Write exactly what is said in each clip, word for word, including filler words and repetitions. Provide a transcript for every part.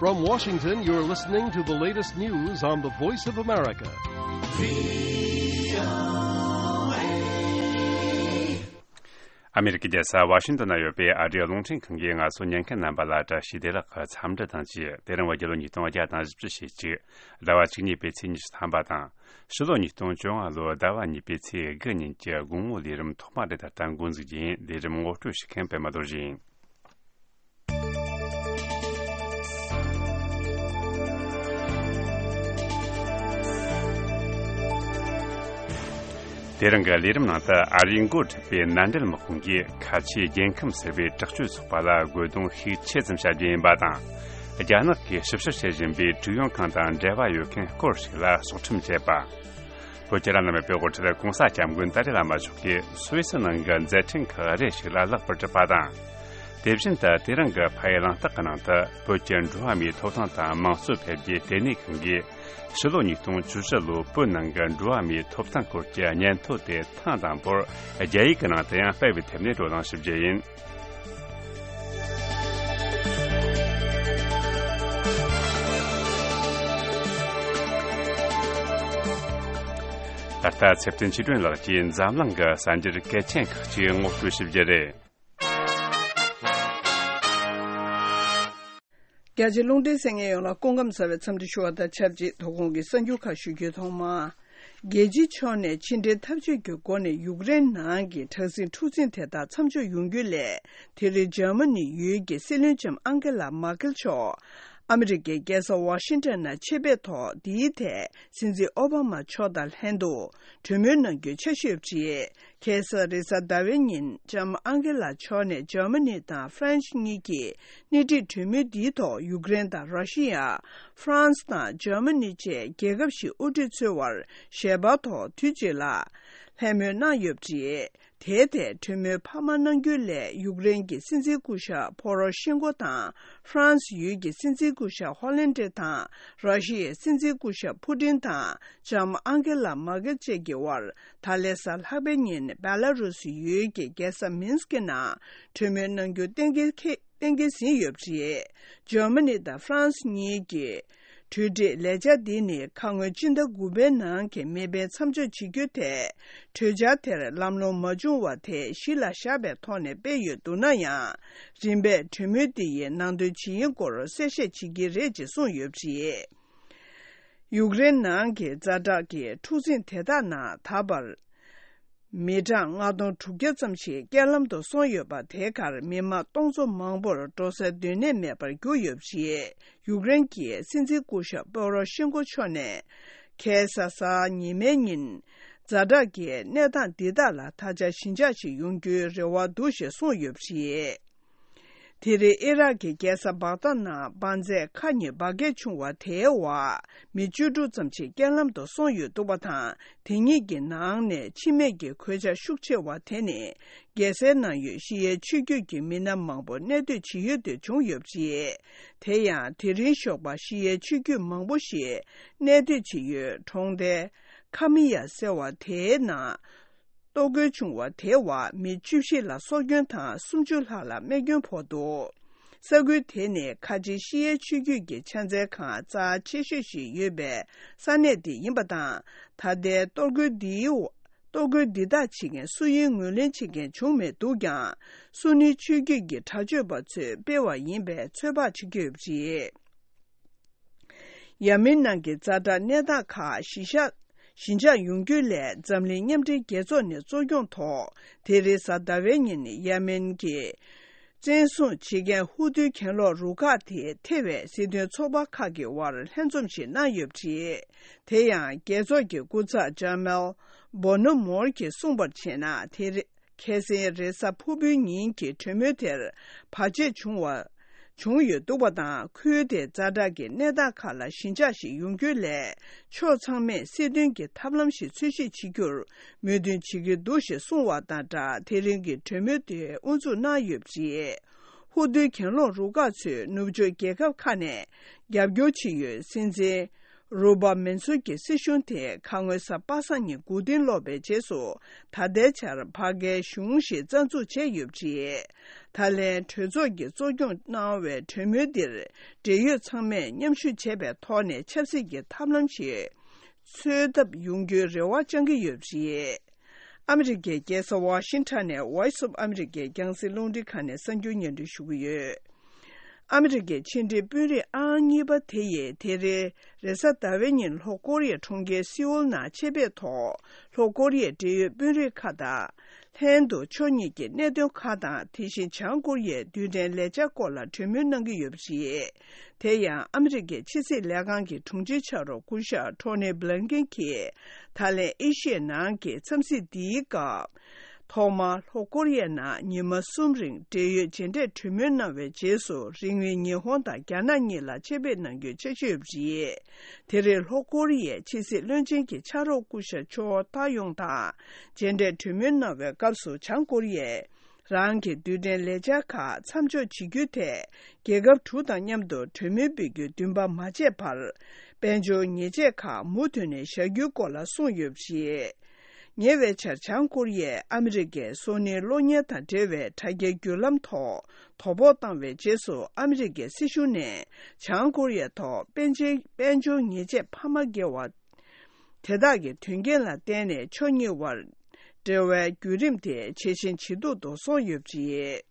From Washington, you're listening to the latest news on the Voice of America. ཨ་མེ་རི་ཀའི་རྒྱལ་ས་ཝ་ཤིང་ཏོན་ན་ཡོད་པའི་ཨ་རིའི་རླུང་འཕྲིན་ཁང་གིས་ང་ཚོ་ཉན་མཁན་རྣམ་པ་ལ་བཀྲ་ཤིས་བདེ་ལེགས་ཀྱི་འཚམས་འདྲི་དང་བཅས། དེ་རིང་བོད་རྒྱལ་ལོ་ཉིས་སྟོང་བརྒྱ་དང་བཞི་བཅུ་ཞེ་གཅིག་ཟླ་བ་བཅུ་གཉིས་པའི་ཚེས་ཉི་ཤུ་ཐམ་པ་དང་། ཕྱི་ལོ་ཉིས་སྟོང་བཅོ་ལྔ་ལོའི་ཟླ་བ་གཉིས་པའི་ཚེས་དགུ་ཉིན་གྱི་དགོང་མོའི་ལས་རིམ་ཐོག་མ་དེ་ད་ལྟ་འགོ་འཛུགས་རྒྱུ་ཡིན། ལས་རིམ་ངོ་སྤྲོད་བྱེད་མཁན་པད་མ་རྡོ་རྗེ་ཡིན། དེ་རིང་གི་ལས་རིམ་ནང་དུ་ཨ་རིའི་འགོ་ཁྲིད་པའི་མནའ་འབྲེལ་དམག་དཔུང་གིས་ཁ་ཆེའི་རྒྱལ་ཁམས་ཟེར་བའི་དྲག་སྤྱོད་ཚོགས་པ་ལ་རྒོལ་རྡུང་ཤུགས་ཆེ་ཙམ་བྱ་རྒྱུ་ཡིན་པ་དང་། རྒྱ་ནག་གིས་ཞིབ་བཤེར་བྱེད་བཞིན་པའི་ཀྲུའུ་ཡོན་ཁང་དང་འབྲེལ་བ་ཡོད་མཁན་སྐོར་ཞིག་ལ་སྲོག་ཁྲིམས་བཅད་པ། བོད་ཀྱི་བླ་ན་མེད་པའི་དབུ་ཁྲིད་༸གོང་ས་༸སྐྱབས་མགོན་ཏཱ་ལའི་བླ་མ་མཆོག་གིས་སུད་སི་ནང་གི་མཛད་འཕྲིན་ཁག་རེ་ཞིག་ལ་ལེགས་པར་གྲུབ་པ་དང་། དེ་བཞིན་དུ་དེ་རིང་གི་ཕ་ཡུལ་གླེང་སྟེགས་ཀྱི་ནང་དུ་བོད་ཀྱི་འགྲོ་བ་མིའི་ཐོབ་ཐང་དང་དམངས་གཙོ་འཕེལ་རྒྱས་ལྟེ་གནས་ཁང་གིས་ཕྱི་ལོ་ཉིས་སྟོང་བཅུ་བཞི་ལོའི་བོད་ནང་གི་འགྲོ་བ་མིའི་ཐོབ་ཐང་སྐོར་གྱི་སྙན་ཐོ་དེ་ཐེངས་དང་པོར་རྒྱ་ཡིག་གི་ནང་དུ་ཡང་སྤེལ་བའི་ཐད་ནས་བགྲོ་གླེང་ཞུ་རྒྱུ་ཡིན། ད་ལྟ་ཚེ་བརྟན་ཆོས་སྒྲོན་ལགས་ཀྱིས་འཛམ་གླིང་གི་གསར་འགྱུར་གལ་ཆེན་ཁག་ཅིག་ངོ་སྤྲོད་ཞུ་རྒྱུ་རེད། རྒྱ་ཆེའི་རླུང་འཕྲིན་གསན་མཁན་ཡོངས་ལ་སྐུ་ཁམས་བཟང་བའི་འཚམས་འདྲི་ཞུ་བ་དང་ཆབས་ཅིག་དོ་དགོང་གི་གསར་འགྱུར་ཁག་ཞུ་རྒྱུའི་ཐོག་མ། རྒྱལ་སྤྱིའི་ཕྱོགས་ནས་ཕྱི་འབྲེལ་འཐབ་ཇུས་ཀྱི་སྒོ་ནས་ཡུཀ་རེན་ནང་གི་དྲག་ཟིང་འཁྲུག་འཛིང་དེ་དག་མཚམས་འཇོག་ཡོང་རྒྱུ་སླད། དེ་རིང་འཇར་མ་ནི་ཡུལ་གྱི་སྲིད་བློན་ལྕམ་ཨང་ཀེ་ལ་མར་ཀེལ་མཆོག་ཨ་མི་རི་ཀའི་རྒྱལ་ས་ཝ་ཤིང་ཏོན་ནང་ཆེད་ཕེབས་ཐོག་འདིའི་ཐད་སྲིད་འཛིན་ཨོ་བྷ་མ་མཆོག་དང་ལྷན་དུ་གྲོས་མོལ་གནང་རྒྱུའི་འཆར་གཞི་ཡོད་པ་རེད། ཁ་སང་རེས་གཟའ་ཟླ་བའི་ཉིན་ལྕམ་ཨང་ཀེ་ལ་མཆོག་ནས་འཇར་མ་ནི་དང་ཧྥ་རན་སི་གཉིས་ཀྱིས་སྣེ་ཁྲིད་གྲོས་མོལ་འདིའི་ཐོག་ཡུཀ་རེན་དང་ར་ཤི་ཡ། ཧྥ་རན་སི་དང་འཇར་མ་ནི་བཅས་རྒྱལ་ཁབ་བཞིའི་དབུ་ཁྲིད་ཚོའི་དབར་ཞལ་པར་ཐོག་དུས་གཅིག་ལ་ལྷད་མོས་གནང་ཡོད་པ་རེད། དེའི་ཐད་གྲོས་མོལ་འཕར་མ་གནང་རྒྱུ་སླད་ཡུཀ་རེན་གྱི་སྲིད་འཛིན་སྐུ་ཞབས་ཕོ་རོ་ཤེན་ཀོ་དང་ཧྥ་རན་སི་ཡུལ་གྱི་སྲིད་འཛིན་སྐུ་ཞབས་ཧོ་ལན་ཏྲེ་དང་ར་ཤི་ཡའི་སྲིད་འཛིན་སྐུ་ཞབས་ཕུ་ཏིན་དང་ལྕམ་ཨང་ཀེ་ལ་མར་ཀེལ་བཅས་ཀྱི་དབར་ད་ལན་གཟའ་ལྷག་པའི་ཉིན་བེ་ལ་རུ་སི་ཡུལ་གྱི་རྒྱལ་ས་མིན་སི་ཀི་ནང་གྲོས་མོལ་གནང་རྒྱུ་གཏན་འཁེལ་ཁེ་གཏན་འཁེལ་ཟིན་ཡོད་པ་རེད། འཇར་མ་ནི་དང་ཧྥ་རན་སི་གཉིས་ཀྱི་གྲོས་འགྲིག་ལས་འཆར་འདི་ནི་ཁ་སྔོན་སྤྱི་ཟླ་དགུ་པའི་ནང་གི་མེ་འཕེན་མཚམས་འཇོག་བྱེད་རྒྱུའི་ཐད་གྲོས་འཆར་དེར་ལམ་ལྷོང་མ་བྱུང་བ་དེ་གཞི་ལ་བཞག་པའི་ཐོག་ནས་སྤེལ་ཡོད་འདུག་ན་ཡང་། རིམ་པས་གྲོས་མོལ་འདི་ཡི་ནང་དོན་ཇི་ཡིན་སྐོར་གསལ་བཤད་བྱེད་ཀྱི་རེད་ཅེས་གསུངས་ཡོད་པ་རེད། ཡུཀ་རེན་ནང་གི་ཛ་དྲག་གི་འཁྲུག་འཛིང་དེ་དག་ནང་ད་བར། མི་གྲངས་ལྔ་སྟོང་དྲུག་བརྒྱ་ཙམ་ཞིག་རྐྱེན་ལམ་དུ་སོང་ཡོད་པ་དེའི་ཁར་མི་མང་སྟོང་ཚོ་མང་པོར་འགྲོ་སའི་སྡོད་གནས་མེད་པར་གྱུར་ཡོད་པ་རེད། ཡུཀ་རེན་གྱི་སྲིད་འཛིན་སྐུ་ཞབས་པོ་རོ་ཤེན་ཀོ་མཆོག་ནས་ཁ་སང་གཟའ་ཉི་མའི་ཉིན་ཛ་དྲག་གི་གནས་སྟངས་འདི་དག་ལ་ད་ཆ་ཞི་འཇགས་ཤིག་ཡོང་རྒྱུའི་རེ་བ་འདུག་ཞེས་གསུངས་ཡོད་པ་རེད། དེ་རིང་ཨི་རག་གི་རྒྱལ་ས་བག་དྷ་ནང་འབར་རྫས་ཁག་གཉིས་འབར་གས་བྱུང་བ་དེའི་འོག་མི་བཅུ་དྲུག་ཙམ་ཞིག་རྐྱེན་ལམ་དུ་སོང་ཡོད་འདུག་པ་དང་། དེ་གཉིས་ཀྱི་ནང་ནས་འཆི་རྨས་ཀྱི་གོད་ཆག་ཤུགས་ཆེ་བ་དེ་ནི་རྒྱལ་སའི་ནང་ཡོད་ཤི་ཡའི་ཆོས་བརྒྱུད་ཀྱི་མི་སྣ་མང་པོ་གནས་སྡོད་བྱེད་ཡུལ་དུ་བྱུང་ཡོད་པ་རེད། དེ་ཡང་དེ་རིང་ཞོགས་པ་ཤི་ཡའི་ཆོས་བརྒྱུད་མང་པོ་ཞིག་གནས་སྡོད་བྱེད་ཡུལ་གྲོང་རྡལ་ཁ་མི་ཡ་ཟེར་བ་དེའི་ནང་གཏོར་རྒོལ་བྱུང་བ་དེའི་འོག་མི་བཅུ་བཞི་ལ་སྲོག་སྐྱོན་དང་སུམ་ཅུ་ལྷག་ལ་རྨས་སྐྱོན་ཕོག་འདུག་ས་ཁུལ་དེ་ནི་ཁ་ཆེའི་ཤི་ཡའི་ཆོས་བརྒྱུད་ཀྱི་ཕྱག་འཚལ་ཁང་རྩ་ཆེ་ཤོས་ཤིག་ཡོད་པའི་ས་གནས་དེ་ཡིན་པ་དང་། ད་ལྟའི་གཏོར་རྒོལ་འདིའི་འོག་གཏོར་རྒོལ་འདི་དག་བྱེད་མཁན་སུ་ཡིན་ངོས་ལེན་བྱེད་མཁན་བྱུང་མེད་འདུག་ཀྱང་། སུ་ནི་ཆོས་བརྒྱུད་ཀྱི་དྲག་སྤྱོད་པ་ཚོས་སྤེལ་བ་ཡིན་པའི་ཚོད་དཔག་བྱེད་ཀྱི་ཡོད་པ་རེད། ཡ་མེན་ནང་གི་ཛ་དྲག་གནས་སྟངས་ཁག་གཞི་བཞག་ཞི་འཇགས་ཡོང་རྒྱུའི་སླད་འཛམ་གླིང་མཉམ་འབྲེལ་རྒྱལ་ཚོགས་ནས་གཙོ་སྐྱོང་ཐོག་དེ་རིང་གཟའ་ཟླ་བའི་ཉིན་ཡ་མེན་གྱི་བཙན་བཟུང་བྱེད་མཁན་ཧུ་ཐུའི་གྱེན་ལོག་རུ་ཁག་དེ་ཐེ་བའི་སྲིད་དོན་ཚོགས་པ་ཁག་གི་དབར་ལྷན་འཛོམས་ཤིག་གནང་ཡོད་པ་རེད། དེ་ཡང་རྒྱལ་ཚོགས་ཀྱི་སྐུ་ཚབ་ཇར་མལ་བོ་ནོ་མོར་གྱིས་གསུངས་པར་བྱས་ན། དེ་རེ། ཁ་སང་རེས་གཟའ་ཕུར་བུའི་ཉིན་གྱི་གྲོས་མོལ་དེར་བར་ཆད་བྱུང་བ། བྱུང་ཡོད་འདུག་པ་དང་། ཁུལ་དེའི་ཛ་དྲག་གི་གནས་སྟངས་ཁག་ལ་ཞི་འཇགས་ཤིག་ཡོང་རྒྱུའི་སླད། ཕྱོགས་ཚང་མས་སྲིད་དོན་གྱི་ཐབས་ལམ་ཞིག་འཚོལ་ཞིབ་བྱེད་རྒྱུར་མོས་མཐུན་བྱེད་ཀྱི་འདུག་ཞེས་གསུངས་བ་དང་སྦྲགས། དེ་རིང་གི་གྲོས་མོལ་དེ་དབུ་འཛུགས་གནང་ཡོད་པ་རེད། ཧུ་ཐུའི་གྱེན་ལོག་རུ་ཁག་ཚོས་ནུབ་ཕྱོགས་རྒྱལ་ཁབ་ཁག་ནས་རྒྱབ་སྐྱོར་བྱེད་ཡུལ་སྲིད་འཛིན། རུ་པ་མེན་སུར་གྱི་སྲིད་གཞུང་དེ་ཁ་སྔོན་གཟའ་པ་སངས་ཉིན་མགོ་རྟིང་སློག་པའི་རྗེས་སུ། ད་ལྟའི་ཆར་ཕ་གིའི་གཞུང་ཞིག་རྩ་འཛུགས་བྱས་ཡོད་པ་རེད། ད་ལན་གྲོས་ཚོགས་ཀྱིས་གཙོ་སྐྱོང་གནང་བའི་གྲོས་མོལ་འདིར། འབྲེལ་ཡོད་ཚང་མས་མཉམ་ཞུགས་བྱས་པའི་ཐོག་ནས་ཆབ་སྲིད་ཀྱི་ཐབས་ལམ་ཞིག་འཚོལ་ཐབས་ཡོང་རྒྱུའི་རེ་བ་བཅང་གི་ཡོད་པ་རེད། ཨ་མི་རི་ཀའི་རྒྱལ་ས་ཝ་ཤིང་ཊོན་ནས་Voice of America རྒྱང་སྲིང་རླུང་འཕྲིན་ཁང་ནས་གསར་འགྱུར་སྙན་སྒྲོན་ཞུ་གི་ཡོད། ཨ་མི་རི་ཀའི་ཕྱི་འབྲེལ་དཔོན་རིགས་ཨང་གཉིས་པ་དེ་ཡིས་དེ་རིང་རེས་གཟའ་ཟླ་བའི་ཉིན་ལྷོ་ཀོ་རི་ཡའི་གྲོང་ཁྱེར་སེའུལ་ནང་ཆེད་ཕེབས་ཐོག་ལྷོ་ཀོ་རི་ཡའི་འབྲེལ་ཡོད་དཔོན་རིགས་ཁག་དང་། ལྷན་དུ་ཕྱོགས་གཉིས་ཀྱི་གནད་དོན་ཁག་དང་། དེ་བཞིན་བྱང་ཀོ་རི་ཡའི་རྡུལ་ཕྲན་ལས་འཆར་སྐོར་ལ་གྲོས་མོལ་གནང་གི་ཡོད་པ་རེད། དེ་ཡང་ཨ་མི་རི་ཀའི་ཕྱི་སྲིད་ལས་ཁང་གི་དྲུང་ཆེ་ཕྱག་རོགས་སྐུ་ཞབས་ཊོ་ནི་བྷི་ལིན་ཀེན་གྱིས། ད་ལན་ཨེ་ཤི་ཡའི་ནང་གི་འཚམས་གཟིགས་འདིའི་སྐབས། ཐོག་མར་ལྷོ་ཀོ་རི་ཡའི་ནང་ཉི་མ་གསུམ་རིང་འབྲེལ་ཡོད་མཇལ་འཕྲད་གྲོས་མོལ་གནང་བའི་རྗེས་སུ། རིང་མིན་ཉི་ཧོང་དང་རྒྱ་ནག་གཉིས་ལ་ཆེད་ཕེབས་གནང་རྒྱུའི་འཆར་གཞི་ཡོད་པ་རེད། དེ་རིང་ལྷོ་ཀོ་རི་ཡའི་ཕྱི་སྲིད་བློན་ཆེན་གྱི་ཕྱག་རོགས་སྐུ་ཞབས་ཆོ་ཐ་ཡོང་དང་མཇལ་འཕྲད་གྲོས་མོལ་གནང་བའི་སྐབས་སུ། བྱང་ཀོ་རི་ཡས་རང་གི་རྡུལ་ཕྲན་ལས་འཆར་ཁག་མཚམས་འཇོག་བྱེད་རྒྱུའི་ཐད། རྒྱལ་ཁབ་དྲུག་དང་མཉམ་དུ་གྲོས་མོལ་སྤེལ་རྒྱུའི་འདུན་པ་མ་བརྗེད་པར། དཔལ་འབྱོར་ཉེས་ཆད་ཁག་མུ་མཐུད་ནས་བཞག་རྒྱུའི་སྐོར་ལ་གསུངས་ཡོད་པ་རེད། ཉེ་བའི་ཆར་བྱང་ཀོ་རི་ཡས་ཨ་མི་རི་ཀའི་སོ་ནིའི་གློག་བརྙན་དང་འབྲེལ་བའི་དྲ་རྒྱའི་བརྒྱུད་ལམ་ཐོག་དོ་ཕོག་བཏང་བའི་རྗེས་སུ། ཨ་མི་རི་ཀའི་སྲིད་གཞུང་ནས་བྱང་ཀོ་རི་ཡ་ཐོག་དཔལ་འབྱོར་དཔལ་འབྱོར་ཉེས་ཆད་འཕར་མ་བརྒལ་བ་དེ་དག་གི་དོན་རྐྱེན་ལ་བརྟེན་ནས། ཕྱོགས་གཉིས་དབར་འབྲེལ་བའི་བརྒྱུད་རིམ་དེ་ཇེ་ཞན་ཇེ་སྡུག་ཏུ་སོང་ཡོད་པ་རེད།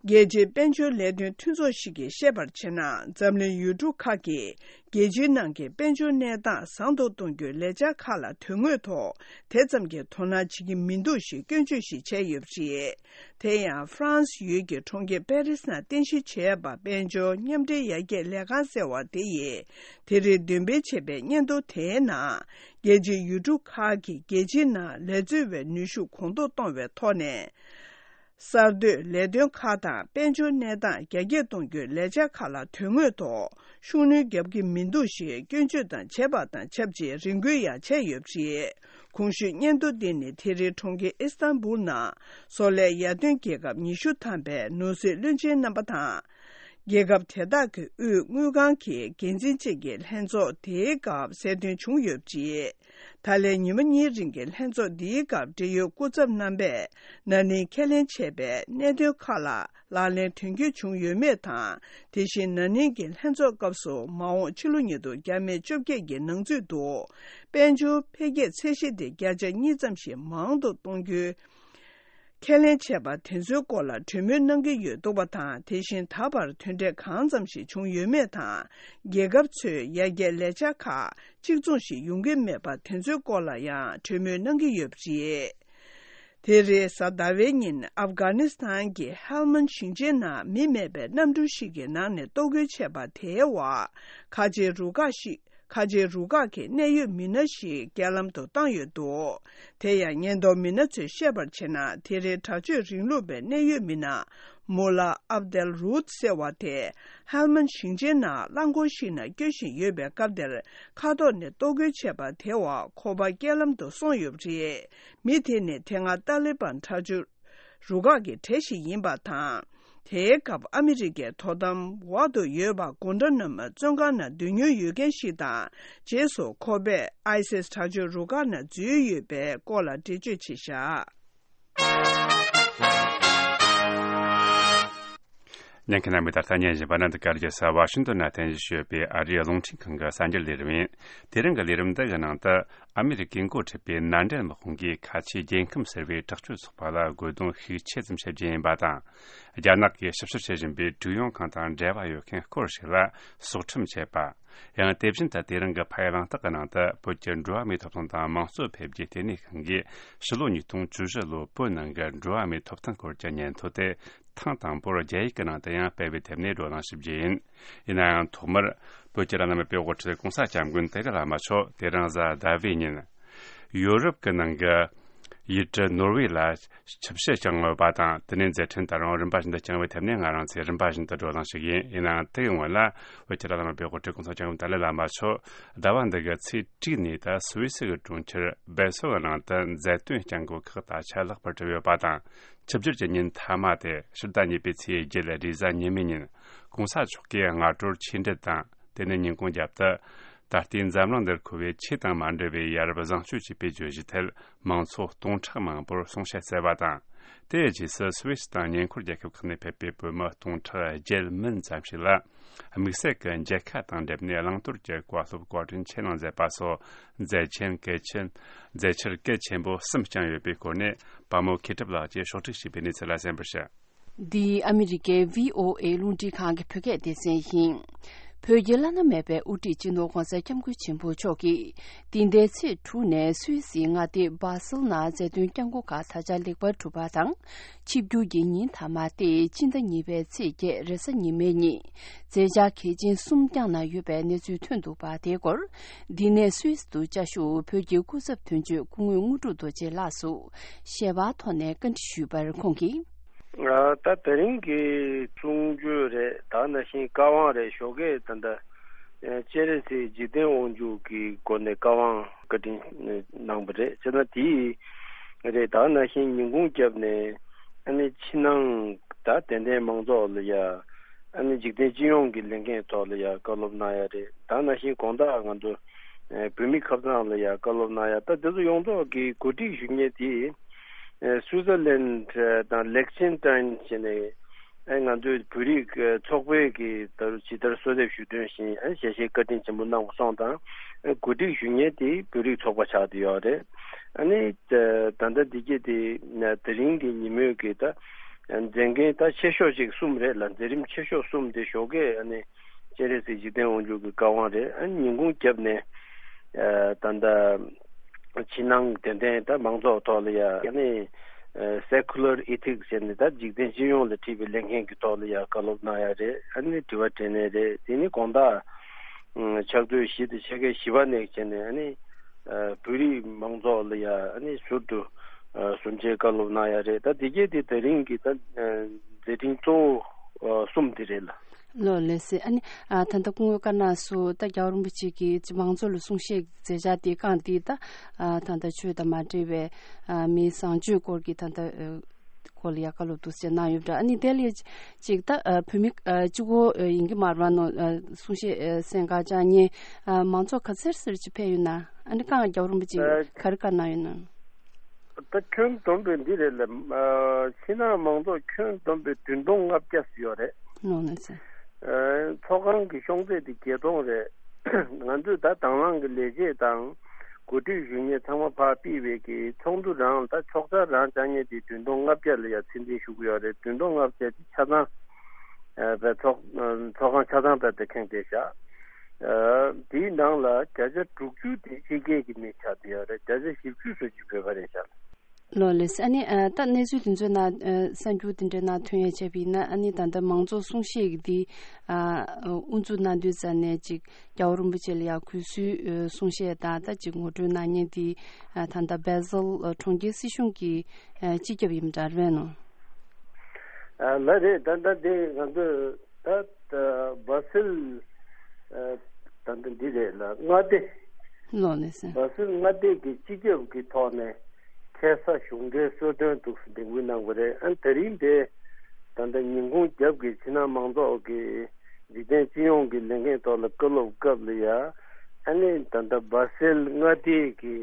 རྒྱལ་སྤྱིའི་དཔལ་འབྱོར་ལས་དོན་མཐུན་ཚོགས་ཤིག་གིས་བཤད་པར་བྱས་ན། འཛམ་གླིང་ཡུལ་གྲུ་ཁག་གིས་རྒྱལ་སྤྱིའི་ནང་གི་དཔལ་འབྱོར་གནས་སྟངས་བཟང་དུ་གཏོང་རྒྱུའི་ལས་འཆར་ཁག་ལ་དོན་དངོས་ཐོག་དེ་ཙམ་གྱི་དོ་སྣང་བྱེད་ཀྱི་མི་འདུག་ཞེས་སྐྱོན་བརྗོད་ཞིག་བྱས་ཡོད་པ་རེད། དེ་ཡང་ཧྥ་རན་སི་ཡུལ་གྱི་གྲོང་ཁྱེར་པེ་རི་སི་ནང་རྟེན་གཞི་བྱས་པ་དཔལ་འབྱོར་མཉམ་འབྲེལ་ཡར་རྒྱས་ལས་ཁང་ཟེར་བ་དེ་ཡིས་དེ་རིང་འདོན་སྤེལ་བྱས་པའི་སྙན་ཐོ་དེའི་ནང་། རྒྱལ་སྤྱིའི་ཡུལ་གྲུ་ཁག་གིས་རྒྱལ་སྤྱིའི་ནང་ལས་འཛུལ་བའི་ནུས་ཤུགས་གོང་མཐོར་གཏོང་བའི་ཐོག་ནས། གསར་གཏོད་ལས་དོན་ཁག་དང་དཔལ་འབྱོར་གནས་སྟངས་རྒྱ་སྐྱེད་གཏོང་རྒྱུའི་ལས་འཆར་ཁག་ལ་དོན་དངོས་ཐོག་ཤུགས་སྣོན་བརྒྱབ་ཀྱི་མི་འདུག་ཞེས་སྐྱོན་བརྗོད་དང་བྱས་པ་དང་ཆབས་ཅིག་རེ་སྐུལ་ཡང་བྱས་ཡོད་པ་རེད། གོང་ཞུས་སྙན་ཐོ་འདི་ནི་དེ་རིང་གྲོང་ཁྱེར་ཨི་སི་ཐན་བུལ་ནང་། བཟོ་ལས་ཡར་ཐོན་རྒྱལ་ཁབ་ཉི་ཤུ་ཐམ་པའི་ནོར་སྲིད་བློན་ཆེན་རྣམ་པ་དང་། རྒྱལ་ཁབ་དེ་དག་གི་དབུས་དངུལ་ཁང་གི་འགན་འཛིན་བཅས་ཀྱི་ལྷན་ཚོགས་དེའི་སྐབས་གསལ་སྟོན་བྱུང་ཡོད་པ་རེད། ད་ལན་ཉི་མ་གཉིས་རིང་གི་ལྷན་ཚོགས་འདིའི་སྐབས་འབྲེལ་ཡོད་སྐུ་ཚབ་རྣམ་པས་ན་ནིང་ཁས་ལེན་བྱས་པའི་གནད་དོན་ཁག་ལ་ལག་ལེན་དོན་འཁྱོལ་བྱུང་ཡོད་མེད་དང་། དེ་བཞིན་ན་ནིང་གི་ལྷན་ཚོགས་སྐབས་སུ་མ་འོངས་ཕྱི་ལོ་ཉིས་སྟོང་བརྒྱ་མེད་བཅོ་བརྒྱད་ཀྱི་ནང་ཚུད་དུ་དཔལ་འབྱོར་འཕེལ་རྒྱས་ཚད་གཞི་དེ་བརྒྱ་ཆ་གཉིས་ཙམ་ཞིག་མང་དུ་གཏོང་རྒྱུའི་ཁས་ལེན་བྱས་པ་དེ་ཚོའི་སྐོར་ལ་གྲོས་མོལ་གནང་གི་ཡོད་འདུག་པ་དང་། དེ་བཞིན་ད་བར་དོན་འབྲས་གང་ཙམ་ཞིག་བྱུང་ཡོད་མེད་དང་། རྒྱལ་ཁབ་ཚོས་ཡར་རྒྱས་ལས་འཆར་ཁག་གཅིག་མཚུངས་ཤིག་ཡོང་གི་མེད་པ་དེ་ཚོའི་སྐོར་ལ་ཡང་གྲོས་མོལ་གནང་གི་ཡོད་པ་རེད། དེ་རེས་གཟའ་ཟླ་བའི་ཉིན་ཨབ་གྷ་ནི་སི་ཐན་གྱི་ཧེལ་མན་ཞིང་ཆེན་ནང་མི་མེད་པའི་གནམ་གྲུ་ཞིག་གི་ནང་ནས་གཏོར་རྒོལ་བྱས་པ་དེའི་འོག་ཁ་ཆེའི་རུ་ཁག་ཞིག་ཁ་ཆེའི་རུ་ཁག་གི་གནད་ཡོད་མི་སྣ་ཞིག་རྐྱེན་ལམ་དུ་བཏང་ཡོད་འདུག་དེ་ཡང་ཉེན་རྟོག་མི་སྣ་ཚོས་བཤད་པར་བྱས་ན། དེ་རིང་དྲག་སྤྱོད་རིང་ལུགས་པའི་གནད་ཡོད་མི་སྣ་མུ་ལ་ཨབ་དེལ་རུད་ཟེར་བ་དེ་ཧལ་མན་ཞིང་ཆེན་ནང་རླངས་འཁོར་ཞིག་ནང་སྐྱོད་བཞིན་ཡོད་པའི་སྐབས་དེར་ཁ་ཐོག་ནས་གཏོར་རྒོལ་བྱས་པ་དེའི་འོག་ཁོ་པ་རྐྱེན་ལམ་དུ་སོང་ཡོད་པ་རེད། མི་དེ་ནི་དེ་སྔ་ཏཱ་ལི་བན་དྲག་སྤྱོད་རུ་ཁག་གི་གྲས་ཤིག་ཡིན་པ་དང་། དེའི་སྐབས་ཨ་མི་རི་ཀའི་དོ་དམ་འོག་ཏུ་ཡོད་པ་གོན་ཏྲ་ན་མ་བཙོན་ཁང་ནང་སྡོད་མྱོང་ཡོད་མཁན་ཞིག་དང་། རྗེས་སུ་ཁོ་པས་ཨའི་སིས་དྲག་སྤྱོད་རུ་ཁག་ནང་འཛུལ་ཡོད་པའི་སྐོར་ལ་འགྲེལ་བརྗོད་བྱས་བཞག་ཉན་མཁན་རྣམ་པས་ད་ལྟ་ཉན་བཞིན་པ་ནི་འདི་ག་རྒྱལ་ས་ཝ་ཤིང་ཏོན་ནང་རྟེན་གཞི་བྱས་ཡོད་པའི་ཨ་རིའི་རླུང་འཕྲིན་ཁང་གི་གསར་འགྱུར་ལས་རིམ་ཡིན། དེ་རིང་གི་ལས་རིམ་འདི་གི་ནང་དུ། ཨ་མི་རི་ཀས་འགོ་ཁྲིད་པའི་མནའ་འབྲེལ་དམག་དཔུང་གིས་ཁ་ཆེའི་རྒྱལ་ཁམས་ཟེར་བའི་དྲག་སྤྱོད་ཚོགས་པ་ལ་རྒོལ་རྡུང་ཤུགས་ཆེ་ཙམ་བྱེད་ཀྱི་ཡིན་པ་དང་། རྒྱ་ནག་གིས་ཞིབ་བཤེར་བྱེད་བཞིན་པའི་ཀྲུའུ་ཡོང་ཁང་དང་འབྲེལ་བ་ཡོད་མཁན་སྐོར་ཞིག་ལ་སྲོག་ཁྲིམས་བཅད་པ། ཡང་དེ་བཞིན་དུ་དེ་རིང་གི་ཕ་ཡུལ་གླེང་སྟེགས་ཀྱི་ནང་དུ་བོད་ཀྱི་འགྲོ་བ་མིའི་ཐོབ་ཐང་དང་དམངས་གཙོ་འཕེལ་རྒྱས་ལྟེ་གནས་ཁང་གིས་ཕྱི་ལོ་ཉིས་སྟོང་བཅུ་བཞི་ལོའི་བོད་ནང་གི་འགྲོ་བ་མིའི་ཐོབ་ཐང་སྐོར་གྱི་སྙན་ཐོ་དེ། ཐེངས་དང་པོར་རྒྱ་ཡིག་གི་ནང་དུ་ཡང་སྤེལ་བའི་ཐད་ནས་བགྲོ་གླེང་ཞིབ་རྒྱས་ཡིན། ཡིན་ན་ཡང་ཐོག་མར་བོད་ཀྱི་རང་དབང་མི་སྤེལ་དབུ་ཁྲིད་༸གོང་ས་༸སྐྱབས་མགོན་ཏཱ་ལའི་བླ་མ་མཆོག་དེ་རིང་གཟའ་ཟླ་བའི་ཉིན། ཡོ་རོབ་ཀྱི་ནང་གི་ཡུལ་གྲུ་ནོར་ཝེ་ལ་ཆིབས་ཞལ་བསྐྱངས་ཡོད་པ་དང་། དེ་ནས་མཛད་འཕྲིན་ད་རུང་རིམ་པ་བཞིན་དུ་བསྐྱངས་པའི་ཐད་ནས་ང་རང་ཚོས་རིམ་པ་བཞིན་དུ་བགྲོ་གླེང་ཞིག་ཡིན། ཡིན་ནའང་དེ་ཡི་སྔོན་ལ་བོད་ཀྱི་རང་དབང་མི་སྤེལ་དབུ་ཁྲིད་༸གོང་ས་༸སྐྱབས་མགོན་ཏཱ་ལའི་བླ་མ་མཆོག་ཟླ་བ་འདི་གི་ཚེས་དྲུག་ཉིན་དུ་སུད་སི་གི་གྲོང་ཁྱེར་བེ་སོ་གི་ནང་དུ་མཛད་སྟོན་བསྐྱངས་དགོས་ཁག་ད་ཆ་ལྷག་པར་གྲུབ་ཡོད་པ་དང་། ཆིབས་བསྒྱུར་གྱི་ཉིན་མཐའ་མ་དེ་ཕྱི་ཟླ་གཉིས་པའི་ཚེས་བརྒྱད་རེས་གཟའ་ཉི་མའི་ཉིན་༸གོང་ས་མཆོག་གིས་སྔ་དྲོར་ཆོས་འབྲེལ་དང་ དེ་ནས་ཉིན་གུང་རྒྱབ་ཏུ། ད་ལྟའི་འཛམ་གླིང་འདིར་མཁོ་བའི་ཆོས་དང་མ་འབྲེལ་བའི་ཡ་རབས་བཟང་སྤྱོད་ཅེས་པའི་བརྗོད་གཞི་ཐད་མང་ཚོགས་སྟོང་ཕྲག་མང་པོར་གསུང་བཤད་སྩལ་བ་དང་། དེའི་རྗེས་སུ་སུད་སི་དང་ཉེ་འཁོར་རྒྱལ་ཁབ་ཁག་ནས་ཕེབས་པའི་བོད་མི་སྟོང་ཕྲག་བརྒྱད་མིན་ཙམ་ཞིག་ལ། དམིགས་བསལ་གྱི་མཇལ་ཁ་དང་འབྲེལ་ནས་བླང་དོར་གྱི་བཀའ་སློབ་བཀའ་དྲིན་ཆེ་གནང་མཛད་པ་སོགས་མཛད་ཆེན་གལ་ཆེན་མཛད་འཆར་གལ་ཆེན་པོ་གསུམ་བསྐྱངས་ཡོད་པའི་སྐོར་ནས་པ་མོ་མཁས་གྲུབ་ལགས་ཀྱིས་ཕྱོགས་སྒྲིག་བྱས་པའི་གནས་ཚུལ་ལ་གསན་པར་ཞུ། འདི་ཨ་མི་རི་ཀའི་བྷི་ཨོ་ཨེ་རླུང་འཕྲིན་ཁང་གི་བོད་སྐད་སྡེ་ཚན་ཡིན། བོད་ཀྱི་བླ་ན་མེད་པའི་དབུ་ཁྲིད་སྤྱི་ནོར་༧གོང་ས་༧སྐྱབས་མགོན་ཆེན་པོ་མཆོག་གིས་འདི་ཟླའི་ཚེས་དྲུག་ནས་སུད་སིའི་མངའ་སྡེ་སྦ་སིལ་ནང་མཛད་དོན་བསྐྱངས་སྒོ་ཁག་ད་ཆ་ལེགས་པར་གྲུབ་པ་དང་། ཆིབས་བསྒྱུར་གྱི་ཉིན་མཐའ་མ་སྟེ་སྤྱི་ཟླ་གཉིས་པའི་ཚེས་བརྒྱད་རེས་གཟའ་ཉི་མའི་ཉིན་མཛད་འཆར་གལ་ཆེན་གསུམ་བསྐྱངས་གནང་ཡོད་པའི་གནས་ཚུལ་ཐོན་འདུག་པ། དེའི་སྐོར་འདི་ནས་སུད་སི་དུ་བཅའ་བཞུགས་བོད་ཀྱི་སྐུ་ཚབ་དོན་གཅོད་སྐུ་ངོ་དངོས་གྲུབ་རྡོ་རྗེ་ལགས་སུ་ཞལ་པར་ཐོག་ནས་བཀའ་འདྲི་ཞུས་པར་ཁོང་གིས། ད་དེ་རིང་གི་གསུང་ཆོས་རེད། ད་ནང་བཞིན་བཀའ་དབང་རེད། ཞོགས་ཀས་ད་ལྟ་སྤྱན་རས་གཟིགས་འཇིག་རྟེན་དབང་ཕྱུག་གི་སྒོ་ནས་བཀའ་དབང་བཀའ་དྲིན་གནང་བ་རེད། བྱས་ན་དེ་རེད། ད་ནང་བཞིན་ཉིན་གུང་རྒྱབ་ནས་ཨ་ནི་ཕྱི་ནང་ད་དད་ལྡན་མང་ཚོགས་ལ་ཡ་ཨ་ནི་འཇིག་རྟེན་སྤྱི་ཡོངས་ཀྱི་ལས་འགན་ཐོག་ལ་ཡ་བཀའ་སློབ་གནང་ཡ་རེད། ད་ནང་བཞིན་དགོང་དག་ང་ཚོ་བོད་མི་ཁ་སང་ལ་ཡ་བཀའ་སློབ་གནང་ཡ། ད་དེ་ཚོ་ཡོངས་རྫོགས་ཀྱི་གོ་སྒྲིག་ཞུ་མཁན་དེ། ཨེ་སུའི་ཙར་ལན་དང་ལེག་ཆེན་ཏན་བྱས་ནས། ཨེ་ང་ཚོའི་བོད་རིགས་ཨེ་ཚོགས་པའི་གི་ད་ཇི་ལྟར་གསོལ་འདེབས་ཞུ་དོན་བཞིན། ཨེ་ཞལ་བཞེས་བཀའ་དྲིན་ཆེན་པོ་གནང་བ་སོང་དང་། ཨེ་གོ་སྒྲིག་ཞུ་མཁན་དེ་བོད་རིགས་ཚོགས་པ་ཆགས་བསྡད་ཡོད་རེད། ཨ་ནི་ད་ད་ལྟ་འདི་གྱད་དེ་དེ་རིང་གི་ཉིན་མོའི་གི་ད་མཛད་འགན་ད་ཆེ་ཤོས་ཅིག་གསུམ་རེད་ལ། མཛད་རིམ་ཆེ་ཤོས་གསུམ་དེ་ཞོགས་ཀས་ཨ་ནི་སྤྱན་རས་གཟིགས་འཇིག་རྟེན་དབང་ཕྱུག་གི་བཀའ་དབང་རེད། ཨ་ནི་ཉིན་གུང་རྒྱབ་ནས་ཨེ་ད་ལྟ། ཕྱི་ནང་དད་ལྡན་ད་མང་ཚོགས་ཐོག་ལ་ཡ་ཨ་ནི་secular ethics་ཟེར་ནས་ད་འཇིག་རྟེན་སྤྱི་ཡོངས་ལ་འཁྲི་བའི་ལས་འགན་གྱི་ཐོག་ལ་ཡ་བཀའ་སློབ་གནང་ཡ་རེད། ཨ་ནི་དྲི་བ་དྲིས་ལན་རེད། དེ་ནི་དགོང་དག་ཕྱག་ཚོད་བཞི་དང་ཕྱེད་ཀའི་བཞི་པ་ནས་བྱས་ནས་ཨ་ནི་བོད་རིགས་མང་ཚོགས་ལ་ཡ་ཨ་ནི་ཟུར་དུ་གསུང་ཆོས་བཀའ་སློབ་གནང་ཡ་རེད། ད་དེ་གྱད་དེ་དེ་རིང་གི་ད་མཛད་འཕྲིན་གཙོ་བོ་གསུམ་དེ་རེད་ལ། ལགས་ལགས་སེ། ཨ་ནི་ཨ་ད་ལྟ་སྐུ་ངོ་བཀའ་གནང་སོང་། ད་རྒྱལ་བ་རིན་པོ་ཆེ་གིས་ཅིག་མང་ཚོགས་ལ་གསུང་བཤད་མཛད་འཆར་དེ་བསྐངས་ཏེ། ད་ཨ་ད་ལྟ་ཆོས་དང་མ་འབྲེལ་བའི་ཨ་མིའི་བཟང་སྤྱོད་སྐོར་གྱི་ད་ལྟ་ཨ་སྐོར་ལ་ཡ་བཀའ་སློབ་འདུག་སེ་གནང་ཡོད་པ་འདྲ། ཨ་ནི་དེ་ལས་ཅིག་ད་ཨ་བོད་མི་ཨ་གཅིག་པོ་ཨ་ཡིན་གྱི་མ་རེད་པ། ནོ་ཨ་གསུང་བཤད་ཨ་གསན་གར་བཅར་མཁན་ཨ་མང་ཚོགས་ག་ཚོད་ཙམ་ཅིག་ཕེབས་ཡོད་ན། ཨ་ནི་བསྐངས་རྒྱལ་བ་རིན་པོ་ཆེ་ཨ་ག་རེ་བཀའ་གནང་ཡོད་ན། ད་ཁྱོན་བསྡོམས་པའི་འདི་རེད་ལ། ཨ་ཕྱི་ནང་མང་ཚོགས་ཁྱོན་བསྡོམས་པའི་བདུན་སྟོང་ལྔ་བརྒྱ་ཙམ་ཡོད་རེད། ནོ་ནོ་ཟེར། ཨ་ཚོགས་ཁང་གི་གཤོང་རྩེ་དེ་བརྒྱད་སྟོང་རེད། ང་ཚོས་ད་དང་བླངས་ཀྱི་ལས་བྱེད་དང་གོ་སྒྲིག་ཞུ་མཁན་ཚང་མ་ཕར་ཕུད་པའི་གི་ཚོགས་འདུ་རང་ད་ཕྱོགས་ཆ་རང་བཅར་མཁན་དེ་བདུན་སྟོང་ལྔ་བརྒྱ་ལ་ཡ་ཕྱིར་འཐེན་ཞུ་གི་ཡོད་རེད། བདུན་སྟོང་ལྔ་བརྒྱ་དེ་ཆ་ཚང་ཨ་པའི་ཚོགས་ཚོགས་ཁང་ཆ་ཚང་པའི་དེ་ཁེངས་བསྡད་བཞག་ཨ་དེའི་ནང་ལ་བརྒྱ་ཆ་དྲུག་ཅུ་དེ་ཕྱི་རྒྱལ་གྱི་མི་ཆགས་བསྡད་ཡོད་རེད། བརྒྱ་ཆ་བཞི་བཅུ་ཙམ་ཅིག་བོད་པ་རེད་ཤག་ལགས་ལགས་སེ། ཨ་ནི་ཨ་ད་གནས་ཚུལ་དེ་ཚོའི་ནང་ཨ་གསར་འགྱུར་དེ་འདྲའི་ནང་ཐོན་ཡ་བྱས་པ་ཡིན་ན། ཨ་ནི་ད་ལྟ་མང་གཙོ་གསུང་བཤད་ཀྱི་འདི་ཨ་དབུ་འཛུགས་གནང་དུས་ཙམ་ནས་ཅིག་རྒྱལ་བ་རིན་པོ་ཆེ་ལ་ཡ་གུས་བསུའི་ཨ་གསུང་བཤད་དང་། ད་ཅིག་ངོ་སྤྲོད་གནང་མཁན་དེ་ཨ་ད་ལྟ་སྦ་སིལ་ཨ་གྲོང་ཁྱེར་སྲིད་གཞུང་གི་ཨ་སྤྱི་ཁྱབ་ཡིན་པ་འདྲ་རེད་ནོ། ཨ་ལགས་རེད། ད་ལྟ་དེ་ང་ཚོས་ད་ད་སྦ་སིལ་ཨ་ད་ལྟ་འདི་རེད་ལ། མངའ་སྡེ། ལགས་ལགས་སེ། སྦ་སིལ་མངའ་སྡེ་གི་སྤྱི་ཁྱབ་ཀྱི་ཐོག་ནས་ཁ་སང་གཞུང་འབྲེལ་གསོལ་སྟོན་འདུག་སེ་འདེམས་ངོ་གནང་བ་རེད། ཨ་དེ་རིང་དེ་ད་ལྟ་ཉིན་གུང་རྒྱབ་ཀྱི་ཕྱི་ནང་མང་ཚོགས་ཀྱི་འཇིག་རྟེན་སྤྱི་ཡོངས་ཀྱི་ལས་འགན་ཐོག་ལ་བཀའ་སློབ་སྐབས་ལ་ཡ། ཨ་ནི་ད་ལྟ་སྦ་སིལ་མངའ་སྡེ་གི་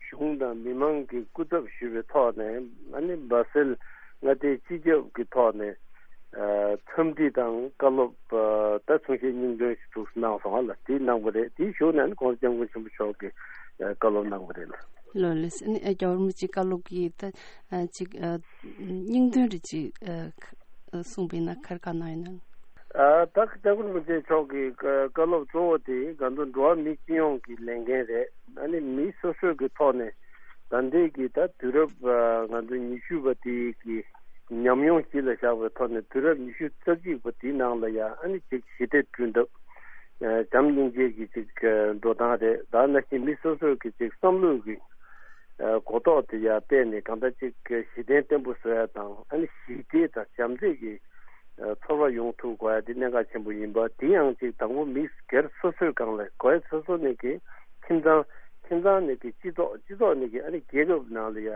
གཞུང་དང་མི་མང་གི་སྐུ་ཚབ་ཞུས་པའི་ཐོག་ནས། ཨ་ནི་སྦ་སིལ་མངའ་སྡེའི་སྤྱི་ཁྱབ་ཀྱི་ཐོག་ནས་ཨ་འཚམས་འདྲི་དང་བཀའ་སློབ་ཨ་ད་གསུང་བཤད་སྙིང་དོན་ཞིག་འདུག་སེ་གནང་སོང་ཨ་ལགས། དེ་གནང་བ་རེད། དེའི་གཞུག་ནས་ཨ་ནི་༧གོང་ས་༧སྐྱབས་མགོན་ཆེན་པོ་མཆོག་གིས་ཨ་བཀའ་སློབ་གནང་བ་རེད་ལགས། ལགས་ལགས་སེ། ཨ་ནི་ཨ་རྒྱལ་བ་རིན་པོ་ཆེའི་བཀའ་སློབ་ཀྱི་ད་ཨ་ཅིག་ཨ་སྙིང་དོན་རེ་ཅིག་ཨ་གསུངས་པ་ཡིན་ན་ག་རེ་བཀའ་གནང་ཡོད་ན། ཨ་ད་༧གོང་ས་༧སྐྱབས་མགོན་ཆེན་པོ་མཆོག་གི་བཀའ་སློབ་གཙོ་བོ་དེ་ང་ཚོ་འགྲོ་བ་མི་སྤྱི་ཡོངས་ཀྱི་ལས་འགན་རེད། ཨ་ནི་མི་སོ་སོའི་གི་ཐོག་ནས་ད་ལྟའི་གི་ད་དུས་རབས་ཨ་ང་ཚོ་ཉི་ཤུ་པ་དེའི་གི་ཉམས་མྱོང་གཞི་ལ་བཞག་པའི་ཐོག་ནས། དུས་རབས་ཉི་ཤུ་རྩ་གཅིག་པ་དེའི་ནང་ལ་ཡ་ཨ་ནི་ཅིག་ཞི་བདེ་བསྐྲུན་ཐབས། ཨ་བྱམས་སྙིང་རྗེ་གི་ཅིག་ཨ་འགྲོ་སྟངས་རེད། ད་ནང་བཞིན་མི་སོ་སོའི་གི་ཅིག་བསམ་བློའི་གི་ཨ་གོ་རྟོགས་དེ་ཡར་སྤེལ་ནས་གང་ལྟར་ཅིག་གཞི་རྟེན་བརྟན་པོ་བཟོ་ཡ་དང་། ཨ་ནི་ཞི་བདེ་དང་བྱམས་བརྩེ་གི་ཨ་ཚོར་བ་ཡོང་ཐུབ་དགོས་ཡ་དེ་གནད་འགག་ཆེན་པོ་ཡིན་པ། དེ་ཡང་ཅིག་དང་པོ་མི་སྒེར་སོ་སོའི་སྒང་ལ་དགོས་ཡ། སོ་སོ་ནས་གི་ཁྱིམ་ཚང་། ཁྱིམ་ཚང་ནས་གི་སྤྱི་ཚོགས། སྤྱི་ཚོགས་ནས་གི་ཨ་ནི་རྒྱལ་ཁབ་ནང་ལ་ཡ་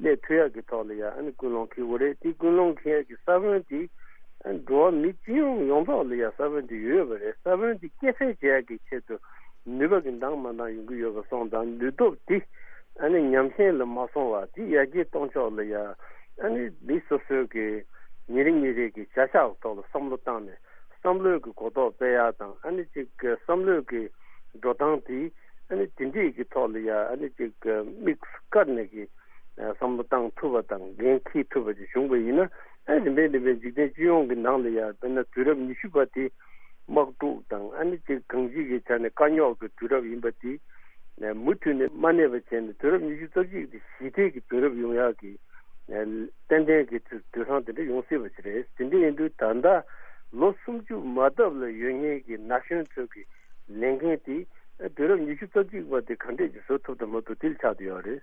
སླེབས་ཐུབ་ཡ་གི་ཐོག་ལ་ཡ་ཨ་ནི་ཀུན་སློང་འཁྱེར་དགོས་རེད། དེ་ཀུན་སློང་འཁྱེར་ཡ་གི་ས་བོན་དེ་ འགྲོ་བ་མི་སྤྱི་ཡོངས་ཡོངས་རྫོགས་ལ་ཡང་ས་བོན་དེ་ཡོད་པ་རེད། ས་བོན་དེ་སྐྱེད་སྲིང་བྱེད་ཡག་གི་ཆེད་དུ་ནུས་པ་གི་འདང་མ་འདང་ཡོང་གི་ཡོད་པ་སོང་ཙང་ནུས་སྟོབས་དེ་ཨ་ནི་ཉམས་ཞན་ལ་མ་སོང་བ་དེ་ཡར་རྒྱས་གཏོང་ཕྱོགས་ལ་ཡང་ཨ་ནི་མི་སོ་སོའི་གི་ཉིན་རེ་ཉིན་རེ་གི་བྱ་གཞག་ཐོག་ལ་བསམ་བློ་བཏང་ནས་བསམ་བློའི་གི་གོ་རྟོགས་སྤེལ་ཡག་དང་ཨ་ནི་གཅིག་གི་བསམ་བློའི་གི་འགྲོ་སྟངས་དེ་ཨ་ནི་དེ་འདྲས་ཀྱི་ཐོག་ལ་ཡ་ཨ་ནི་ཅིག་དམིགས་སུ་བཀར་ནས་ཀྱི་བསམ་བློ་བཏང་ཐུབ་པ་དང་འགན་འཁྱེར་ཐུབ་པ་ཅིག་བྱུང་བ་ཡིན་ན་ཨ་ནི་རིམ་པས་རིམ་པས་འཇིག་རྟེན་སྤྱི་ཡོངས་ཀྱི་ནང་ལ་ཡ་དཔེར་ན་དུས་རབས་ཉི་ཤུ་པ་དེ་དམག་འཁྲུག་དང་ཨ་ནི་ཅིག་གང་ཅིའི་ཆ་ནས་དཀའ་རྙོག་གི་དུས་རབས་ཡིན་པ་དེ་མུ་མཐུད་ནས་མ་གནས་པ་བྱས་ནས་དུས་རབས་ཉི་ཤུ་རྩ་གཅིག་དེ་ཞི་བདེ་གི་དུས་རབས་ཡོང་ཡག་གི་ཏན་ཏན་གྱི་དུས་དུས་སང་དེ་འདྲ་ཡོང་སྲིད་པ་ཞིག་རེད། དེ་འདྲ་ཡིན་དུས་ད་ལྟ་ལོ་སུམ་ཅུ་མ་ལྡབ་ལ་ཡོད་མཁན་གྱི་ན་གཞོན་ཚོ་གི་ལས་འགན་དེ་དུས་རབས་ཉི་ཤུ་རྩ་གཅིག་པ་དེ་ག་འདྲས་ཀྱིས་བཟོ་ཐུབ་དང་མ་ཐུབ་དེ་ལ་ཆགས་བསྡད་ཡོད་རེད།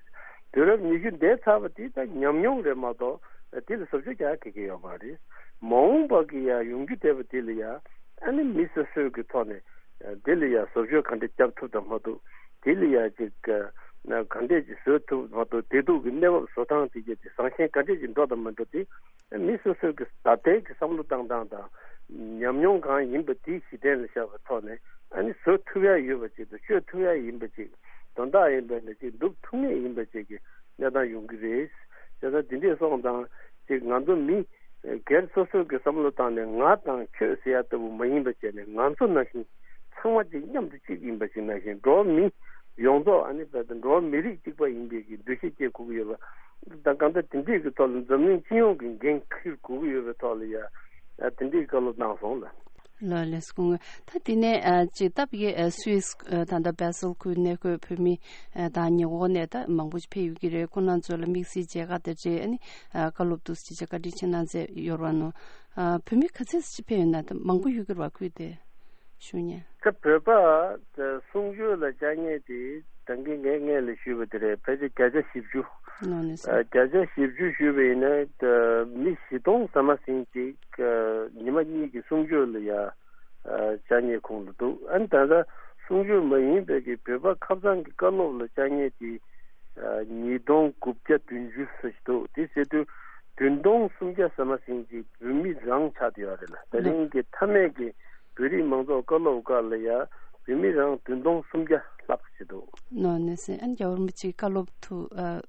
དུས་རབས་ཉི་ཤུ་འདས་ཚར་བ་དེ་ད་ཉམས་མྱོང་རེད་མ་གཏོགས་དེ་ལ་བཟོ་བཅོས་རྒྱག་གི་གི་ཡོད་མ་རེད། མ་འོངས་པ་གི་ཡ་ཡོང་རྒྱུ་བསྡད་པ་དེ་ལ་ཡ་ཨ་ནི་མི་སོ་སོའི་གི་ཐོག་ནས་དེ་ལ་ཡ་བཟོ་བཅོས་ག་འདྲས་རྒྱབ་ཐུབ་དང་མ་ཐུབ་དེ་ལ་ཡ་ཅིག་ག་འདྲས་ཀྱིས་བཟོ་ཐུབ་མ་ཐུབ་བདེ་སྡུག་གི་གནས་བབ་བཟོ་སྟངས་དེ་གྱད་དེ་བཟང་ཞན་ག་འདྲས་ཀྱིས་འགྲོ་དང་མ་འགྲོ་དེ། མི་སོ་སོའི་གི་ད་ལྟའི་གི་བསམ་བློ་བཏང་སྟངས་དང་ཉམས་མྱོང་གང་ཡིན་པ་དེ་གཞི་རྟེན་ལ་བཞག་པའི་ཐོག་ནས་ཨ་ནི་བཟོ་ཐུབ་ཡ་ཡོད་པ་ཅིག་དང་བཅོས་ཐུབ་ཡ་ཡིན་པ་ཅིག་དོན་དག་ཡིན་པ་ནི་ཅིག་འགྲུབ་ཐུབ་ངེས་ཡིན་པ་ཅིག་གི་གནས་སྟངས་ཡོང་གི་རེད། བྱས་ཙང་དེ་འདྲས་སོང་ཙང་ཅིག་ང་ཚོ་མི་སྒེར་སོ་སོའི་གི་བསམ་བློ་བཏང་ནས་ང་དང་ཁྱོད་ཟེར་ཡ་ལྟ་བུ་མ་ཡིན་པ་བྱས་ནས་ང་ཚོ་ནང་བཞིན་ཚང་མ་ཅིག་མཉམ་དུ་གཅིག་ཡིན་པ་ཅིག་ནང་བཞིན་འགྲོ་བ་མི་ཡོངས་རྫོགས་ཨ་ནི་བས་ད་འགྲོ་བ་མི་རིགས་གཅིག་པ་ཡིན་པའི་གི་འདུ་ཤེས་སྐྱེ་དགོས་ཀྱི་ཡོད་པ། ད་གང་ལྟར་དེ་འདྲས་ཀྱི་ཐོག་ལ་འཛམ་གླིང་སྤྱི་ཡོངས་ཀྱི་འགན་འཁྱེར་དགོས་ཀྱི་ཡོད་པའི་ཐོག་ལ་ཡ་དེ་འདྲས་བཀའ་སློབ་གནང་སོང་ལ། ལགས་ལགས་སོ། ད་དེ་ནས་ཅིག་སྟབས་ཀྱིས་སུད་སི་ད་ལྟ་བྷེ་སལ་ཁུལ་གནས་འཁོད་བོད་མི་དང་ཉེ་འཁོར་ནས་ད་མང་པོ་ཕེབས་ཡོད་ཀྱི་རེད། ཁོང་རྣམ་ཚོ་ལ་དམིགས་བསལ་མཇལ་ཁ་དང་འབྲེལ་ཨ་ནི་བཀའ་སློབ་འདུག་ཅེས་བཀའ་དྲིན་ཆེ་གནང་མཛད་ཡོད་རེད་བ་ནོ། བོད་མི་ག་ཚད་ཅིག་ཕེབས་ཡོད་ན་ད་མང་པོ་ཡོད་ཀྱི་རེད་བ་ཁུལ་དེ། ཞུ་ཉན། ད་བོད་པ་ད་གསུང་ཆོས་ལ་བཅར་མཁན་དེ་ད་གིན་ངས་སྔོན་ལ་ཞུས་པ་དེ་རེད། ཕལ་ཆེར་བརྒྱ་ཆ་བཞི་བཅུ། ནོ་ནི་སོ། ཨ་བརྒྱ་ཆ་བཞི་བཅུ་ཞུས་པ་ཡིན་ན་ད་མི་བཞི་སྟོང་ཟ་མ་ཟིན་ཅིག་ཨ་ཉི་མ་གཉིས་ཀྱི་གསུང་ཆོས་ལ་ཡ་ཨ་བཅར་མཁན་ཁོངས་ལ་འདུག་ཨ་ནི་ད་ལྟ་གསུང་ཆོས་མ་ཡིན་པའི་གི་བོད་པ་ཁ་སང་གི་བཀའ་སློབ་ལ་བཅར་མཁན་དེ་ཨ་ཉིས་སྟོང་དགུ་བརྒྱ་བདུན་ཅུ་ཙམ་ཞིག་འདུག་དེ་ཟེར་དུས་བདུན་སྟོང་སུམ་བརྒྱ་ཟ་མ་ཟིན་ཅིག་བོད་མི་རང་ཆགས་བསྡད་ཡོད་རེད་ལ། དེ་རིང་གི་མཐའ་མའི་གི་བོད་རིགས་མང་ཚོགས་བཀའ་སློབ་སྐབས་ལ་ཡ་བོད་མི་རང་བདུན་སྟོང་སུམ་བརྒྱ་ལྷག་ཅིག་འདུག་ནོ་ནི་སེ་ཨན་རྒྱལ་བ་རིན་པོ་ཆེའི་བཀའ་སློབ་ཐུགས་ཨ་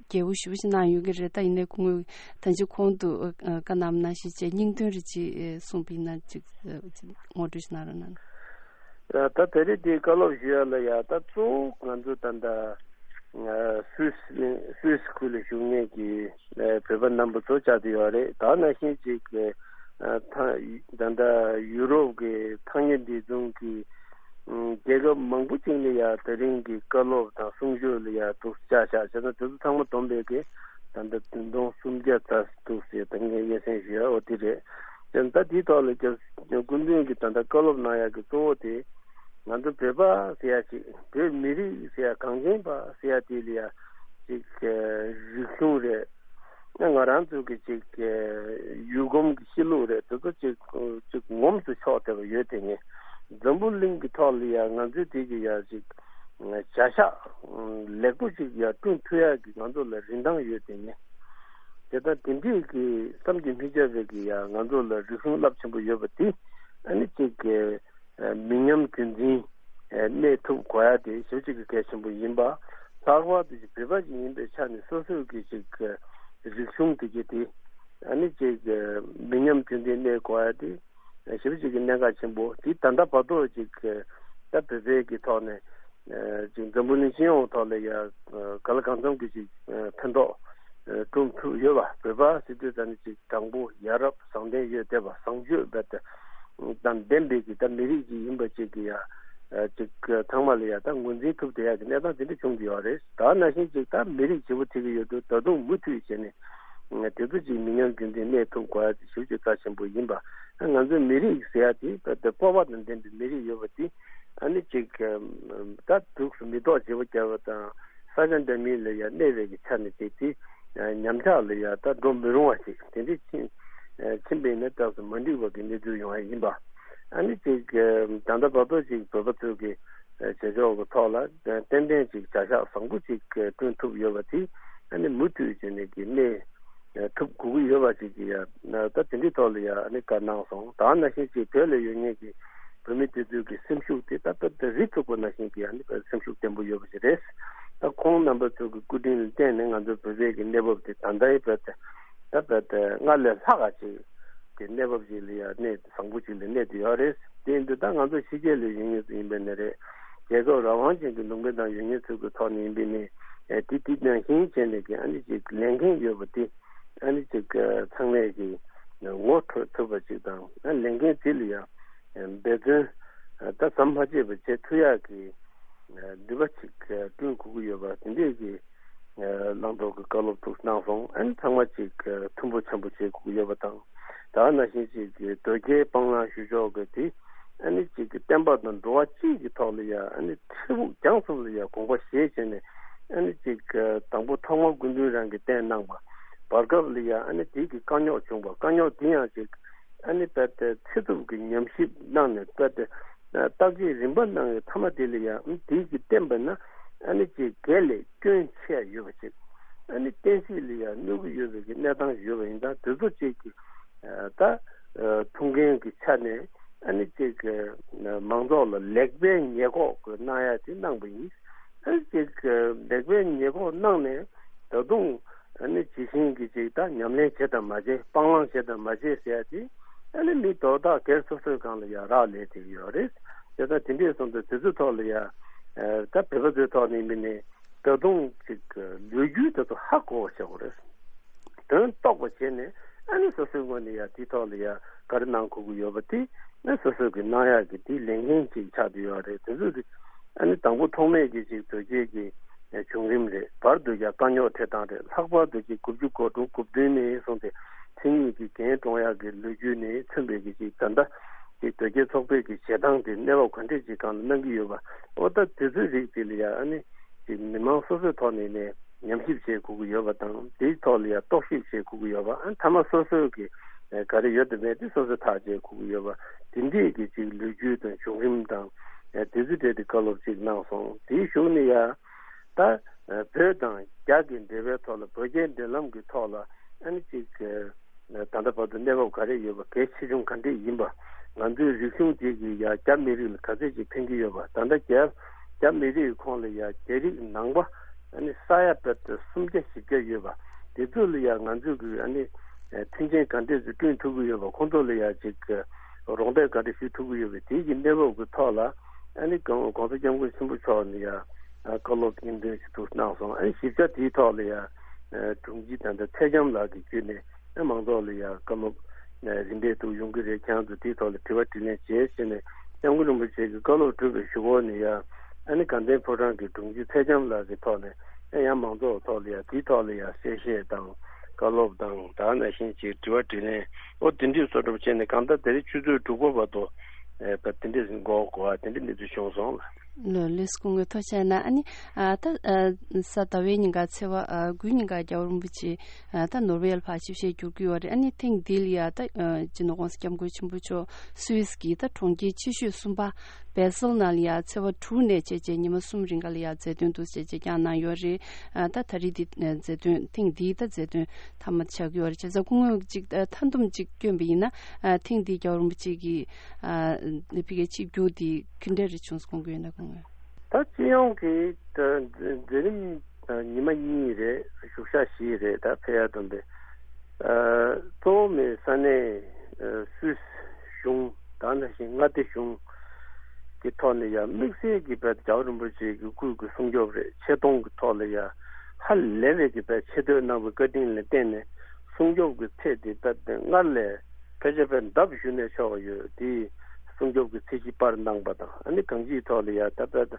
དགྱེས་པོ་ཞེ་པོ་ཞིག་གནང་ཡོད་ཀྱི་རེད། ད་ཡིན་ནའི་ཁོང་ད་ཅི་གོང་དུ་ཨ་བཀའ་གནང་ནང་བཞིན་བྱས་སྙིང་དོན་རེ་ཅིག་ཨ་གསུངས་པ་ཡིན་ན་ཅིག་ཨ་ཅིག་ངོ་སྤྲོད་ཞིག་གནང་རོགས་གནང་། ད་ད་རེས་དེའི་བཀའ་སློབ་ཞུ་ཡ་ལ་ཡ་ད་གཙོ་བོ་ང་ཚོ་ད་ལྟ་ཨ་སུད་སི་སུད་སི་ཁུལ་ལ་བཞུགས་མཁན་གྱི་ཨ་བོད་པ་རྣམ་པ་ཚོ་བཅར་བསྡད་ཡོད་རེད། ད་ནང་བཞིན་ཅིག་ཨ་ཐང་ད་ལྟ་ཡུ་རོབ་ཀྱི་ཐག་ཉེ་འདི་ཚོ་གི་ཨ་རྒྱལ་ཁབ་མང་པོ་ཅིག་ནས་ཡ་དེ་རིང་གི་བཀའ་སློབ་དང་གསུང་ཆོས་ལ་ཡ་འདུག་བཅར་བཞག་བྱས་ན་དེ་ཚོ་ཚང་མ་བསྡོམས་པས་ཀྱི་ད་ལྟ་བདུན་སྟོང་སུམ་བརྒྱ་ཙམ་འདུག་ཟེར་ད་ངས་སྙན་སེང་ཞུ་ཡ་འོ་དེ་རེད། ད་ལྟ་དེའི་ཐོག་ལ་སྐུ་མདུན་གྱིས་ད་ལྟ་བཀའ་སློབ་གནང་ཡག་གི་གཙོ་བོ་དེ་ང་ཚོ་བོད་པ་ཟེར་ཡ་ཅིག་བོད་མི་རིགས་ཟེར་ཡ་གངས་ཅན་པ་ཟེར་ཡ་དེ་ལ་ཡ་ཅིག་རིག་གཞུང་རེད། ང་རང་ཚོ་གི་ཅིག་ཡུལ་གོམས་ཀྱི་གཤིས་ལུགས་རེད། དེ་ཚོ་ཅིག་ཅིག་ངོམས་སུ་ཆོག་བསྡད་པ་ཡོད་དེ་ངས་འཛམ་བུ་གླིང་གི་ཐོག་ལ་ཡ་ང་ཚོའི་དེ་གི་ཡ་ཅིག་བྱ་གཞག་ལེགས་པོ་ཅིག་ཡ་བསྐྲུན་ཐུབ་ཡ་གི་ང་ཚོ་ལ་རིན་ཐང་ཡོད་དེ་ངས། དེ་ལྟར་དེ་འདྲས་ཀྱི་བསམ་གྱིས་མི་ཁྱབ་པའི་གི་ཡ་ང་ཚོ་ལ་རིག་གཞུང་རླབས་ཆེན་པོ་ཡོད་པ་དེ་ཨ་ནི་ཅིག་གི་མི་ཉམས་རྒྱུན་འཛིན་གནས་ཐུབ་དགོས་ཡ་དེ་ཞེ་པོ་ཅིག་གི་གལ་ཆེན་པོ་ཡིན་པ། ལྷག་པར་དུ་ཅིག་བོད་པ་ཅིག་ཡིན་པའི་ཆ་ནས་སོ་སོའི་གི་ཅིག་གི་རིག་གཞུང་དེ་གི་དེ་ཨ་ནི་ཅིག་གི་མི་ཉམས་རྒྱུན་འཛིན་གནས་དགོས་ཡ་དེ་ཞེ་པོ་ཅིག་གི་གནད་འགག་ཆེན་པོ་དེ་ད་ལྟ་བར་དུ་ཅིག་གི་ད་བོད་པའི་གི་ཐོག་ནས། ཅིག་འཛམ་བུ་གླིང་སྤྱི་ཡོངས་ཐོག་ལ་ཡ་ག་ལ་གང་འཚམ་གྱི་ཅིག་ཕན་ཐོགས་བསྐྲུན་ཐུབ་ཡོད་པ། བོད་པ་ཟེར་དུས་ད་ནི་ཅིག་དྲང་པོ་ཡ་རབས་བཟང་ལྡན་ཡོད་བསྡད་པ་བཟང་སྤྱོད་རྦད་དེ་དང་ལྡན་པའི་གི་ད་མི་རིགས་ཅིག་ཡིན་པ་ཅིག་གི་ཡ་ཅིག་ཚང་མ་ལ་ཡ་ད་ངོས་འཛིན་ཐུབ་བསྡད་ཡ་གི་གནས་སྟངས་དེ་འདྲ་བྱུང་གི་ཡོད་རེད། ད་ནང་བཞིན་ཅིག་ད་མི་རིགས་བྱེད་པོ་ཐེ་གི་ཡོད་དུས་ད་དུང་མུ་མཐུད་བྱས་ནས་དེ་ཚོ་ཅིག་མི་ཉམས་རྒྱུན་འཛིན་གནས་ཐུབ་དགོས་ཡ་དེ་ཞེ་པོ་ཅིག་རྩ་ཆེན་པོ་ཡིན་པ། ང་ཚོའི་མི་རིགས་ཟེར་ཡ་དེ་རྦད་དེ་སྤོབས་པ་དང་ལྡན་པའི་མི་རིགས་ཡོད་པ་དེ། ཨ་ནི་ཅིག་ད་འདུག་སེ་མི་ཐོག་བརྗེ་པོ་རྒྱག་པ་དང་ས་ཆ་འདྲ་མིན་ལ་ཡ་གནས་པའི་གི་ཆ་ནས་ཅིག་དེ་ཉམས་ཆག་ལ་ཡ་ད་འགྲོ་མི་རུང་བ་ཅིག་དེ་འདྲ་ཕྱིན་ཕྱིན་པ་ཡིན་ན་སྐབས་སུ་མ་འགྲིག་པ་གི་གནས་ཚུལ་ཡོང་བ་ཡིན་པ། ཨ་ནི་ཅིག་ད་ལྟ་བར་དུ་ཅིག་བོད་པ་ཚོས་གི་བྱེད་ཕྱོགས་ཀྱི་ཐོག་ལ་ཏན་ཏན་ཅིག་བྱ་གཞག་བཟང་པོ་ཅིག་བསྐྲུན་ཐུབ་ཡོད་པ་དེ་ཨ་ནི་མུ་མཐུད་བྱས་ནས་གི་གནས། ཐུབ་དགོས་ཀྱི་ཡོད་པ་ཅིག་གི་ཡ་ད་དེ་འདྲའི་ཐོག་ལ་ཡ་ཨ་ནི་བཀའ་གནང་སོང་། ད་ནང་བཞིན་ཅིག་བོད་ལ་ཡོད་མཁན་གྱི་བོད་མི་དེ་ཚོའི་གི་སེམས་ཤུགས་དེ་ད་ད་ད་རི་ཚུགས་པ་ནང་བཞིན་གྱི་ཨ་ནི་སེམས་ཤུགས་བརྟན་པོ་ཡོད་པ་ཞིག་རེད། ད་ཁོང་རྣམ་པ་ཚོ་གི་སྐུ་དྲིན་ལ་བརྟེན་ནས་ང་ཚོ་བོད་པའི་གི་གནས་བབ་དེ་ད་ལྟའི་བོད་དེ་ད་བོད་དེ་སྔར་ལས་ལྷག་ག་ཅིག་གི་གནས་བབ་ཅིག་ལ་ཡ་གནས་བཟང་པོ་ཅིག་ལ་གནས་བསྡད་ཡོད་རེད། དེ་ཡིན་དུས་ད་ང་ཚོ་ཕྱི་རྒྱལ་ལ་ཡོད་མཁན་ཚོ་ཡིན་པ་ནི་རེད། རྒྱལ་ཁབ་རང་དབང་ཅན་གྱི་ལུང་པའི་ནང་ཡོད་མཁན་ཚོ་གི་ཐོག་ནས་ཡིན་པ་ནི་ཨེ་དེ་དེ་ནང་བཞིན་བྱས་ནས་གི་ཨ་ནི་ཅིག་ལས་འགན་ཡོད་པ་དེ་ཨ་ནི་ཅིག་ཚང་མས་ཀྱི་ངོ་འཕྲོད་ཐུབ་པ་ཅིག་དང་ཨ་ལས་འགན་དེ་ལ་ཡང་འབད་བརྩོན་ད་ཟམ་མ་ཆད་པ་བྱེད་ཐུབ་ཡག་གི་ནུས་པ་ཅིག་བསྐྲུན་དགོས་ཀྱི་ཡོད་པ་དེ་འདྲས་ཀྱི་བླང་དོར་གྱི་བཀའ་སློབ་ཐུགས་གནང་སོང་། ཨ་ནི་ཚང་མ་ཅིག་མཐུན་པོ་འཆམ་པོ་བྱེད་དགོས་ཀྱི་ཡོད་པ་དང་། ད་ནང་བཞིན་ཅིག་དོལ་རྒྱལ་སྤང་བླང་ཞུ་ཕྱོགས་ཀྱི་དེ་ཨ་ནི་ཅིག་བསྟན་པ་དང་འགྲོ་བ་སྤྱི་གི་ཐོག་ལ་ཡང་ཨ་ནི་འཕྲལ་ཕུགས་རྒྱང་གསུམ་ལ་ཡང་དགོངས་པ་བཞེས་བྱས་ནས་ཨ་ནི་ཅིག་དང་པོ་ཐོག་མར་སྐུ་མདུན་རང་གིས་བསྟན་གནང་བ་བར་སྐབས་ལ་ཡང་ཨ་ནི་དེ་གི་དཀའ་རྙོག་བྱུང་བ་དཀའ་རྙོག་དེ་ཡང་ཅིག་ཨ་ནི་དཔེ་དེ་ཚེ་སྟོབས་ཀྱི་ཉམས་ཞིབ་གནང་ནས་དཔེ་དེ་བརྟག་དཔྱད་རིམ་པ་གནང་བའི་མཐའ་མ་དེ་ལ་ཡང་དེ་གི་བསྟན་པ་ན་ཨ་ནི་ཅིག་དགེ་ལས་སྐྱོན་ཆེ་ཡོད་པ་ཅིག་ཨ་ནི་བསྟན་སྲིད་ལ་ཡང་གནོད་ཀྱི་ཡོད་པའི་གི་གནས་སྟངས་ཡོད་པ་ཡིན་ཙང་དེ་ཚོ་ཅིག་གི་ད་ཐུགས་འགན་གྱི་ཆ་ནས་ཨ་ནི་ཅིག་མང་ཚོགས་ལ་ལེགས་སྤེལ་ཉེས་འགོག་གི་གནང་ཡ་དེ་གནང་པ་ཡིན། ཨ་ནི་ཅིག་ལེགས་སྤེལ་ཉེས་འགོག་གནང་ནས་ད་དུང་ཨ་ནི་ཇི་བཞིན་གྱི་ཅིག་ད་ཉམས་ལེན་བྱེད་དང་མ་བྱེད་སྤང་བླང་བྱེད་དང་མ་བྱེད་ཟེར་ཡ་དེ་ཨ་ནི་མི་དོ་བདག་སྒེར་སོ་སོའི་སྒང་ལ་ཡ་རག་ལས་བསྡད་ཀྱི་ཡོད་རེད། དེ་ལྟར་དེ་འདྲས་སོང་ཙང་དེ་ཚོའི་ཐོག་ལ་ཡ་ད་བོད་པ་ཚོའི་ཐོག་ནས་ཡིན་པ་ནི་ད་དུང་ཅིག་ལོ་རྒྱུས་དེ་ཚོ་ཧ་གོ་བ་བྱེད་དགོས་རེད། དོན་རྟོགས་པ་བྱས་ནས་ཨ་ནི་སོ་སོའི་ངོས་ནས་ཡ་དེའི་ཐོག་ལ་ཡ་ག་རེ་གནང་དགོས་ཀྱི་ཡོད་པ་དེ་ཨ་སོ་སོ་གི་གནང་ཡག་གི་དེའི་ལས་འགན་ཅིག་ཆགས་བསྡད་ཡོད་རེད། དེ་ཚོ་གི་ཨ་ནི་དང་པོ་ཐོག་མེད་ཀྱི་ཅིག་དོལ་རྒྱལ་གྱི་བྱུང་རིམ་རེད། བར་དུ་ཡ་དཀའ་རྙོག་འཕྲད་སྟངས་རེད། ལྷག་པར་དུ་ཅིག་དགུ་བཅུ་གོ་དྲུག་གོ་བདུན་ནས་བཟུང་སྟེ་མཚན་ཉིད་ཀྱི་འགན་དཀྲོང་ཡག་གི་ལོ་རྒྱུས་ནས་མཚོན་པའི་གི་ཅིག་ད་ལྟ་ཅིག་དོལ་རྒྱལ་ཚོགས་པའི་གི་བྱེད་སྟངས་དེ་གནས་བབ་ག་འདྲས་ཅིག་སྒང་ལ་གནང་གི་ཡོད་པ་འོ་ད་དེ་ཚོའི་རིགས་དེ་ལ་ཡ་ཨ་ནི་ཅིག་མི་མང་སོ་སོའི་ཐོག་ནས་ནས་ཉམས་ཞིབ་བྱེད་དགོས་ཀྱི་ཡོད་པ་དང་དེའི་ཐོག་ལ་ཡང་རྟོག་ཞིབ་བྱེད་དགོས་ཀྱི་ཡོད་པ། ཨ་མཐའ་མ་སོ་སོའི་གི་ག་རེ་ཡོད་དམ་མེད་དེ་སོ་སོས་ཐག་བཅད་དགོས་ཀྱི་ཡོད་པ། དེ་འདྲས་ཀྱི་ཅིག་ལོ་རྒྱུས་དང་བྱུང་རིམ་དང་དེ་ཚོ་གྲས་དེ་བཀའ་སློབ་ཅིག་གནང་སོང་། དེའི་གཞུག་ནས་ཡང་ད་བོད་དང་རྒྱ་གི་འབྲེལ་བའི་ཐོག་ལ་བོད་རྒྱའི་འབྲེལ་ལམ་གྱི་ཐོག་ལ་ཨ་ནི་ཅིག་ད་ལྟ་བར་དུ་གནས་བབ་ག་རེ་ཡོད་པ་གལ་ཆེ་ཆུང་ག་འདྲས་ཡིན་པ། ང་ཚོའི་རིག་གཞུང་དེ་གིས་ཡང་རྒྱ་མི་རིགས་ལ་ག་ཚོད་ཅིག་ཕན་གྱི་ཡོད་པ། ད་ལྟ་རྒྱ་རྒྱ་མི་རིགས་ཁོངས་ལ་ཡང་རྒྱ་རིགས་ནང་པ་ཨ་ནི་ས་ཡ་བར་དུ་སུམ་བརྒྱ་བཞི་བརྒྱ་ཡོད་པ། དེ་ཚོ་ལ་ཡང་ང་ཚོས་གི་ཨ་ནི་མཐུན་རྐྱེན་ག་འདྲས་ཅིག་བསྐྲུན་ཐུབ་ཀྱི་ཡོད་པ། ཁོང་ཚོ་ལ་ཡང་ཅིག་རོགས་འདེགས་ག་འདྲས་ཞུ་ཐུབ་ཀྱི་ཡོད་པ། དེ་གི་གནས་བབ་ཀྱི་ཐོག་ལ་ཨ་ནི་གོང་ས་སྐྱབས་མགོན་ཆེན་པོ་མཆོག་ནས་ཡང་བཀའ་སློབ་སྙིང་དོན་ཞུ་ཐུབ་གནང་སོང་། ཨ་ནི་ཞིབ་ཆ་དེའི་ཐོག་ལ་ཡང་དྲུང་ཆེ་ད་ལྟ་ཚེ་རྒྱམ་ལགས་ཀྱིས་བརྒྱུད་ནས་ཨ་མང་ཚོགས་ལ་ཡང་བཀའ་སློབ་རིམ་པས་འདུག་ཡོང་གི་རེད། ཁྱེད་རང་ཚོ་དེའི་ཐོག་ལ་དྲི་བ་དྲིས་ལན་བྱས་ཟེར་ནས་སྐྱབས་མགོན་རིན་པོ་ཆེ་གིས་བཀའ་སློབ་གྲུབ་པའི་གཞུག་གུ་ནས་ཡང་ཨ་ནི་དགའ་ལྡན་ཕོ་བྲང་གི་དྲུང་ཆེ་ཚེ་རྒྱམ་ལགས་ཀྱི་ཐོག་ནས་ཨ་ཡང་མང་ཚོགས་ཐོག་ལ་ཡང་དེའི་ཐོག་ལ་ཡང་གསལ་བཤད་དང་བཀའ་སློབ་དང་ད་ག་ནང་བཞིན་ཅིག་དྲི་བ་དྲིས་ལན་ཨོ་དེ་འདྲས་བཟོ་འདྲ་པོ་བྱས་ནས་གང་ལྟར་དེ་རིང་ཆུ་ཚོད་དྲུག་པ་བར་དུ་ཨེ་ད་དེ་འདྲས་འགོར་དགོས་པ་དེ་འདྲས་གནས་ཚུལ་བྱུང་སོང་ལ། ལགས་ལགས་སོ། སྐུ་ངོ་ཐུགས་རྗེ་གནང་། ཨ་ནི་ཨ་ད་ཨ་གཟའ་ཟླ་བའི་ཉིན་ཀ་ཚེས་པ་ཨ་དགུའི་ཉིན་ཀ་རྒྱལ་བ་རིན་པོ་ཆེ་ཨ་ད་ནོར་ཝེ་ལ་ཕར་ཆིབས་ཞལ་བསྒྱུར་གྱི་ཡོད་རེད། ཨ་ནི་ཐེངས་འདི་ལ་ཡ་ད་ཨ་སྤྱི་ནོར་༸གོང་ས་༸སྐྱབས་མགོན་ཆེན་པོ་མཆོག་སུད་སི་གི་ད་གྲོང་ཁྱེར་ཆེ་ཤོས་གསུམ་པ་བེ་སལ་ནང་ལ་ཡ་ཚེས་པ་དྲུག་ནས་བྱས་རྗེས་ཉི་མ་གསུམ་རིང་ག་ལ་ཡ་མཛད་དོན་འདུག་བྱས་རྗེས་བསྐྱངས་གནང་ཡོད་རེད། ཨ་ད་ད་རེས་འདི་མཛད་དོན་ཐེངས་འདིའི་ད་མཛད་དོན་མཐའ་མ་ཆགས་ཀྱི་ཡོད་རེད། བྱས་ཙང་སྐུ་ངོས་ཅིག་ད་མཐའ་བསྡོམས་ཅིག་བསྐྱོན་པ་ཡིན་ན་ཨ་ཐེངས་འདིའི་རྒྱལ་བ་རིན་པོ་ཆེ་གི་ཨ་ཕ་གིའི་ཆིབས་བསྒྱུར་འདི་ག་འདྲ་རེ་བྱུང་སོང་དགོངས་ཡོད་ན་དགོངས་ཡོད། ད་སྤྱི་ཡོངས་ཀྱི་ད་མཛད་རིམ་ཉི་མ་གཉིས་རེད། བཞུགས་ཞག་བཞི་རེད། ད་ཕེབས་ཡ་དང་པའི་གཙོ་བོ་མི་ས་གནས་སུད་སི་གཞུང་ད་ནང་བཞིན་མངའ་སྡེ་གཞུང་གི་ཐོག་ནས་ཡང་དམིགས་བསལ་གྱི་བར་རྒྱལ་བ་རིན་པོ་ཆེ་གི་སྐུའི་གི་སྲུང་སྐྱོབ་རེད། ཆེ་མཐོང་གི་ཐོག་ལ་ཡང་ཧ་ལས་པའི་གི་བར་ཆེ་བསྟོད་གནང་བའི་བཀའ་དྲིན་ལ་བརྟེན་ནས་སྲུང་སྐྱོབ་ཀྱི་ཚད་དེ་ད་སྔར་ལས་ཕལ་ཆེར་དཔེ་ལྡབ་ཞུས་ནས་ཆོག་ཡོད། དེའི་སྲུང་སྐྱོབ་ཀྱི་ཚད་གཞི་པར་གནང་པ་དང་ཨ་ནི་གང་ཅིའི་ཐོག་ལ་ཡ་ད་ལྟ་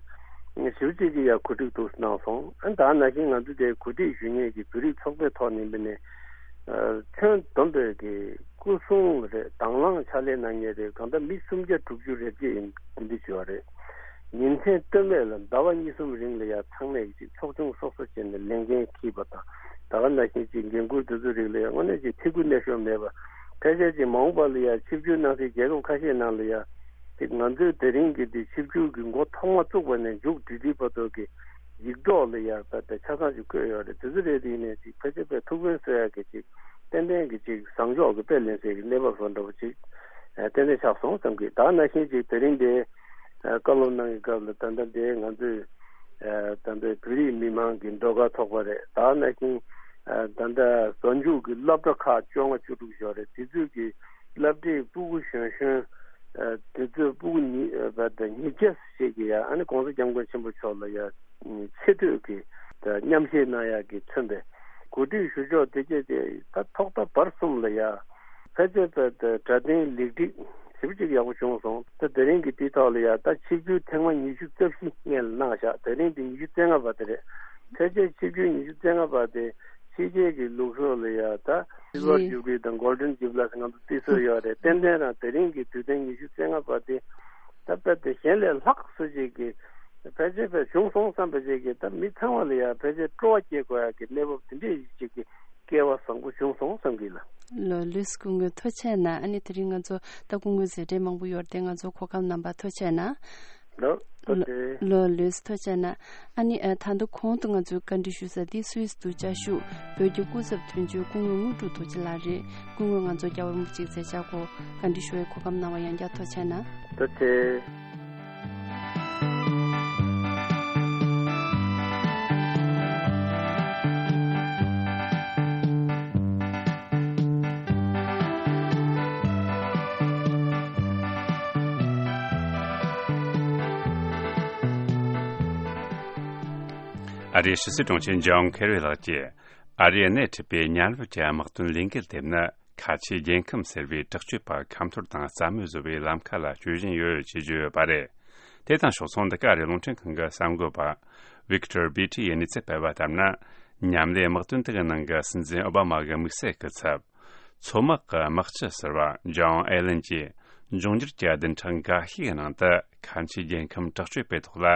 ཞིབ་ཅིག་གི་ཡ་གོ་སྒྲིག་ཏུ་གནང་སོང་། ཨ་ནི་ད་ནང་བཞིན་ང་ཚོ་དེ་གོ་སྒྲིག་ཞུ་མཁན་གྱི་བོད་རིགས་ཚོགས་པའི་ཐོག་ནས་འབད་ནས་ཁྱོན་བསྡོམས་པའི་གི་སྐུ་སྲུང་རེད། དང་བླངས་ཕྱག་ལས་གནང་མཁན་རེད། གང་ལྟར་མི་སུམ་བརྒྱ་དྲུག་ཅུ་རེ་བརྒྱད་ཡིན་འདི་འདྲ་བྱས་པ་རེད། ཉིན་མཚན་ལྟོས་མེད་ལ་ཟླ་བ་གཉིས་གསུམ་རིང་ལ་ཡ་ཚང་མས་ཀྱི་ཚོགས་ཆུང་སོ་སོ་བྱས་ནས་ལས་འགན་འཁྱེར་བ་དང་ད་ག་ནང་བཞིན་གྱི་འགན་འཁུར་དེ་ཚོ་རིགས་ལ་ཡ་དངོས་གནས་ཀྱི་ཐེ་ཁུར་གནས་ཤོར་མེད་པ། ཕལ་ཆེར་གྱི་མ་འོངས་པ་ལ་ཡ་ཆིབས་བསྒྱུར་གནང་སའི་རྒྱལ་ཁབ་ཁ་ཤས་ནང་ལ་ཡ་དེ་ང་ཚོའི་དེ་རིང་གི་དེ་ཆིབས་བསྒྱུར་གྱི་འགོ་ཐོག་མ་བཙུགས་པ་ནས་མཇུག་སྒྲིལ་སྒྲིལ་བར་དུ་གི་ ཡིག་གྲོགས་ལ་ཡང་དཔེ་དེ་ཆ་ཚང་ཅིག་བཀོད་ཡོད་རེད། དེ་ཚོ་རེད། དེ་ཡིན་ནའི་ཅིག་ཕལ་ཆེར་དཔེ་ཐུགས་ཕན་གསོས་ཡག་གི་ཅིག་ཏན་ཏན་གྱི་ཅིག་བཟང་ཕྱོགས་ཀྱི་དཔེ་ལེན་སའི་གི་གནས་བབ་བཟོ་འདྲ་པོ་ཅིག་ཨ་ཏན་ཏན་ཆགས་སོང་བསམ་གི། ད་ནང་བཞིན་ཅིག་དེ་རིང་དེ་ཨ་བཀའ་སློབ་གནང་གི་སྐབས་ལ་ད་ལྟ་དེ་ང་ཚོས་ཨ་ད་ལྟ་བོད་རིགས་མི་མང་གི་ཟློས་གར་ཚོགས་པ་རེད། ད་ནང་བཞིན་ཨ་ད་ལྟ་གཟའ་མཇུག་གི་སློབ་གྲྭ་ཁག་བཅོ་ལྔ་བཅུ་དྲུག་ཡོད་རེད། དེ་ཚོས་གི་སློབ་གྲྭའི་སྤུ་གུ་གཞོན་གཞོན་ཨ་དེ་ཚོའི་སྤུ་གུ་ཉི་ཨ་ཉིས་བརྒྱ་ཞིག་གི་ཡ་ཨ་ནི་༸གོང་ས་༸སྐྱབས་མགོན་ཆེན་པོ་མཆོག་ལ་ཡ་ཆེ་བསྟོད་ཀྱི་མཉམ་བཞེས་གནང་ཡག་གི་མཚོན་པའི་གོ་སྒྲིག་ཞུ་ཕྱོགས་དེ་གྱད་དེ་ད་ཐོག་མཐའ་བར་གསུམ་ལ་ཡ་ཕལ་ཆེར་དཔེ་དེ་སྒྲ་ལྡན་ལེགས་སྒྲིག་ཞེ་པོ་ཅིག་ཡག་པོ་བྱུང་སོང་། ད་དེ་རིང་གི་དེའི་ཐོག་ལ་ཡ་ད་ཆིབས་བསྒྱུར་ཐེངས་མ་ཉི་ཤུ་རྩ་བཞི་སྔོན་ལ་གནང་བཞག་དེ་རིང་དེ་ཉི་ཤུ་རྩ་ལྔ་པ་དེ་རེད། ཕལ་ཆེར་ཆིབས་བསྒྱུར་ཉི་ཤུ་རྩ་ལྔ་པ་དེ་ཕྱི་རྒྱལ་གྱི་ལུགས་སྲོལ་ལ་ཡ་ད་སིལ་བར་ཇུ་བི་ལི་དང་གོལ་ཌན་ཇུ་བི་ལི་ཟེར་ང་ཚོ་བརྩི་སྲོལ་ཡོད་རེད། ཏན་ཏན་རང་དེ་རིང་གི་དུས་སྟོན་ཉི་ཤུ་རྩ་ལྔ་པ་དེ་ད་དཔེ་དེ་གཞན་ལས་ལྷག་སུ་ཅིག་གི་ཕལ་ཆེར་དཔེ་བྱུང་སོང་བསམ་པ་ཅིག་གི་ད་མི་ཚང་མ་ལ་ཡ་ཕལ་ཆེར་སྤྲོ་བ་སྐྱེ་དགོས་ཡག་གི་གནས་བབ་དེ་འདྲས་ཅིག་གི་སྐལ་བ་བཟང་པོ་བྱུང་སོང་བསམ་གི་ལ། ལོ་ལུས་སྐུ་ངོ་ཐུགས་རྗེ་གནང་། ཨ་ནི་དེ་རིང་ང་ཚོ་ད་སྐུ་ངོའི་མཛད་འཕྲིན་མང་པོ་ཡོད་རེད་དེ། ང་ཚོ་གོ་སྐབས་གནང་བར་ཐུགས་རྗེ་གནང་། ལོ་ཐུགས་རྗེ། ལོ་ལུས་ཐུགས་རྗེ་གནང་། ཨ་ནི་ཨ་ད་ལྟ་གོང་དུ་ང་ཚོས་བཀའ་འདྲི་ཞུ་ས་འདི་སུད་སི་དུ་བཅའ་བཞུགས་བོད་ཀྱི་སྐུ་ཚབ་དོན་གཅོད་སྐུ་ངོ་དངོས་གྲུབ་རྡོ་རྗེ་ལགས་རེད། སྐུ་ངོ་ང་ཚོ་རྒྱལ་བ་རིན་པོ་ཆེའི་མཛད་འཆར་སྐོར་བཀའ་འདྲི་ཞུ་བའི་གོ་སྐབས་གནང་བ་ཡང་བསྐྱར་ཐུགས་རྗེ་གནང་། ཐུགས་རྗེ་ཆེ། ཨ་རིའི་ཕྱི་སྲིད་དྲུང་ཆེ་ཇོན་ཁེ་རི་ལགས་ཀྱིས་ཨ་རིའི་སྣེ་ཁྲིད་པའི་མཉམ་རུབ་ཀྱི་དམག་དོན་ལས་འགུལ་དེ་ནི་ཁ་ཆེའི་རྒྱལ་ཁམས་ཟེར་བའི་དྲག་སྤྱོད་པ་ཁ་འཐོར་དང་རྩ་མེད་བཟོ་བའི་ལམ་ཁ་ལ་སྐྱོད་བཞིན་ཡོད་ཅེས་བརྗོད་ཡོད་པ་རེད། དེ་དང་ཕྱོགས་མཚུངས་འདི་ག་ཨ་རིའི་རླུང་འཕྲིན་ཁང་གི་གསར་འགོད་པ་ཝིག་ཏོར་བི་ཏི་ཡིས་གནས་ཚུལ་སྤེལ་བ་ལྟར་ན། མཉམ་ལས་དམག་དོན་དེ་གི་ནང་གི་སྲིད་འཛིན་ཨོ་བྷ་མ་གི་དམིགས་བསལ་སྐུ་ཚབ། མཚོ་དམག་གི་དམག་སྤྱི་ཟུར་པ་ཇོན་ཨེ་ལན་གྱིས་འབྱུང་འགྱུར་གྱི་བདུན་ཕྲག་འགའ་ཤས་ཀྱི་ནང་དུ་ཁ་ཆེའི་རྒྱལ་ཁམས་དྲག་སྤྱོད་པའི་ཐོག་ལ་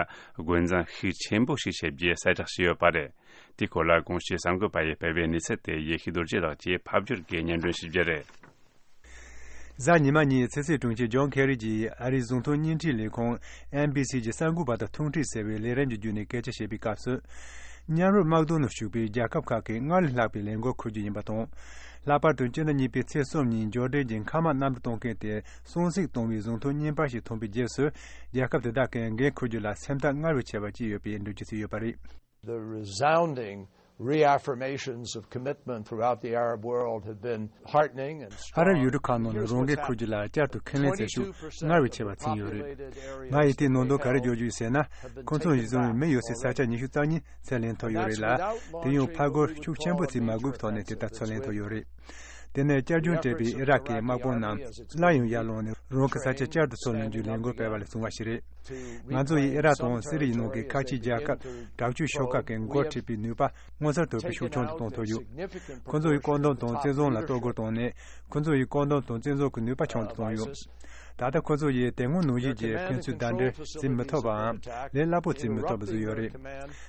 རྒོལ་འཛིང་ཤུགས་ཆེན་པོ་ཞིག་བྱེད་རྒྱུའི་གསལ་བསྒྲགས་བྱས་ཡོད་པ་རེད། དེའི་སྐོར་ལ་གོང་ཞུས་གསར་འགོད་པ་ཡིས་སྤེལ་བའི་གནས་ཚུལ་དེ་ཡེ་ཤེས་རྡོ་རྗེ་ལགས་ཀྱིས་ཕབ་བསྒྱུར་གྱིས་སྙན་སྒྲོན་ཞུ་རྒྱུ་རེད། གཟའ་ཉི་མ་ཉིན་ཕྱི་སྲིད་དྲུང་ཆེ་ཇོན་ཁེ་རི་གྱིས་ཨ་རིའི་གཟུགས་མཐོང་བརྙན་འཕྲིན་ལས་ཁུངས་ཨེན་བྷི་སི་གྱི་གསར་འགོད་པ་དང་ཐུག་འཕྲད་ཟེར་བའི་ལས་རིམ་གྱི་བརྒྱུད་ནས་སྐད་ཆ་བཤད་པའི་སྐབས་སུ། མཉམ་རུབ་དམག་དོན་ནང་ཞུགས་པའི་རྒྱལ་ཁབ་ཁག་གིས་སྔར་ལས་ལྷག་པའི་ལས་འགུལ་འཁུར་རྒྱུ་ཡིན་པ་དང་། ལྷག་པར་དུ་སྤྱི་ཟླ་གཉིས་པའི་ཚེས་གསུམ་ཉིན་འབྱོར་ལྡན་གྱི་མཁའ་དམག་གནམ་གྲུ་གཏོང་མཁན་དེ་སྲུང་བརྩི་གཏོང་བའི་གཟུགས་མཐོང་བརྙན་པར་ཞིག་ཐོན་པའི་རྗེས་སུ། རྒྱལ་ཁབ་དེ་དག་གིས་འགན་འཁུར་རྒྱུ་ལ་སེམས་ཐག་སྔར་བས་ཆེ་བ་བཅད་ཡོད་པའི་འགྲེལ་བརྗོད་བྱས་ཡོད་པ་རེད། The resounding reaffirmations of commitment throughout the Arab world have been heartening and strong. ཨ་རབ་ཡུལ་གྲུ་ཁག་ནང་ལ་རང་འགན་འཁུར་རྒྱུ་ལ་བསྐྱར་དུ་ཁས་ལེན་བྱེད་ཤུགས་སྔར་བས་ཆེ་བ་ཕྱིན་ཡོད་རེད། ང་ཡིས་དེའི་ནང་དོན་ག་རེ་བརྗོད་རྒྱུ་ཡིན་ཟེར་ན། ཁོ་ཚོ་ཡིས་བཟུང་བའི་མི་ཡོད་སའི་ས་ཆ་ཉི་ཤུ་རྩ་གཉིས་ཚུར་ལེན་ཐུབ་ཡོད་རེད་ལ། དེ་ཡང་ཕར་རྒོལ་ཤུགས་ཆེན་པོ་བྱེད་མ་དགོས་པའི་ཐོག་ནས་དེ་ལྟར་ཚུར་ལེན་ཐུབ་ཡོད་རེད། དེ་ནས་བསྐྱར་སྦྱོང་སྤྲད་པའི་ཨི་རག་གི་དམག་དཔུང་རྣམས་སླར་ཡང་ཡར་ལངས་ནས་རང་གི་ས་ཆ་བསྐྱར་དུ་ཚུར་ལེན་རྒྱུའི་ལས་འགུལ་སྤེལ་བ་ལས་བྱུང་བ་ཞིག་རེད། ང་ཚོ་ཡིས་ཨི་རག་དང་སི་རི་ཡའི་ནང་གི་ཁ་ཆེའི་རྒྱལ་ཁབ་དྲག་སྤྱོད་ཤོག་ཁག་གི་འགོ་ཁྲིད་པའི་ནུས་པ་མངོན་གསལ་དོད་པོས་ཤུགས་ཆུང་དུ་གཏོང་ཐུབ་ཡོད། ཁོ་ཚོ་ཡིས་བཀག་སྡོམ་དང་བཙན་བཟུང་ལ་གཏོར་རྒོལ་བཏང་ནས། ཁོ་ཚོ་ཡིས་བཀག་སྡོམ་དང་བཙན་བཟུང་གི་ནུས་པ་ཆུང་དུ་བཏང་ཡོད། ད་ལྟ་ཁོ་ཚོ་ཡིས་དེ་སྔོན་ནང་བཞིན་གྱི་ཕན་ཚུན་ཟླ་འདྲེན་བྱེད་མི་ཐུབ་པའམ་ལས་སླ་པོ་བྱེད་མི་ཐུབ་པ་བཟོས་ཡོད་རེད།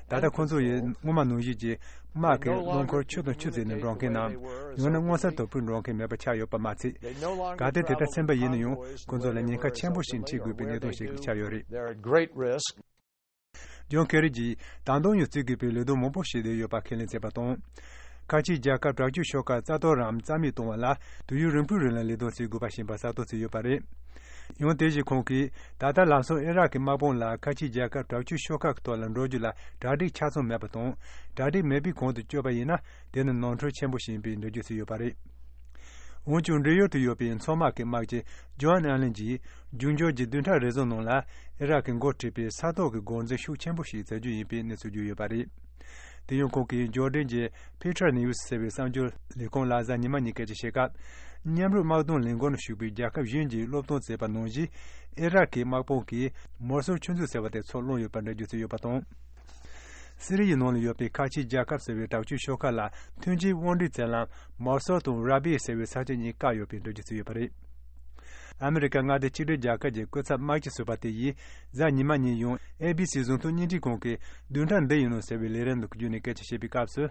ད་ལྟ་ཁོ་ཚོ་ཡིས་སྔོན་མ་ནང་བཞིན་གྱི་དམག་གི་རླངས་འཁོར་ཆུ་དང་ཆུ་བརྩེགས་ནས་འགྲོ་མཁན་ནམ། ཡང་ན་མངོན་གསལ་དོད་པོས་འགྲོ་མཁན་མེད་པ་ཆགས་ཡོད་པ་མ་ཚད། གལ་ཏེ་དེ་ལྟར་ཕྱིན་པ་ཡིན་ན་ཡང་ཁོ་ཚོ་ལ་ཉེན་ཁ་ཆེན་པོ་ཞིག་འཕྲད་དགོས་པའི་གནད་དོན་ཞིག་ཆགས་ཡོད་རེད། They're at great risk. ཇོན་ཁེ་རི་གྱིས་ད་དུང་ཡང་བརྩི་དགོས་པའི་ལས་དོན་མང་པོ་བྱེད་བསྡད་ཡོད་པ་ཁས་ལེན་བྱས་པ་དང་། ཁ་ཆེའི་རྒྱལ་ཁབ་དྲག་སྤྱོད་ཤོག་ཁག་རྩ་གཏོར་རམ་རྩ་མེད་གཏོང་བ་ལ་དུས་ཡུན་རིང་པོའི་རིང་ལ་ལས་དོན་བྱེད་དགོས་པ་ཞིག་ཡིན་པ་གསལ་སྟོན་བྱས་ཡོད་པ་རེད། ཡང་དེ་བཞིན་ཁོང་གིས་ད་ལྟ་ལམ་སང་ཨི་རག་གི་དམག་དཔུང་ལ་ཁ་ཆེའི་རྒྱལ་ཁབ་དྲག་སྤྱོད་ཤོག་ཁག་གི་ཐོག་ལ་འགྲོ་རྒྱུ་ལ་གྲ་སྒྲིག་ཆ་ཚང་མེད་པ་དང་། གྲ་སྒྲིག་མེད་པའི་གོང་དུ་བསྐྱོད་པ་ཡིན་ན། དེ་ནི་ནོར་འཁྲུལ་ཆེན་པོ་ཞིག་ཡིན་པའི་འགྲེལ་བརྗོད་བྱས་ཡོད་པ་རེད། འོན་ཀྱང་འབྲེལ་ཡོད་དུ་ཡོད་པའི་མཚོ་དམག་གི་དམག་སྤྱི་ཇོན་ཨན་ལན་གྱིས་འབྱུང་འགྱུར་གྱི་བདུན་ཕྲག་རེ་ཟུང་ནང་ལ་ཨི་རག་གི་འགོ་ཁྲིད་པའི་ས་ཐོག་གི་འགོག་འཛིང་ཤུགས་ཆེན་པོ་ཞིག་བྱ་རྒྱུ་ཡིན་པའི་གནས་ཚུལ་བརྗོད་ཡོད་པ་རེད། དེ་ཡང་ཁོང་གིས་འབྱོར་ལྡན་གྱི་Petra News ཟེར་བའི་གསར་འགྱུར་ལས་ཁུངས་ལ་གཟའ་ཉི་མ་ཉིན་སྐད་ཆ་བཤད་སྐབས། མཉམ་རུབ་དམག་དོན་ལས་འགུལ་ནང་ཞུགས་པའི་རྒྱལ་ཁབ་གཞན་གྱིས་སློབ་སྟོན་བྱས་པ་ནང་བཞིན། ཨི་རག་གི་དམག་དཔུང་གིས་མོ་སོལ་ཆུ་མཛོད་ཟེར་བ་དེ་ཚུར་བླངས་ཡོད་པར་འགྲེལ་བརྗོད་བྱས་ཡོད་པ་དང་། སི་རི་ཡའི་ནང་ལ་ཡོད་པའི་ཁ་ཆེའི་རྒྱལ་ཁབ་ཟེར་བའི་དྲག་སྤྱོད་ཤོག་ཁག་ལ་མཐུན་རྐྱེན་དབང་སྒྲིག་བྱེད་ལམ་མོ་སོལ་དང་ར་བི་ཟེར་བའི་ས་ཆ་གཉིས་བཀག་ཡོད་པའི་འགྲེལ་བརྗོད་བྱས་ཡོད་པ་རེད། ཨ་མི་རི་ཀ་མངའ་སྡེ་གཅིག་སྒྲིལ་རྒྱལ་ཁབ་ཀྱི་སྐུ་ཚབ་དམག་སྤྱི་ཟུར་པ་དེ་ཡིས་གཟའ་ཉི་མ་ཉིན་ཡང་ཨེ་བི་སི་གཟུགས་མཐོང་བརྙན་འཕྲིན་ཁང་གི་བདུན་ཕྲག་འདི་ཡིན་ནོ་ཟེར་བའི་ལས་རིམ་དུ་བརྒྱུད་ནས་སྐད་ཆ་བཤད་པའི་སྐབས་སུ།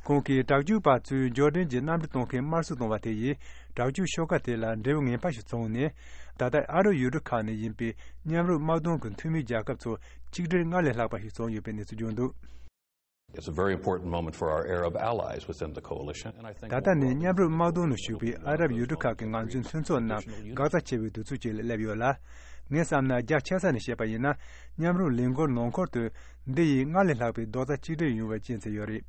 ཁོང་གིས་དྲག་སྤྱོད་པ་ཚོས་འབྱོར་འབྲིང་གི་གནམ་གྲུ་གཏོང་མཁན་དམར་གསོད་བཏང་བ་དེ་ཡིས་དྲག་སྤྱོད་ཤོག་ཁག་དེ་ལ་འབྲས་བུ་ངན་པ་ཞིག་བྱུང་ནས། ད་ལྟ་ཨ་རབ་ཡུལ་གྲུ་ཁག་ནས་ཡིན་པའི་མཉམ་རུབ་དམག་དོན་གྱི་འཐུས་མི་རྒྱལ་ཁབ་ཚོ་གཅིག་སྒྲིལ་སྔར་ལས་ལྷག་པ་ཞིག་བྱུང་ཡོད་པའི་གནས་ཚུལ་བྱུང་འདུག། It's a very important moment for our Arab allies within the coalition, and I think ད་ལྟ་ནི་མཉམ་རུབ་དམག་དོན་ནང་ཞུགས་པའི་ཨ་རབ་ཡུལ་གྲུ་ཁག་གི་ང་ཚོའི་མཐུན་ཚོགས་རྣམས་འགག་རྩ་ཆེ་བའི་དུས་ཚོད་ཅིག་ལ་སླེབས་ཡོད་ལ། ངས་བསམ་ན་རྒྱ་ཆེ་ས་ནས་བཤད་པ་ཡིན་ན། མཉམ་རུབ་ལས་འགུལ་ནང་ཁུལ་དུ་འདི་ཡིས་སྔར་ལས་ལྷག་པའི་རྡོག་རྩ་གཅིག་སྒྲིལ་ཡོང་བའི་རྐྱེན་བྱས་ཡོད་རེད།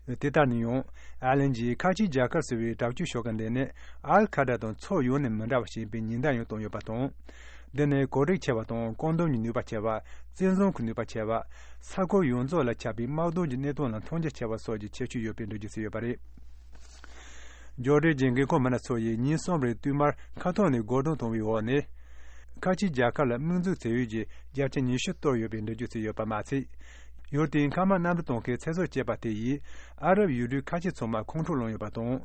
དེ་ལྟར་ན་ཡང་། ཨ་ལན་གྱིས་ཁ་ཆེའི་རྒྱལ་ཁབ་ཟེར་བའི་དྲག་སྤྱོད་ཤོག་ཁག་འདི་ནི་ཨལ་ཁ་ད་དང་ཚོགས་ཡོངས་ནས་མི་འདྲ་བ་ཞིག་ཡིན་པའི་ཉེན་བརྡ་ཡང་བཏང་ཡོད་པ་དང་། འདི་ནི་གོ་སྒྲིག་ཆེ་བ་དང་བཀག་འདོམས་ཀྱི་ནུས་པ་ཆེ་བ། བཙན་བཟུང་གི་ནུས་པ་ཆེ་བ། ས་ཁུལ་ཡོངས་རྫོགས་ལ་ཁྱབ་པའི་དམག་དོན་གྱི་གནད་དོན་ལ་མཐོང་རྒྱ་ཆེ་བ་སོགས་ཀྱི་ཁྱད་ཆོས་ཡོད་པའི་འགྲེལ་བརྗོད་བྱས་ཡོད་པ་རེད། འབྱོར་འབྲིང་གི་འགན་ཁུར་མི་སྣ་ཚོ་ཡིས་ཉིན་གསུམ་རིང་བསྟུད་མར་མཁའ་ཐོག་ནས་སྒོ་རྡུང་གཏོང་བའི་འོག་ནས། ཁ་ཆེའི་རྒྱལ་ཁབ་ལ་དམིགས་འཛུགས་བྱེད་ཡུལ་གྱི་བརྒྱ་ཆ་ཉི་ཤུ་གཏོར་ཡོད་པའི་འགྲེལ་བརྗོད་བྱས་ཡོད་པ་མ་ཚད། ཡུལ་དེའི་མཁའ་དམག་གནམ་གྲུ་གཏོང་མཁན་ཚེ་སྲོག་བཅད་པ་དེ་ཡིས་ཨ་རབ་ཡུལ་གྲུའི་ཁ་ཆེ་ཚང་མ་ཁོང་ཁྲོ་ལངས་ཡོད་པ་དང་།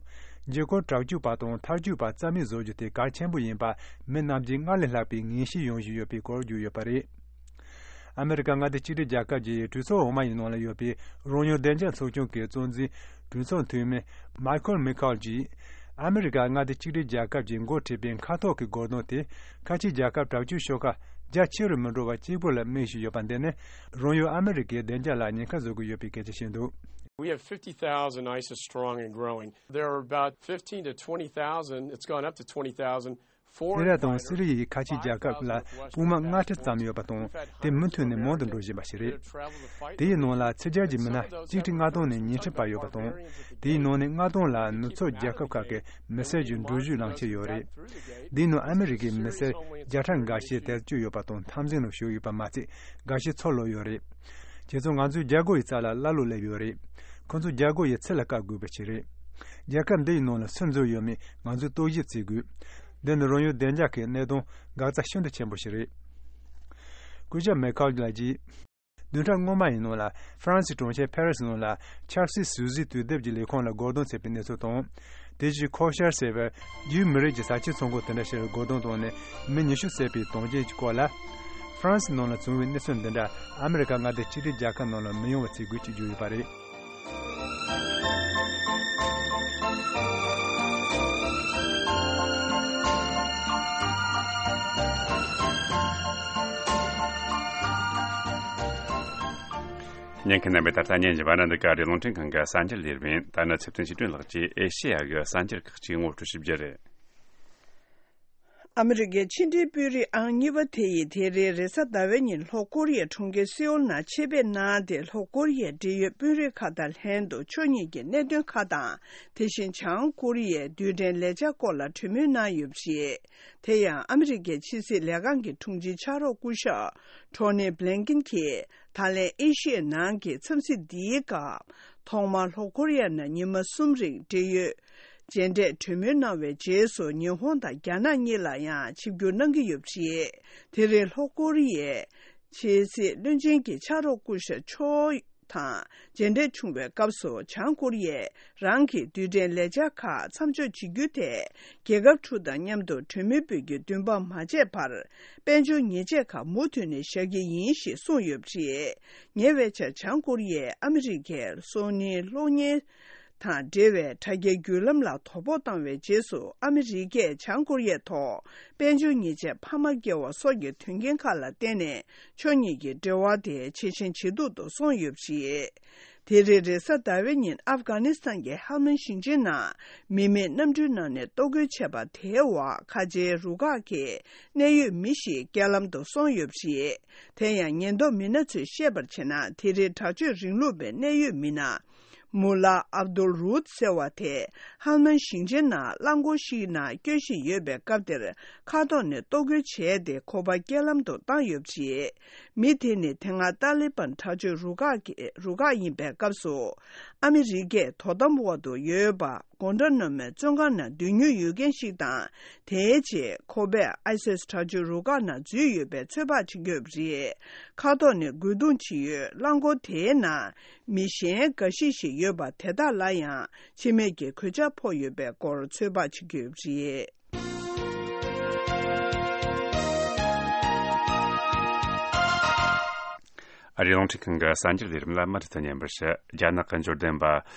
འཇིགས་སྐུལ་དྲག་སྤྱོད་པ་དང་ཐག་གཅོད་པ་རྩ་མེད་བཟོ་རྒྱུ་དེ་གལ་ཆེན་པོ་ཡིན་པ་མི་རྣམས་ཀྱིས་སྔར་ལས་ལྷག་པའི་ངེས་ཤེས་ཡོང་བཞིན་ཡོད་པའི་སྐོར་བརྗོད་ཡོད་པ་རེད། ཨ་མི་རི་ཀ་མངའ་སྡེ་གཅིག་སྒྲིལ་རྒྱལ་ཁབ་ཀྱི་གྲོས་ཚོགས་འོག་མ་ཡི་ནང་ལ་ཡོད་པའི་རང་དབང་བདེ་འཇགས་ཚོགས་ཆུང་གི་གཙོ་འཛིན་གྲོས་ཚོགས་འཐུས་མི་མའི་ཁལ་མེ་ཁལ་གྱིས། ཨ་མི་རི་ཀ་མངའ་སྡེ་གཅིག་སྒྲིལ་རྒྱལ་ཁབ་ཀྱིས་འགོ་ཁྲིད་པའི་མཁའ་ཐོག་གི་སྒོ་རྡུང་དེ་ཁ་ཆེའི་རྒྱལ་ཁབ་དྲག་སྤྱོད་ཤོག་ཁག་རྒྱ་ཆེ་རུ་མི་འགྲོ་བ་གཅིག་པུ་ལ་དམིགས་བཞིན་ཡོད་པ་འདི་ནི་རང་ཡུལ་ཨ་མི་རི་ཀའི་བདེ་འཇགས་ལ་ཉེན་ཁ་བཟོ་གི་ཡོད་པའི་སྐད་ཆ་བཤད་འདུག། We have fifty thousand, ISIS strong and growing. There are about fifteen to twenty thousand. It's gone up to twenty thousand. ཨི་རག་དང་སི་རི་ཡའི་ཁ་ཆེའི་རྒྱལ་ཁབ་ལ་དཔུང་དམག་ལྔ་ཁྲི་ཙམ་ཡོད་པ་དང་། དེ་མུ་མཐུད་ནས་མང་དུ་འགྲོ་བཞིན་པ་ཞིག་རེད། དེའི་ནང་ལ་ཕྱི་རྒྱལ་གྱི་མི་སྣ་གཅིག་ཁྲི་ལྔ་སྟོང་ནས་ཉི་ཁྲི་བར་ཡོད་པ་དང་། དེའི་ནང་ནས་ལྔ་སྟོང་ལ་ནུབ་ཕྱོགས་རྒྱལ་ཁབ་ཁག་གི་མི་སེར་གྱི་འགྲུལ་བཞུད་ལངས་ཁྱེར་ཡོད་རེད། དེའི་ནང་ཨ་མི་རི་ཀའི་མི་སེར་བརྒྱ་ཕྲག་འགའ་ཤས་བསྡད་བཅུག་ཡོད་པ་དང་འཐབ་འཛིང་ནང་ཞུགས་ཡོད་པ་མ་ཚད། འགའ་ཤས་འཚོ་ལོག་ཡོད་རེད། དེ་ཚོ་ང་ཚོའི་རྒྱལ་སྒོ་ཡི་རྩ་ལ་ཀླ་ཀློ་སླེབས་ཡོད་རེད། ཁོ་ཚོ་རྒྱལ་སྒོ་ཡི་ཚུལ་ལ་བཀག་དགོས་པ་ཞིག་རེད། རྒྱལ་ཁབ་འདི་ཡི་ནང་ལ་སུ་འཛུལ་ཡོད་མེད་ང་ཚོས་རྟོག་ཞིབ་བྱེད་དགོས། འདི་ནི་རང་ཡུལ་བདེ་འཇགས་ཀྱི་གནད་དོན་འགག་རྩ་ཤིན་ཏུ་ཆེན་པོ་ཞིག་རེད། སྐུ་ཞབས་མེ་ཁལ་ལགས་ཀྱིས། བདུན་ཕྲག་སྔོན་མ་ཡི་ནང་ལ་ཧྥ་རན་སིའི་གྲོང་ཁྱེར་ཕེ་རི་སི་ནང་ལ་ཆར་སི་སུའུ་ཟི་དུས་དེབ་ཀྱི་ལས་ཁུངས་ལ་སྒོ་རྡུང་བྱས་པའི་གནས་ཚུལ་དང་། དེ་བཞིན་ཁོ་ཤར་ཟེར་བའི་རྒྱུད་མི་རིགས་ཀྱི་ས་ཆའི་ཚོང་ཁང་དེ་འདྲ་ཞིག་ལ་སྒོ་རྡུང་བཏང་ནས་མི་ཉི་ཤུ་བསད་པའི་དོན་རྐྱེན་གྱི་སྐོར་ལ། ཧྥ་རན་སི་ནང་ལ་བྱུང་བའི་གནས་ཚུལ་འདི་འདྲ་ཨ་མི་རི་ཀ་མངའ་སྡེ་གཅིག་སྒྲིལ་རྒྱལ་ཁབ་ནང་ལ་མི་ཡོང་བ་བྱེད་དགོས་ཅེས་བརྗོད་ཡོད་པ་རེད། ཉན་མཁན་རྣམ་པས་ད་ལྟ་ཉན་གྱི་བར་ན་འདི་ག་རེ་རླུང་འཕྲིན་ཁང་གི་གསར་འགྱུར་ལས་རིམ་ཡིན། ད་ནི་ཚེ་བརྟན་ཞིག་གྲོན་ལགས་ཀྱིས་ཨེ་ཤེ་ཡ་གི་གསར་འགྱུར་ཁག་ཅིག་ངོ་སྤྲོད་ཞུ་རྒྱུ་རེད། ཨ་མི་རི་ཀའི་ཕྱི་འབྲེལ་དཔོན་རིགས་ཨང་གཉིས་པ་དེ་ཡིས་དེ་རིང་རེས་གཟའ་ཟླ་བའི་ཉིན་ལྷོ་ཀོ་རི་ཡའི་གྲོང་ཁྱེར་སེའུལ་ནང་ཆེད་ཕེབས་གནང་སྟེ། ལྷོ་ཀོ་རི་ཡའི་འབྲེལ་ཡོད་དཔོན་རིགས་ཁག་དང་ལྷན་དུ་ཕྱོགས་གཉིས་ཀྱི་གནད་དོན་ཁག་དང་། དེ་བཞིན་བྱང་ཀོ་རི་ཡའི་རྡུལ་ཕྲན་ལས་འཆར་སྐོར་ལ་གྲོས་མོལ་གནང་ཡོད་པ་རེད། དེ་ཡང་ཨ་མི་རི་ཀའི་ཕྱི་སྲིད་ལས་ཁང་གི་དྲུང་ཆེ་ཕྱག་རོགས་སྐུ་ཞབས་ཊོ་ནི་བྷི་ལིན་ཀིན་གྱིས་ད་ལན་ཨེ་ཤི་ཡའི་ནང་གི་འཚམས་གཟིགས་འདིའི་སྐབས། ཐོག་མར་ལྷོ་ཀོ་རི་ཡ་ནང་ཉི་མ་གསུམ་རིང་འབྲེལ་ཡོད་མཇལ་འཕྲད་གྲོས་མོལ་གནང་བའི་རྗེས་སུ། ཉི་ཧོང་དང་རྒྱ་ནག་གཉིས་ལ་ཡང་ཆིབས་བསྒྱུར་གནང་གི་ཡོད་པ་རེད། དེ་རིང་ལྷོ་ཀོ་རི་ཡའི་ཕྱི་སྲིད་བློན་ཆེན་གྱི་ཕྱག་རོགས་སྐུ་ཞབས་ཆོ་དང་མཇལ་འཕྲད་བྱུང་བའི་སྐབས་སུ། བྱང་ཀོ་རི་ཡས་རང་གི་རྡུལ་ཕྲན་ལས་འཆར་ཁག་མཚམས་འཇོག་བྱེད་རྒྱུ་དེ། རྒྱལ་ཁབ་དྲུག་དང་མཉམ་དུ་གྲོས་མོལ་སྤེལ་རྒྱུའི་འདུན་པ་མ་བརྗེད་པར། དཔལ་འབྱོར་ཉེས་ཆད་ཁག་མུ་མཐུད་ནས་བཞག་གི་ཡིན་ཞེས་གསུངས་ཡོད་པ་རེད། ཉེ་བའི་ཆར་བྱང་ཀོ་རི་ཡས་ཨ་མི་རི་ཀའི་སང་ཉིན་གློག་བརྙན་དང་འབྲེལ་བའི་དྲ་རྒྱའི་བརྒྱུད་ལམ་ལ་དོ་ཕོག་བཏང་བའི་རྗེས་སུ། ཨ་མི་རི་ཀས་བྱང་ཀོ་རི་ཡའི་ཐོག་དཔལ་འབྱོར་ཉེས་ཆད་འཕར་མ་བཀལ་བ་སོགས་ཀྱི་དོན་རྐྱེན་ཁག་ལ་བརྟེན་ནས། ཕྱོགས་གཉིས་ཀྱི་འབྲེལ་བ་དེ་ཇེ་ཞན་ཇེ་སྡུག་ཏུ་སོང་ཡོད་པ་རེད། དེ་རིང་རེས་གཟའ་ཟླ་བའི་ཉིན་ཨབ་གྷ་ནི་སི་ཐན་གྱི་ཧལ་མན་ཞིང་ཆེན་ནང་མི་མེད་གནམ་གྲུའི་ནང་ནས་གཏོར་རྒོལ་བྱས་པ་དེའི་འོག་ཁ་ཆེའི་རུ་ཁག་གི་གནད་ཡོད་མི་ཞིག་རྐྱེན་ལམ་དུ་སོང་ཡོད་པ་རེད། དེ་ཡང་ཉེན་རྟོག་མི་སྣ་ཚོས་བཤད་པར་བྱས་ན། དེ་རིང་དྲག་སྤྱོད་རིང་ལུགས་པའི་གནད་ཡོད་མི་སྣ་མུ་ལ་ཨབ་དུལ་རུད་ཟེར་བ་དེ་ཧལ་མན་ཞིང་ཆེན་ནང་རླངས་འཁོར་ཞིག་ནང་སྐྱོད་བཞིན་ཡོད་པའི་སྐབས་དེར། མཁའ་ཐོག་ནས་གཏོར་རྒོལ་བྱས་ཏེ། ཁོ་པ་རྐྱེན་ལམ་དུ་བཏང་ཡོད་པ་རེད། མི་དེ་ནི་དེ་སྔ་ཏཱ་ལི་བན་དྲག་སྤྱོད་རུ་ཁག་གི་རུ་ཁག་ཡིན་པའི་སྐབས་སུ། ཨ་མི་རི་ཀས་དོ་དམ་འོག་ཏུ་ཡོད་པ་གོན་ཏྲ་ན་མོའི་བཙོན་ཁང་ནང་སྡོད་མྱོང་ཡོད་མཁན་ཞིག་དང་། དེའི་རྗེས་ཁོ་པས་ཨའི་སིས་དྲག་སྤྱོད་རུ་ཁག་ནང་འཛུལ་ཡོད་པའི་ཚོད་དཔག་བྱེད་ཀྱི་ཡོད་པ་རེད། མཁའ་ཐོག་ནས་རྒོལ་རྡུང་བྱེད་ཡུལ་རླངས་འཁོར་དེའི་ནང་མི་གཞན་འགའ་ཤས་ཤིག་ཡོད་པ་དེ་དག་ལ་ཡང་འཆི་རྨས་ཀྱི་གོད་ཆག་ཕོག་ཡོད་པའི་སྐོར་ཚོད་དཔག་བྱེད་ཀྱི་ཡོད་པ་རེད། རེད། རླུང་འཕྲིན་ཁང་གི་གསར་འགྱུར་ལས་རིམ་ལ་མུ་མཐུད་དུ་ཉན་པར་ཞུ། རྒྱ་ནག་གི་འབྱོར་ལྡན་པ་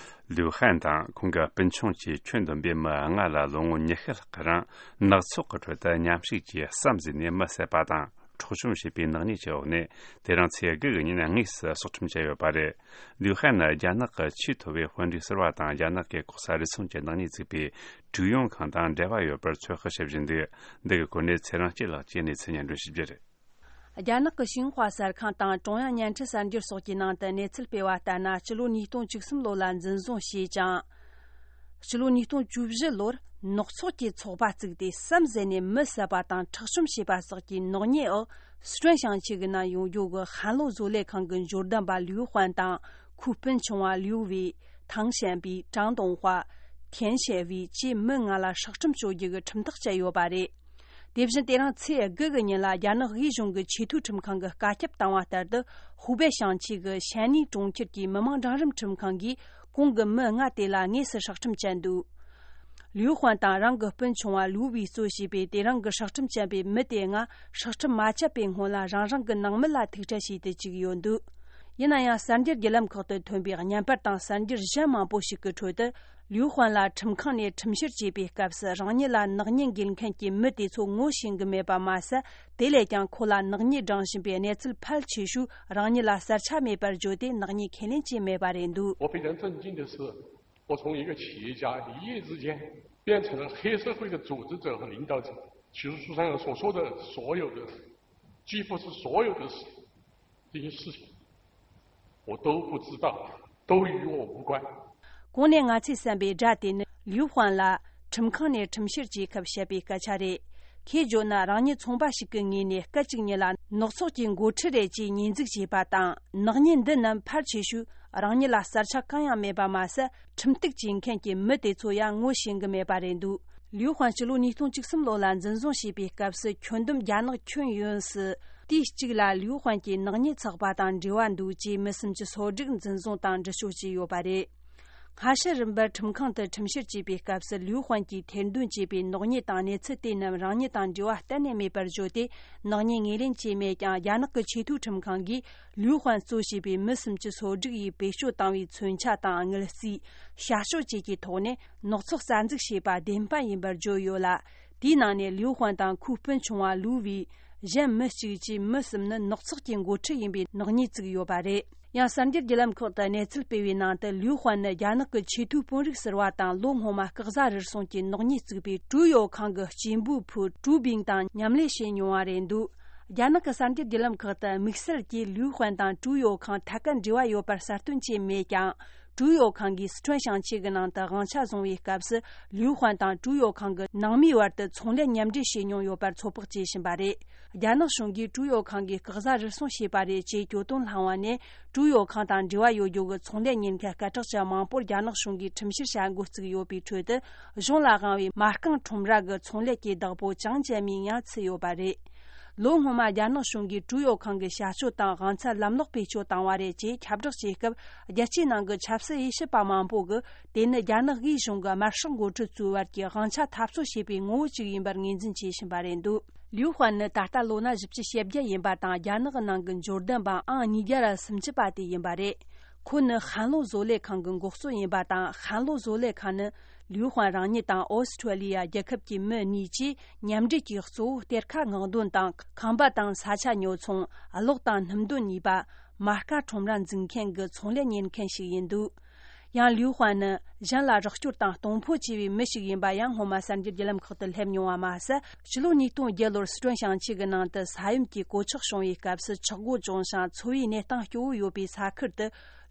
ལིའུ་ཧན་དང་ཁོང་གི་སྤུན་ཆུང་བཅས་ཁྱོན་བསྡོམས་པའི་མི་ལྔ་ལ་ལོ་ངོ་ཉི་ཤུ་ལྷག་གི་རིང་ནག་ཚོགས་ཀྱི་ཁྲོད་དུ་མཉམ་ཞུགས་ཀྱིས་བསམ་གཟས་ནས་མི་བསད་པ་དང་འཕྲོག་བཅོམ་བྱས་པའི་ནག་ཉེས་ཀྱི་འོག་ནས། དེ་རིང་ཚེས་དགུ་གི་ཉིན་དངོས་སུ་སྲོག་ཁྲིམས་བཅད་ཡོད་པ་རེད། ལིའུ་ཧན་ནི་རྒྱ་ནག་གི་ཆེས་མཐོ་བའི་དཔོན་རིགས་ཟུར་པ་དང་། རྒྱ་ནག་གི་ལྐོག་ཟ་རུལ་སུངས་ཀྱི་ནག་ཉེས་བཙུགས་པའི་ཀྲུའུ་ཡོང་ཁང་དང་འབྲེལ་བ་ཡོད་པར་ཚོད་དཔག་བྱེད་བཞིན་འདུག་འདི་གི་སྐོར་ནས་ཚེ་རིང་སྐྱིད་ལགས་ཀྱིས་གནས་ཚུལ་སྙན་སྒྲོན་ཞུ་རྒྱུ་རེད། རྒྱ་ནག་གི་ཤིན་ཧྭ་གསར་ཁང་དང་ཀྲུང་དབྱང་བརྙན་འཕྲིན་གསར་འགྱུར་སོགས་ཀྱི་ནང་དུ་གནས་ཚུལ་སྤེལ་བ་ལྟར་ན། སྤྱི་ལོ་ཉིས་སྟོང་བཅུ་གསུམ་ལོ་ལ་འཛིན་བཟུང་བྱས་ཀྱང་། སྤྱི་ལོ་ཉིས་སྟོང་བཅུ་བཞི་ལོར་ནག་ཚོགས་ཀྱི་ཚོགས་པ་བཙུགས་ཏེ་བསམ་གཟས་ནས་མི་བསད་པ་དང་འཕྲོག་བཅོམ་བྱས་པ་སོགས་ཀྱི་ནག་ཉེས་འོག་སི་ཁྲོན་ཞིང་ཆེན་གྱི་ནང་ཡོད་རྒྱུ་གི་ཧན་ལོ་བཟོ་ལས་ཁང་གི་འབྱོར་ལྡན་པ་ལིའུ་ཧུན་དང་། ཁོའི་སྤུན་ཆུང་བ་ལིའུ་ཝེ། ཐང་ཞན་པི། ཀྲང་ཏུང་ཧྭ། ཐེན་ཞན་ཝེ་བཅས་མི་ལྔ་ལ་སྲོག་ཁྲིམས་གཅོད་རྒྱུ་གི་ཁྲིམས་ཐག་བཅད་ཡོད་པ་རེད། དེ་བཞིན་དེ་རིང་ཚེས་དགུ་གི་ཉིན་ལ་རྒྱ་ནག་དབུས་གཞུང་གི་ཆེས་མཐོའི་ཁྲིམས་ཁང་གིས་བཀའ་ཁྱབ་བཏང་བ་ལྟར་དུ། ཧུའུ་པེ་ཞིང་ཆེན་གྱི་ཞན་ནི་གྲོང་ཁྱེར་གྱི་མི་དམངས་འབྲིང་རིམ་ཁྲིམས་ཁང་གིས་གོང་གི་མི་ལྔ་དེ་ལ་དངོས་སུ་སྲོག་ཁྲིམས་བཅད་འདུག་ལིའུ་ཧུན་དང་རང་གི་སྤུན་ཆུང་བ་ལིའུ་ཝེ་གཙོ་བྱས་པའི་དེ་རིང་གི་སྲོག་ཁྲིམས་བཅད་པའི་མི་དེ་ལྔ་སྲོག་ཁྲིམས་མ་བཅད་པའི་སྔོན་ལ་རང་རང་གི་ནང་མི་ལ་ཐུག་འཕྲད་བྱས་ཏེ་བཅུག་ཡོད་འདུག་ཡིན་ན་ཡང་། གསར་འགྱུར་བརྒྱུད་ལམ་ཁག་ཏུ་ཐོན་པའི་བརྙན་པར་དང་གསར་འགྱུར་གཞན་མང་པོ་ཞིག་གི་ཁྲོད་དུ། ལིའུ་ཧུན་ལ་ཁྲིམས་ཁང་ནས་ཁྲིམས་བཤེར་བྱེད་པའི་སྐབས་སུ། རང་ཉིད་ལ་ནག་ཉེས་འགེལ་མཁན་གྱི་མི་དེ་ཚོ་ངོ་ཤེས་གི་མེད་པ་མ་ཟད། དེ་ལས་ཀྱང་ཁོ་ལ་ནག་ཉེས་འབྲང་བཞིན་པའི་གནས་ཚུལ་ཕལ་ཆེ་ཤོས་རང་ཉིད་ལ་གསལ་ཆ་མེད་པར་བརྗོད་དེ། ནག་ཉེས་ཁས་ལེན་བྱས་མེད་པ་རེད་འདུག 我非常震惊的是，我从一个企业家一夜之间变成了黑社会的组织者和领导者，其实书上所说的所有的，几乎是所有的事，这些事情，我都不知道，都与我无关。 གོང་ནས་ང་ཚོས་གསན་པའི་སྒྲ་དེ་ནི་ལིའུ་ཧུན་ལ་ཁྲིམས་ཁང་ནས་ཁྲིམས་བཤེར་བྱེད་སྐབས་བཤད་པའི་སྐད་ཆ་རེད། ཁོས་བརྗོད་ན། རང་ཉིད་ཚོང་པ་ཞིག་གི་ངོས་ནས་སྐད་ཅིག་ཉིད་ལ་ནག་ཚོགས་ཀྱི་འགོ་ཁྲིད་རེད་ཅེས་ཉེས་འཛུགས་བྱས་པ་དང་། ནག་ཉེས་འདི་རྣམས་ཕལ་ཆེ་ཤོས་རང་ཉིད་ལ་གསལ་ཆ་གང་ཡང་མེད་པ་མ་ཟད། ཁྲིམས་གཏུག་བྱེད་མཁན་གྱི་མི་དེ་ཚོ་ཡང་ངོ་ཤེས་གི་མེད་པ་རེད་འདུག་ལིའུ་ཧུན་སྤྱི་ལོ་ཉིས་སྟོང་བཅུ་གསུམ་ལོ་ལ་འཛིན་བཟུང་བྱས་པའི་སྐབས་སུ། ཁྱོན་བསྡོམས་རྒྱ་ནག་ཁྱོན་ཡོངས་སུ་དུས་གཅིག་ལ་ལིའུ་ཧུན་གྱི་ནག་ཉེས་ཚགས་པ་དང་འབྲེལ་བ་འདུག་ཅེས་མི་སུམ་ཅུ་སོ་དྲུག་འཛིན་བཟུང་དང་འདྲི་གཅོད་བྱས་ཡོད་པ་རེད། སྔ་ཕྱི་རིམ་པར་ཁྲིམས་ཁང་དུ་ཁྲིམས་བཤེར་བྱས་པའི་སྐབས་སུ། ལིའུ་ཧུན་གྱིས་ཐེར་འདོན་བྱས་པའི་ནག་ཉེས་དང་གནས་ཚུལ་དེ་རྣམས་རང་ཉིད་དང་འབྲེལ་བ་གཏན་ནས་མེད་པར་བརྗོད་དེ། ནག་ཉེས་ངོས་ལེན་བྱས་མེད་ཀྱང་། རྒྱ་ནག་གི་ཆེས་མཐོའི་ཁྲིམས་ཁང་གིས་ལིའུ་ཧུན་གཙོ་བྱས་པའི་མི་སུམ་ཅུ་སོ་དྲུག་ཡིས་བེད་སྤྱོད་བཏང་བའི་མཚོན་ཆ་དང་དངུལ་རྩིས། བྱ་སྤྱོད་བཅས་ཀྱི་ཐོག་ནས་ནག་ཚོགས་རྩ་འཛུགས་བྱས་པ་བདེན་དཔང་ཡིན་པར་བརྗོད་ཡོད་ལ། དེའི་ནང་ནས་ལིའུ་ཧུན་དང་ཁོའི་སྤུན་ཆུང་བ་ལུའུ་ཝེ། གཞན་མི་གཅིག་བཅས་མི་གསུམ་ནི་ནག་ཚོགས་ཀྱི་འགོ་ཁྲིད་ཡིན་པའི་ནག་ཉེས་བཙུགས་ཡོད་པ་རེད། ཡང་གསར་འགྱུར་བརྒྱུད་ལམ་ཁག་ཏུ་གནས་ཚུལ་སྤེལ་བའི་ནང་དུ། ལིའུ་ཧུན་ནི་རྒྱ་ནག་གི་ཆེས་མཐོའི་དཔོན་རིགས་ཟུར་པ་དང་། ལོ་སྔོན་མ་སྐལ་བཟང་རུལ་སུངས་ཀྱི་ནག་ཉེས་བཙུགས་པའི་ཀྲུའུ་ཡོ་ཁང་གི་སྐྱེས་འབུལ་ཕུ་ཀྲུའུ་བིང་དང་མཉམ་ལས་བྱས་མྱོང་བ་རེད་འདུག་རྒྱ་ནག་གི་གསར་འགྱུར་བརྒྱུད་ལམ་ཁག་ཏུ་དམིགས་བསལ་གྱིས་ལིའུ་ཧུན་དང་ཀྲུའུ་ཡོ་ཁང་ཐད་ཀར་འབྲེལ་བ་ཡོད་པར་གསལ་སྟོན་བྱས་མེད་ཀྱང་། ཀྲུའུ་ཡོ་ཁང་གིས་སི་ཁྲོན་ཞིང་ཆེན་གྱི་ནང་དུ་དབང་ཆ་བཟུང་བའི་སྐབས་སུ། ལིའུ་ཧུན་དང་ཀྲུའུ་ཡོ་ཁང་གི་ནང་མིའི་བར་དུ་ཚོང་ལས་མཉམ་འབྲེལ་བྱས་མྱོང་ཡོད་པར་ཚོད་དཔག་བྱེད་བཞིན་པ་རེད། རྒྱ་ནག་གཞུང་གིས་ཀྲུའུ་ཡོ་ཁང་གིས་སྐལ་བཟང་རུལ་སུངས་བྱས་པ་རེད་ཅེས་གྱོད་དོན་བསླངས་པ་ནས། ཀྲུའུ་ཡོ་ཁང་དང་འབྲེལ་བ་ཡོད་རྒྱུ་གི་ཚོང་ལས་གཉེར་མཁན་སྐད་གྲགས་ཅན་མང་པོར་རྒྱ་ནག་གཞུང་གིས་ཁྲིམས་བཤེར་བྱ་འགོ་བཙུགས་ཡོད་པའི་ཁྲོད་དུ། གཞུང་ལ་དབང་བའི་མ་རྐང་ཁྲོམ་ར་གི་ཚོང་ལས་ཀྱི་བདག་པོ་ཅང་ཅན་མིང་ཡང་ཚུད་ཡོད་པ་རེད། ལོ་སྔོན་མ་རྒྱ་ནག་གཞུང་གིས་ཀྲུའུ་ཡོ་ཁང་གི་བྱ་སྤྱོད་དང་དབང་ཚད་ལམ་ལྷོང་བེད་སྤྱོད་བཏང་བ་རེད་ཅེས་ཁྱབ་བསྒྲགས་བྱས་སྐབས། རྒྱལ་སྤྱིའི་ནང་གི་ཆབ་སྲིད་དབྱེ་ཞིབ་པ་མང་པོ་གིས། དེ་ནི་རྒྱ་ནག་དབུས་གཞུང་གི་དམར་ཤོག་འགོ་ཁྲིད་ཚོའི་བར་གྱི་དབང་ཆ་འཐབ་རྩོད་བྱེད་པའི་ངོ་བོ་ཅིག་ཡིན་པར་ངོས་འཛིན་བྱེད་བཞིན་པ་རེད་འདུག་ལིའུ་ཧུན་ནི་ད་ལྟ་ལོ་ན་བཞི་བཅུ་ཞེ་བརྒྱད་ཡིན་པ་དང་། རྒྱ་ནག་གི་ནང་གི་འབྱོར་ལྡན་པ་ཨང་ཉིས་བརྒྱ་ར་སུམ་ཅུ་པ་དེ་ཡིན་པ་རེད། ཁོ་ནི་ཧན་ལོ་བཟོ་ལས་ཁང་གི་འགོ་གཙོ་ཡིན་པ་དང་། ཧན་ལོ་བཟོ་ལས་ཁང་ནི་ལིའུ་ཧུན་རང་ཉིད་དང་ཨོ་སི་ཁྲུ་ལི་ཡ་རྒྱལ་ཁབ་ཀྱི་མི་གཉིས་ཀྱིས་མཉམ་འབྲེལ་གྱིས་གཙོ་བོ་གཏེར་ཁ་སྔོག་འདོན་དང་། ཁང་པ་དང་ས་ཆ་ཉོ་ཚོང་། གློག་དང་སྣུམ་འདོན་གཉིས་པ། མ་རྐང་ཁྲོམ་ར་འཛུགས་མཁན་གྱི་ཚོང་ལས་གཉེར་མཁན་ཞིག་ཡིན་འདུག་ཡང་ལིའུ་ཧུན་ནི་གཞན་ལ་རོགས་སྐྱོར་དང་གཏོང་ཕོད་ཆེ་བའི་མི་ཞིག་ཡིན་པ་ཡང་སྔོན་མ་གསར་འགྱུར་བརྒྱུད་ལམ་ཁག་ཏུ་སླེབས་མྱོང་བ་མ་ཟད། ཕྱི་ལོ་ཉིས་སྟོང་བརྒྱད་ལོར་སི་ཁྲོན་ཞིང་ཆེན་གྱི་ནང་དུ་ས་ཡོམ་གྱི་གོད་ཆག་བྱུང་བའི་སྐབས་སུ། ཆག་སྒོ་བྱུང་ཞིང་འཚོ་བའི་གནས་སྟངས་སྐྱོ་བོ་ཡོད་པའི་ས་ཁུལ་དུ་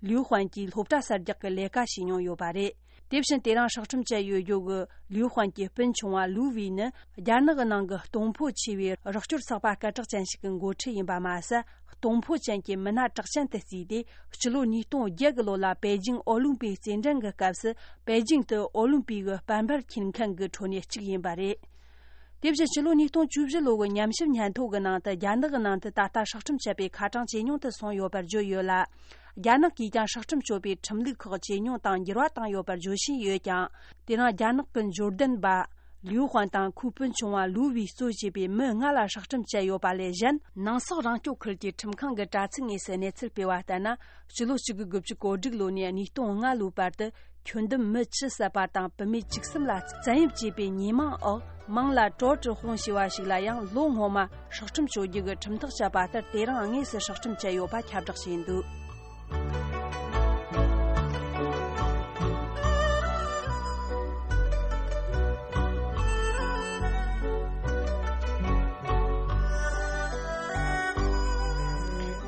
ལིའུ་ཧུན་གྱིས་སློབ་གྲྭ་གསར་རྒྱག་གི་ལས་ཀ་བྱས་མྱོང་ཡོད་པ་རེད། དེ་བཞིན་དེ་རིང་སྲོག་ཁྲིམས་བཅད་ཡོད་རྒྱུ་གི་ལིའུ་ཧུན་གྱི་སྤུན་ཆུང་བ་ལུའུ་ཝེ་ནི། རྒྱ་ནག་གི་ནང་གི་གཏོང་ཕོད་ཆེ་བའི་རོགས་སྐྱོར་ཚོགས་པ་སྐད་གྲགས་ཅན་ཞིག་གི་འགོ་ཁྲིད་ཡིན་པ་མ་ཟད། གཏོང་ཕོད་ཅན་གྱི་མི་སྣ་གྲགས་ཅན་དུ་བརྩིས་ཏེ། སྤྱི་ལོ་ཉིས་སྟོང་བརྒྱད་གི་ལོ་ལ་པེ་ཅིང་ཨོ་ལིམ་པིག་རྩེད་འགྲན་གྱི་སྐབས་སུ། པེ་ཅིང་དུ་ཨོ་ལིམ་པིག་གི་པད་འབར་འཁྱེར་མཁན་གྱི་ཁྲོད་ནས་གཅིག་ཡིན་པ་རེད། དེ་བཞིན་སྤྱི་ལོ་ཉིས་སྟོང་བཅུ་བཞི་ལོ་གི་ཉམས་ཞིབ་སྙན་ཐོ་གི་ནང་དུ། རྒྱ་ནག་གི་ནང་དུ་ད་ལྟ་སྲོག་ཁྲིམས་བཅད་པའི་ཁ་གྲངས་ཇེ་ཉུང་དུ་སོང་ཡོད་པར་བརྗོད་ཡོད་ལ། རྒྱ་ནག་གིས་ཀྱང་སྲོག་ཁྲིམས་གཅོད་པའི་ཁྲིམས་ལུགས་ཁག་ཇེ་ཉུང་དང་འགྱུར་བ་བཏང་ཡོད་པར་བརྗོད་བཞིན་ཡོད་ཀྱང་། དེ་རིང་རྒྱ་ནག་གི་འབྱོར་ལྡན་པ་ ལིའུ་ཧུན་དང་ཁོའི་སྤུན་ཆུང་བ་ལུའུ་ཝུའེ་གཙོ་བྱས་པའི་མི་ལྔ་ལ་སྲོག་ཁྲིམས་བཅད་ཡོད་པ་ལས་གཞན། ནང་སོག་རང་སྐྱོང་ཁུལ་གྱི་ཁྲིམས་ཁང་གི་དྲ་ཚིགས་དངོས་སུ་གནས་ཚུལ་སྤེལ་བ་ལྟར་ན། ཕྱི་ལོ་གཅིག་དགུ་དགུ་བཅུ་གོ་དྲུག་ལོ་ནས་ཉིས་སྟོང་ལྔ་ལོའི་བར་དུ། ཁྱོན་བསྡོམས་མི་བཅུ་བསད་པ་དང་བུད་མེད་བཅུ་གསུམ་ལ་བཙན་གཡེམ་བྱས་པའི་ཉེས་མིང་འོག་མིང་ལ་ཀྲོ་ཀྲི་ཧུང་ཞེས་པ་ཞིག་ལ་ཡང་ལོ་སྔོན་མ་སྲོག་ཁྲིམས་གཅོད་རྒྱུ་གི་ཁྲིམས་ཐག་བཅད་པ་ལྟར། དེ་རིང་དངོས་སུ་སྲོག་ཁྲིམས་བཅད་ཡོད་པ་ཁྱབ་བསྒྲགས་བྱས་འདུག།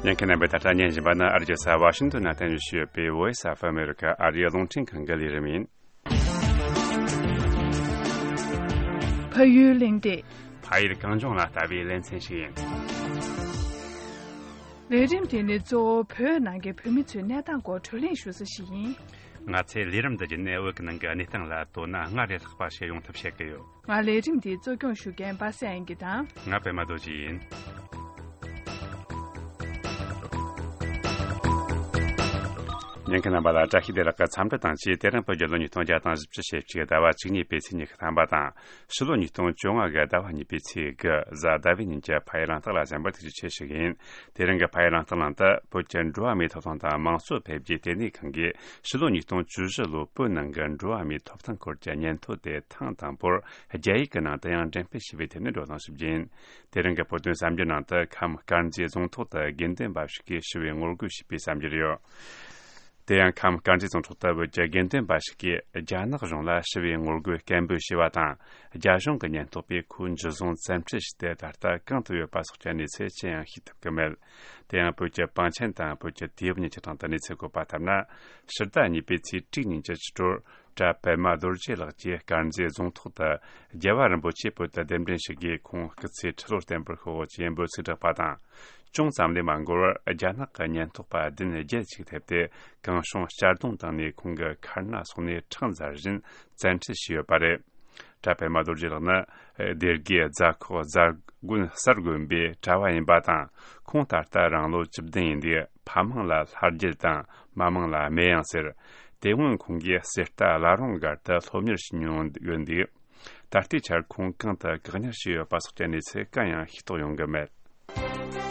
ཉན་མཁན་རྣམ་པས་ད་ལྟ་ཉན་བཞིན་པ་ནི་ཨ་རིའི་རྒྱལ་ས་ཝ་ཤིང་ཏོན་ནས་བསྟན་བཞིན་ཡོད་པའི་Voice of America ཨ་རིའི་རླུང་འཕྲིན་ཁང་གི་ལས་རིམ་ཡིན། ཕ་ཡུལ་གླེང་སྟེགས། ཕ་ཡུལ་གངས་ལྗོངས་ལ་ལྟ་བའི་ལེ་ཚན་ཞིག་ཡིན། ལས་རིམ་དེ་ནི་གཙོ་བོ་བོད་ནང་གི་བོད་མི་ཚོའི་གནས་སྟངས་སྐོར་བགྲོ་གླེང་ཞུ་ས་ཞིག་ཡིན། ང་ཚོས་ལས་རིམ་འདི་བརྒྱུད་ནས་བོད་ཀྱི་ནང་གི་གནས་སྟངས་ལ་དོ་སྣང་སྔར་ལས་ལྷག་པ་ཞིག་ཡོང་ཐབས་བྱེད་ཀྱི་ཡོད། ང་ལས་རིམ་འདི་གཙོ་སྐྱོང་ཞུ་མཁན་པ་སངས་དབྱངས་སྐྱིད་དང་། ང་པད་མ་རྡོ་རྗེ་ཡིན། ཉན་མཁན་རྣམ་པ་ལ་བཀྲ་ཤིས་བདེ་ལེགས་ཀྱི་འཚམས་འདྲི་དང་བཅས། དེ་རིང་བོད་རྒྱལ་ལོ་ཉིས་སྟོང་བརྒྱ་དང་བཞི་བཅུ་ཞེ་གཅིག་ཟླ་བ་བཅུ་གཉིས་པའི་ཚེས་ཉི་ཤུ་ཐམ་པ་དང་། ཕྱི་ལོ་ཉིས་སྟོང་བཅོ་ལྔ་གི་ཟླ་བ་གཉིས་པའི་ཚེས་དགུ་གཟའ་ཟླ་བའི་ཉིན་གྱི་ཕ་ཡུལ་གླེང་སྟེགས་ལ་གསན་པར་ཐུགས་རྗེ་ཆེ་ཞུ་གི་ཡིན། དེ་རིང་གི་ཕ་ཡུལ་གླེང་སྟེགས་ནང་དུ་བོད་ཀྱི་འགྲོ་བ་མིའི་ཐོབ་ཐང་དང་དམངས་གཙོ་འཕེལ་རྒྱས་ལྟེ་གནས་ཁང་གིས་ཕྱི་ལོ་ཉིས་སྟོང་བཅུ་བཞི་ལོའི་བོད་ནང་གི་འགྲོ་བ་མིའི་ཐོབ་ཐང་སྐོར་གྱི་སྙན་ཐོ་དེ་ཐེངས་དང་པོར་རྒྱ་ཡིག་གི་ནང་དུ་ཡང་འགྲེམས་སྤེལ་བྱས་པའི་ཐད་ནས་བགྲོ་གླེང་ཞུ་རྒྱུ་ཡིན། དེ་རིང་གི་བོད་དོན་གསར་འགྱུར་ནང་དུ་ཁམས་དཀར་མཛེས་རྫོང་ཐོག་ཏུ་དགེ་འདུན་པ་ཞིག་གིས་ཞི་བའི་ངོ་རྒོལ་བྱས་པའི་གསར་འགྱུར་ཡོད། དེ་ཡང་ཁམས་དཀར་མཛེས་རྫོང་ཐོག་ཏུ་བོད་ཀྱི་དགེ་འདུན་པ་ཞིག་གིས་རྒྱ་ནག་གཞུང་ལ་ཞི་བའི་ངོ་རྒོལ་སྐད་འབོད་བྱས་པ་དང་། རྒྱ་གཞུང་གི་ཉེན་རྟོག་པས་ཁོའི་འཇུ་བཟུང་བཙན་ཁྲིད་བྱས་ཏེ་ད་ལྟ་གང་དུ་ཡོད་པ་སོགས་ཀྱི་གནས་ཚུལ་ཅི་ཡང་ཤེས་ཐུབ་ཀྱི་མེད། དེ་ཡང་བོད་ཀྱི་པང་ཆེན་དང་བོད་ཀྱི་དུས་བབ་གཉིས་ཀྱི་སྟེང་དུ་གནས་ཚུལ་བཀོད་པ་ལྟར་ན། ཕྱི་ཟླ་གཉིས་པའི་ཚེས་དྲུག་ཉིན་གྱི་ཕྱི་དྲོར། གྲྭ་པད་མ་རྡོ་རྗེ་ལགས་ཀྱིས་དཀར་མཛེས་རྫོང་ཐོག་ཏུ་རྒྱལ་བ་རིན་པོ་ཆེ་བོད་དུ་གདན་འདྲེན་ཞུ་གིས་ཁོང་སྐུ་ཚེ་ཁྲི་ལོར་བརྟན་པར་ཤོག་ཅེས་འབོད་ཚིག་བསྒྲགས་པ་དང་། ཅུང་ཙམ་ལས་མ་འགོར་བར་རྒྱ་ནག་གི་ཉེན་རྟོག་པ་བདུན་བརྒྱད་ཅིག་ཐེབས་ཏེ་གངས་ཤོང་གཅར་རྡུང་བཏང་ནས་ཁོང་གི་མཁར་ནང་སོང་ནས་ཁྲག་འཛར་བཞིན་བཙན་ཁྲིད་བྱས་ཡོད་པ་རེད། གྲྭ་པད་མ་རྡོ་རྗེ་ལགས་ནི་སྡེ་དགེ་རྫ་ཁོག་རྫ་དགོན་གསར་དགོན་པའི་གྲྭ་བ་ཡིན་པ་དང་། ཁོང་ད་ལྟ་རང་ལོ་བཅུ་བདུན་ཡིན་འདུག། ཕ་མིང་ལ་ལྷ་རྒྱལ་དང་མ་མིང་ལ་སྨེ་གཡང་ཟེར། དེ་སྔོན་ཁོང་གིས་གསེར་རྟ་བླ་རུང་སྒར་དུ་སློབ་གཉེར་བྱེད་མྱོང་ཡོད་འདུག། ད་ལྟའི་ཆར་ཁོང་གང་དུ་བཀག་ཉར་བྱས་ཡོད་པ་སོགས་ཀྱི་གནས་ཚུལ་གང་ཡང་ཤེས་རྟོགས་ཡོང་གི་མེད།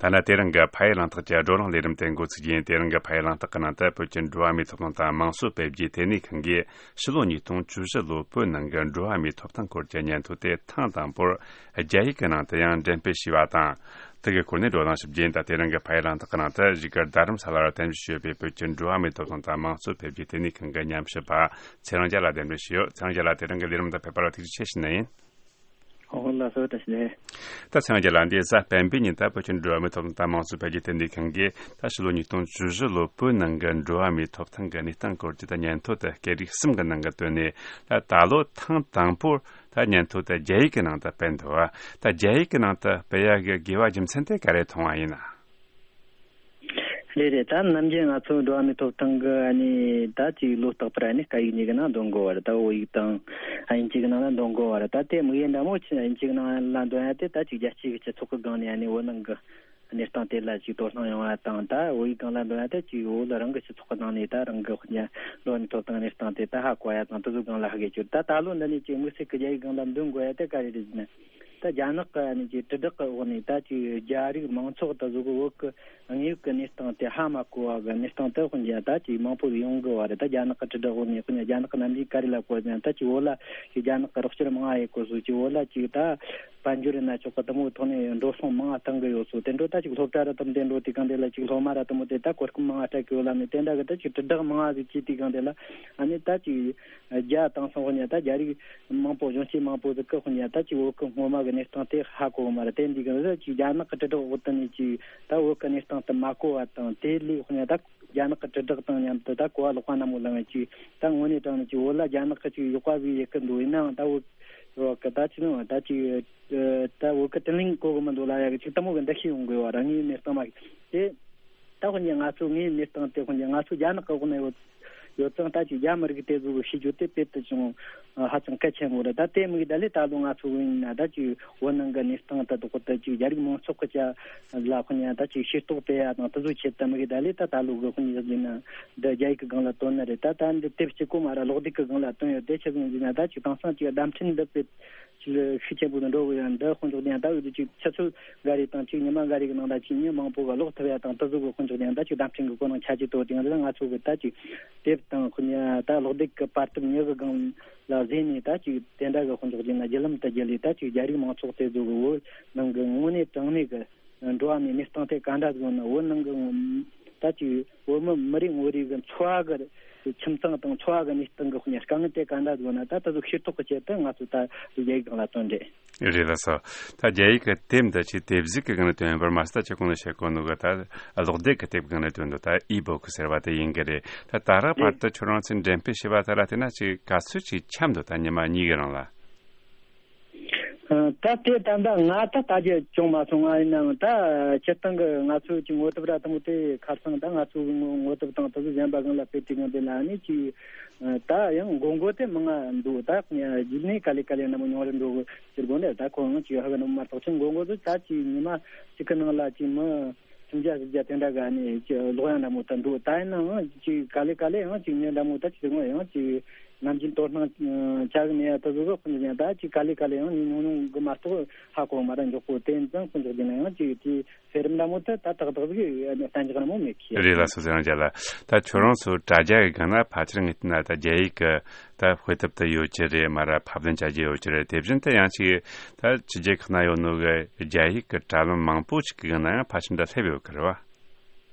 ཐ་ན་དེ་རིང་གི་ཕ་ཡུལ་གླེང་སྟེགས་ཀྱི་བགྲོ་གླེང་ལས་རིམ་དེ་འགོ་ཚུགས་རྒྱུ་ཡིན། དེ་རིང་གི་ཕ་ཡུལ་གླེང་སྟེགས་ཀྱི་ནང་དུ་བོད་ཀྱི་འགྲོ་བ་མིའི་ཐོབ་ཐང་དང་དམངས་གཙོ་འཕེལ་རྒྱས་ལྟེ་གནས་ཁང་གིས་ཕྱི་ལོ་ཉིས་སྟོང་བཅུ་བཞི་ལོའི་བོད་ནང་གི་འགྲོ་བ་མིའི་ཐོབ་ཐང་སྐོར་གྱི་སྙན་ཐོ་དེ་ཐེངས་དང་པོར་རྒྱ་ཡིག་གི་ནང་དུ་ཡང་འགྲེམས་སྤེལ་བྱས་པ་དང་། དེ་གི་སྐོར་ནས་བགྲོ་གླེང་ཞུ་རྒྱུ་ཡིན། ད་དེ་རིང་གི་ཕ་ཡུལ་གླེང་སྟེགས་ཀྱི་ནང་དུ་གཞིས་སྒར་རྡ་རམ་ས་ལ་རུ་རྟེན་གཞི་བྱས་ཡོད་པའི་བོད་ཀྱི་འགྲོ་བ་མིའི་ཐོབ་ཐང་དང་དམངས་གཙོ་འཕེལ་རྒྱས་ལྟེ་གནས་ཁང་གི་ཉམས་ཞིབ་པ་ཚེ་རིང་རྒྱལ་ལགས་གདན་འདྲེན་ཞུས་ཡོད། ཚེ་རིང་རྒྱལ་ལགས་དེ་རིང་གི་ལས་རིམ་དུ་ཕེབས་པར་ཐུགས་རྗེ་ཆེ་ཞུ་ནི་ཡིན། ཨོ་ལགས་སོ། བཀྲ་ཤིས་བདེ་ལེགས། ད་ཚེ་རིང་རྒྱལ་ལགས་འདི་གཟའ་སྤེན་པའི་ཉིན་ད་བོད་ཀྱི་འགྲོ་བ་མིའི་ཐོབ་ཐང་དང་དམངས་གཙོ་འཕེལ་རྒྱས་ལྟེ་གནས་ཁང་གིས་ད་ཕྱི་ལོ་ཉིས་སྟོང་བཅུ་བཞི་ལོའི་བོད་ནང་གི་འགྲོ་བ་མིའི་ཐོབ་ཐང་གི་གནས་སྟངས་སྐོར་གྱི་ད་སྙན་ཐོ་དེ་སྐད་རིགས་གསུམ་གྱི་ནང་གི་བཏོན་ནས། ད་ད་ལོ་ཐེངས་དང་པོར་ད་སྙན་ཐོ་དེ་རྒྱ་ཡིག་གི་ནང་དུ་སྤེལ་འདུག་པ། ད་རྒྱ་ཡིག་གི་ནང་དུ་སྤེལ་ཡག་གི་དགོས་པ་རྒྱུ་མཚན་དེ་ག་རེ་མཐོང་བ་ཡིན་ན། རེད་རེད། ད་ནམ་རྒྱུན་ང་ཚོ་འགྲོ་བ་མིའི་ཐོབ་ཐང་གི་ཨ་ནི་ད་ཅིག་ལོ་རྟག་པར་ཨ་ནི་སྐད་ཡིག་གཉིས་ཀྱི་ནང་འདོན་དགོས་པ་རེད། ད་བོད་ཡིག་དང་དབྱིན་ཇི་གི་ནང་ལ་འདོན་དགོས་པ་རེད། ད་དེ་དམིགས་ཡུལ་འདྲ་མོ་ཆེ་དབྱིན་ཇི་གི་ནང་ལ་འདོན་ཡ་དེ་ད་ཅིག་རྒྱལ་སྤྱིའི་སྤྱི་ཚོགས་ཀྱི་སྒང་ནས་ཨ་ནི་བོད་ནང་གི་གནས་སྟངས་དེ་ལ་ཅིག་དོ་སྣང་ཡོང་བ་དང་། ད་བོད་ཡིག་སྒང་ལ་འདོན་ཡ་དེ་ཅིག་བོད་ལ་རང་གི་སྤྱི་ཚོགས་ཀྱི་ནང་ནས་ད་རང་གི་འགྲོ་བ་མིའི་ཐོབ་ཐང་གནས་སྟངས་དེ་ད་ཧ་གོ་ཡ་དང་དེ་ཚོའི་སྒང་ལ་ཧ་གོ་རྒྱུ། ད་ད་ལོ་འདི་ནས་ཅིག་དམིགས་བསལ་གྱི་རྒྱ་ཡིག་སྒང་ལ་འདོན་དགོས་ཡ་དེ་ག་རེ་རེད་ཟེར་ན། ད་རྒྱ་ནག་གི་ཨ་ནི་ཅིག་དྲིལ་བསྒྲགས་ཀྱི་འོག་ནས་ད་ཅིག་རྒྱ་རིགས་མང་ཚོགས་ད་གཟོད་བོད་ཀྱི་དངོས་ཡོད་ཀྱི་གནས་སྟངས་དེ་ཧ་མ་གོ་བ་གི་གནས་སྟངས་དེ་དཔེར་ན་ད་ཅིག་མང་པོ་ཡོང་གི་བ་རེད། ད་རྒྱ་ནག་གི་དྲིལ་བསྒྲགས་འོག་ནས་དཔེར་ན་རྒྱ་ནག་གི་ནམ་རྒྱུན་ག་རེ་ལབ་གོ་ཟེར་ན། ད་ཅིག་བོད་ལ་ཅིག་རྒྱ་ནག་གི་རོགས་སྐྱོར་མང་ང་ཡེད་གོ་སོང་། ཅིག་བོད་ལ་ཅིག་ད་དཔལ་འབྱོར་ཡིན་ན་ཆོག་གི་དེ་མོ་ཐོག་ནས་འགྲོ་སོང་མང་ང་བཏང་གི་ཡོད་སོང་། དེ་འདྲ་ད་ཅིག་སློབ་གྲྭ་ར་དེ་མོ་དེ་འགྲོ་དུས་སྒང་དེ་ལ་ཅིག་སློབ་མ་ར་དེ་མོ་དེ་ད་གོ་སྐབས་མང་ང་སྤྲད་གི་ཡོད་ལབ་ནས་དེ་འདྲ་གི་ད་ཅིག་དྲིལ་བསྒྲགས་མང་ང་ཟིག་བྱས་དུས་སྒང་དེ་ལ་ཨ་ནི་ད་ཅིག་རྒྱ་དེང་སང་དཔེར་ན་ད་རྒྱ་རིགས་མང་པོ་གཞོན་སྐྱེས་མང་པོ་ཟིག་གིས་དཔེར་ན་ད་ཅིག་བོད་ཀྱི་སྔོན་མ་གི་གནས་སྟངས་དེ་ཧ་གོ་གི་མ་རེད། དེ་འདི་གི་ད་ཅིག་རྒྱ་ནག་གི་དྲིལ་བསྒྲགས་འོག་ཏུ་ནས་ཅིག་ད་བོད་ཀྱི་གནས་སྟངས་དེ་མ་གོ་བ་དང་། དེ་ལས་དཔེར་ན་ད་རྒྱ་ནག་གི་དྲིལ་བསྒྲགས་དང་མཉམ་དུ་ད་གོ་བ་ལོག་པ་ནན་མོ་ལངས། ཅིག་ད་དངོས་གནས་དྲང་གནས་ཅིག་བོད་ལ་རྒྱ་ནག་གིས་ཅིག་གཡོག་པ་བྱས་ཡེད་གི་འདུག། ཡིན་ནའང་ད་བོད་བོད་ཀྱི་ད་ཅི་ནང་ད་ཅིག་ད་བོད་ཀྱི་དྲིན་ལན་གོ་གི་མི་འདུག་ལབ་ཡ་གི་ཅིག་དེ་མོ་གི་འདུ་ཤེས་ཡོང་དགོས་པ་རང་ངའི་གནས་སྟངས་མ་གི་དེ། ད་དཔེར་ན་ང་ཚོ་ངའི་གནས་སྟངས་དེ་དཔེར་ན་ང་ཚོ་རྒྱ་ནག་གི་འོག་ན་ཡོད། ཡོད་ཙང་ད་ཅིག་རྒྱ་མི་རིགས་དེ་ཚོ་གི་ཤེས་རྒྱུ་དེ་དཔེ་དེ་ཅུང་ཧ་ཅང་གལ་ཆེན་པོ་རེད། ད་དེ་མིན་གྱི་ད་ལས་ད་ལོ་ང་ཚོ་ཡིན་ན་ད་ཅིག་བོད་ནང་གི་གནས་སྟངས་ད་དོག་ད་ཅིག་རྒྱ་རིགས་མང་ཚོགས་ཀྱི་ཆ་ལ་ཁོ་ནས་ད་ཅིག་ཤེས་རྟོགས་སྤེལ་ཡ་དང་དེ་ཚོ་ཆེད་དུ་མི་གི་ད་ལས་ད་ད་ལོ་གི་ཁོ་ནས་ཡིན་ན་འདི་རྒྱ་ཡིག་གི་སྒང་ལ་བཏོན་ནི་རེད། ད་ད་འདི་དེབ་གཅིག་གོ་མ་ར་ཀློག་དེབ་གི་སྒང་ལ་བཏོན་ཡོད། དེ་ཆེད་དུ་ཡིན་ན་ད་ཅིག་དེང་སང་ཅིག་བརྡ་འཕྲིན་འདི་དཔེ་ཤུགས་ཆེན་པོ་དུ་འགྲོ་གི་ཡོད། འདི་དཔེ་འཇོག་དེ་ཡང་ད་འོས་བསྡུ་ཅིག་ཆུ་ཚོད་འགའ་རེ་དང་ཅིག་ཉི་མ་འགའ་རེ་གི་ནང་ད་ཅིག་མི་མང་པོ་གི་ཀློག་ཐུབ་ཡ་དང་དེ་ཚོ་གི་དཔེ་འཇོག་དེ་ཡང་ད་ཅིག་བརྡ་འཕྲིན་གི་གོ་རིམ་ཆ་ཅིག་དོ་དེ་ཡང་ད་ང་ཚོ་གི་ད་ཅིག་དེབ་དང་དཔེ་ད་ཀློག་དེབ་གི་པར་དེབ་ཉི་གི་སྒང་ལ་གཟིགས་ནས་ད་ཅིག་དེ་འདྲ་གི་དཔེ་འཇོག་དེ་ན་བརྒྱུད་ལམ་དུ་བརྒྱུད་ལས་ད་ཅིག་རྒྱ་རིགས་མང་ཚོགས་དེ་ཚོ་གི་བོད་ནང་གི་དངོས་གནས་དྲང་གནས་གི་འགྲོ་བ་མིའི་གནས་སྟངས་དེ་ག་འདྲ་ཟིག་ཡོད་ན། བོད་ནང་གི་ད་ཅིག་བོད་མི་མི་རེ་ངོ་རེ་གི་འཚོ་བ་གི་ཁྱིམ་ཚང་དང་འཚོ་བ་གི་གནས་སྟངས་གི་དཔེ་དཀའ་ངལ་དེ་ག་འདྲ་ཟིག་ཡོད་ན། ད་ད་ཟིག་ཤེས་རྟོགས་གི་ཆེད་དུ་ང་ཚོ་ད་རྒྱ་ཡིག་སྒང་ལ་བཏོན་རེད། རེད་ལགས་སོ། ད་རྒྱ་ཡིག་གི་དེབ་འདི་ཆེ་དེབ་གཟུགས་ཀྱི་སྒང་ལ་བཏོན་ཡོད་པར་མ་ཟད་ད་ཁྱེད་གོང་ནས་བཤད་གོ་ནོ་གི་ད་ཀློག་དེབ་ཀྱི་དེབ་སྒང་ལ་བཏོན་འདུག་ད་ཨི་བོ་ཀི་ཟེར་བ་དེ་ཡིན་གི་རེད། ད་ད་རག་བར་དུ་ཁྱོད་རང་ཚོས་འགྲེམས་སྤེལ་བྱས་པ་དེ་ལ་བལྟས་ན་ཅིག་ག་ཚོད་ཅིག་འཁྱམས་འདུག་ད་ཉི་མ་གཉིས་ཀྱི་རིང་ལ། ཨ། ད་དེ་ད་ལྟ་ང་ད་ལྟ་རྒྱུ་བྱུང་མ་སོང་། ང་ཡིན་ནའང་ད་སྤྱིར་བཏང་གི་ང་ཚོའི་གི་ངོ་དེབ་ར་དང་པོ་དེ་ཁ་སང་ད་ང་ཚོའི་ངོ་ངོ་དེབ་དང་དེ་ཚོ་གཞན་པ་སྒང་ལ་སྤེལ་དུས་སྒང་དེ་ལ་ནི་ཅིག་ད་ཡང་འགོ་འགོ་དེ་མང་ང་འདུག་ད་རྗེས་ནས་ག་ལེ་ག་ལེ་ནི་མོ་ཉུང་རུ་འགྲོ་གི་ཟེར་དགོས་ནི་ད་ཁོ་ཡང་ཅིག་ཧ་གི་ནི་མ་གཏོགས་ཅིག་འགོ་འགོ་དེ་ད་ཅིག་ཉི་མ་གཅིག་གི་ནང་ལ་ཅིག་མི་སུམ་བརྒྱ་བཞི་བརྒྱ་དེ་འདྲ་ག་ནི་ཅིག་ཀློག་ཡ་འདྲ་མོ་ད་འདུག་ད་ཡིན་ནའང་ཅིག་ག་ལེ་ག་ལེ་ཡང་ཅིག་ཉེ་འདྲ་མོ་ད་ཅིག་ཡང་ཅིག་ནམ་རྒྱུན་དོ་སྣང་བྱ་གི་མེད་ཡ་ད་བཟོ་བཟོ་ཁོ་ཚོ་ཡང་ད་ཅིག་ག་ལེ་ག་ལེ་ཡང་ཉུང་ཉུང་གི་མ་གཏོགས་ཧ་གོ་མ་ར་འཇོག་གོ། དེ་ཡིན་ཙང་ཁོ་ཚོ་ཡིན་ན་ཡང་ཅིག་དེ་ཟེར་རིམ་འདྲ་མོ་དེ་ད་ཏག་ཏག་ཟིག་གཏན་འཇགས་འདྲ་མོ་མེད་ཀི། རེད་ལགས་སོ། ཟེར་ཡང་རྒྱ་ལ་ད་ཁྱོད་རང་ཚོ་དྲ་རྒྱ་གི་སྒང་ན་ཕལ་ཆེར་ངས་བལྟས་ན་ད་རྒྱ་ཡིག་གི་ད་དཔེ་དེབ་དེ་ཡོད་ཀྱི་རེད་མ་ར་ཕབ་ལེན་བྱ་རྒྱུ་ཡོད་ཀྱི་རེད། དེ་བཞིན་དུ་ཡང་ཅིག་ད་ཕྱི་རྒྱལ་ཁག་ན་ཡོད་ནོ་གི་རྒྱ་ཡིག་གི་དྲ་ལམ་མང་པོ་ཞིག་གི་སྒང་ན་ཡང་ཕལ་ཆེར་འདྲ་སླེབས་ཡོད་ཀྱི་རེད་བ།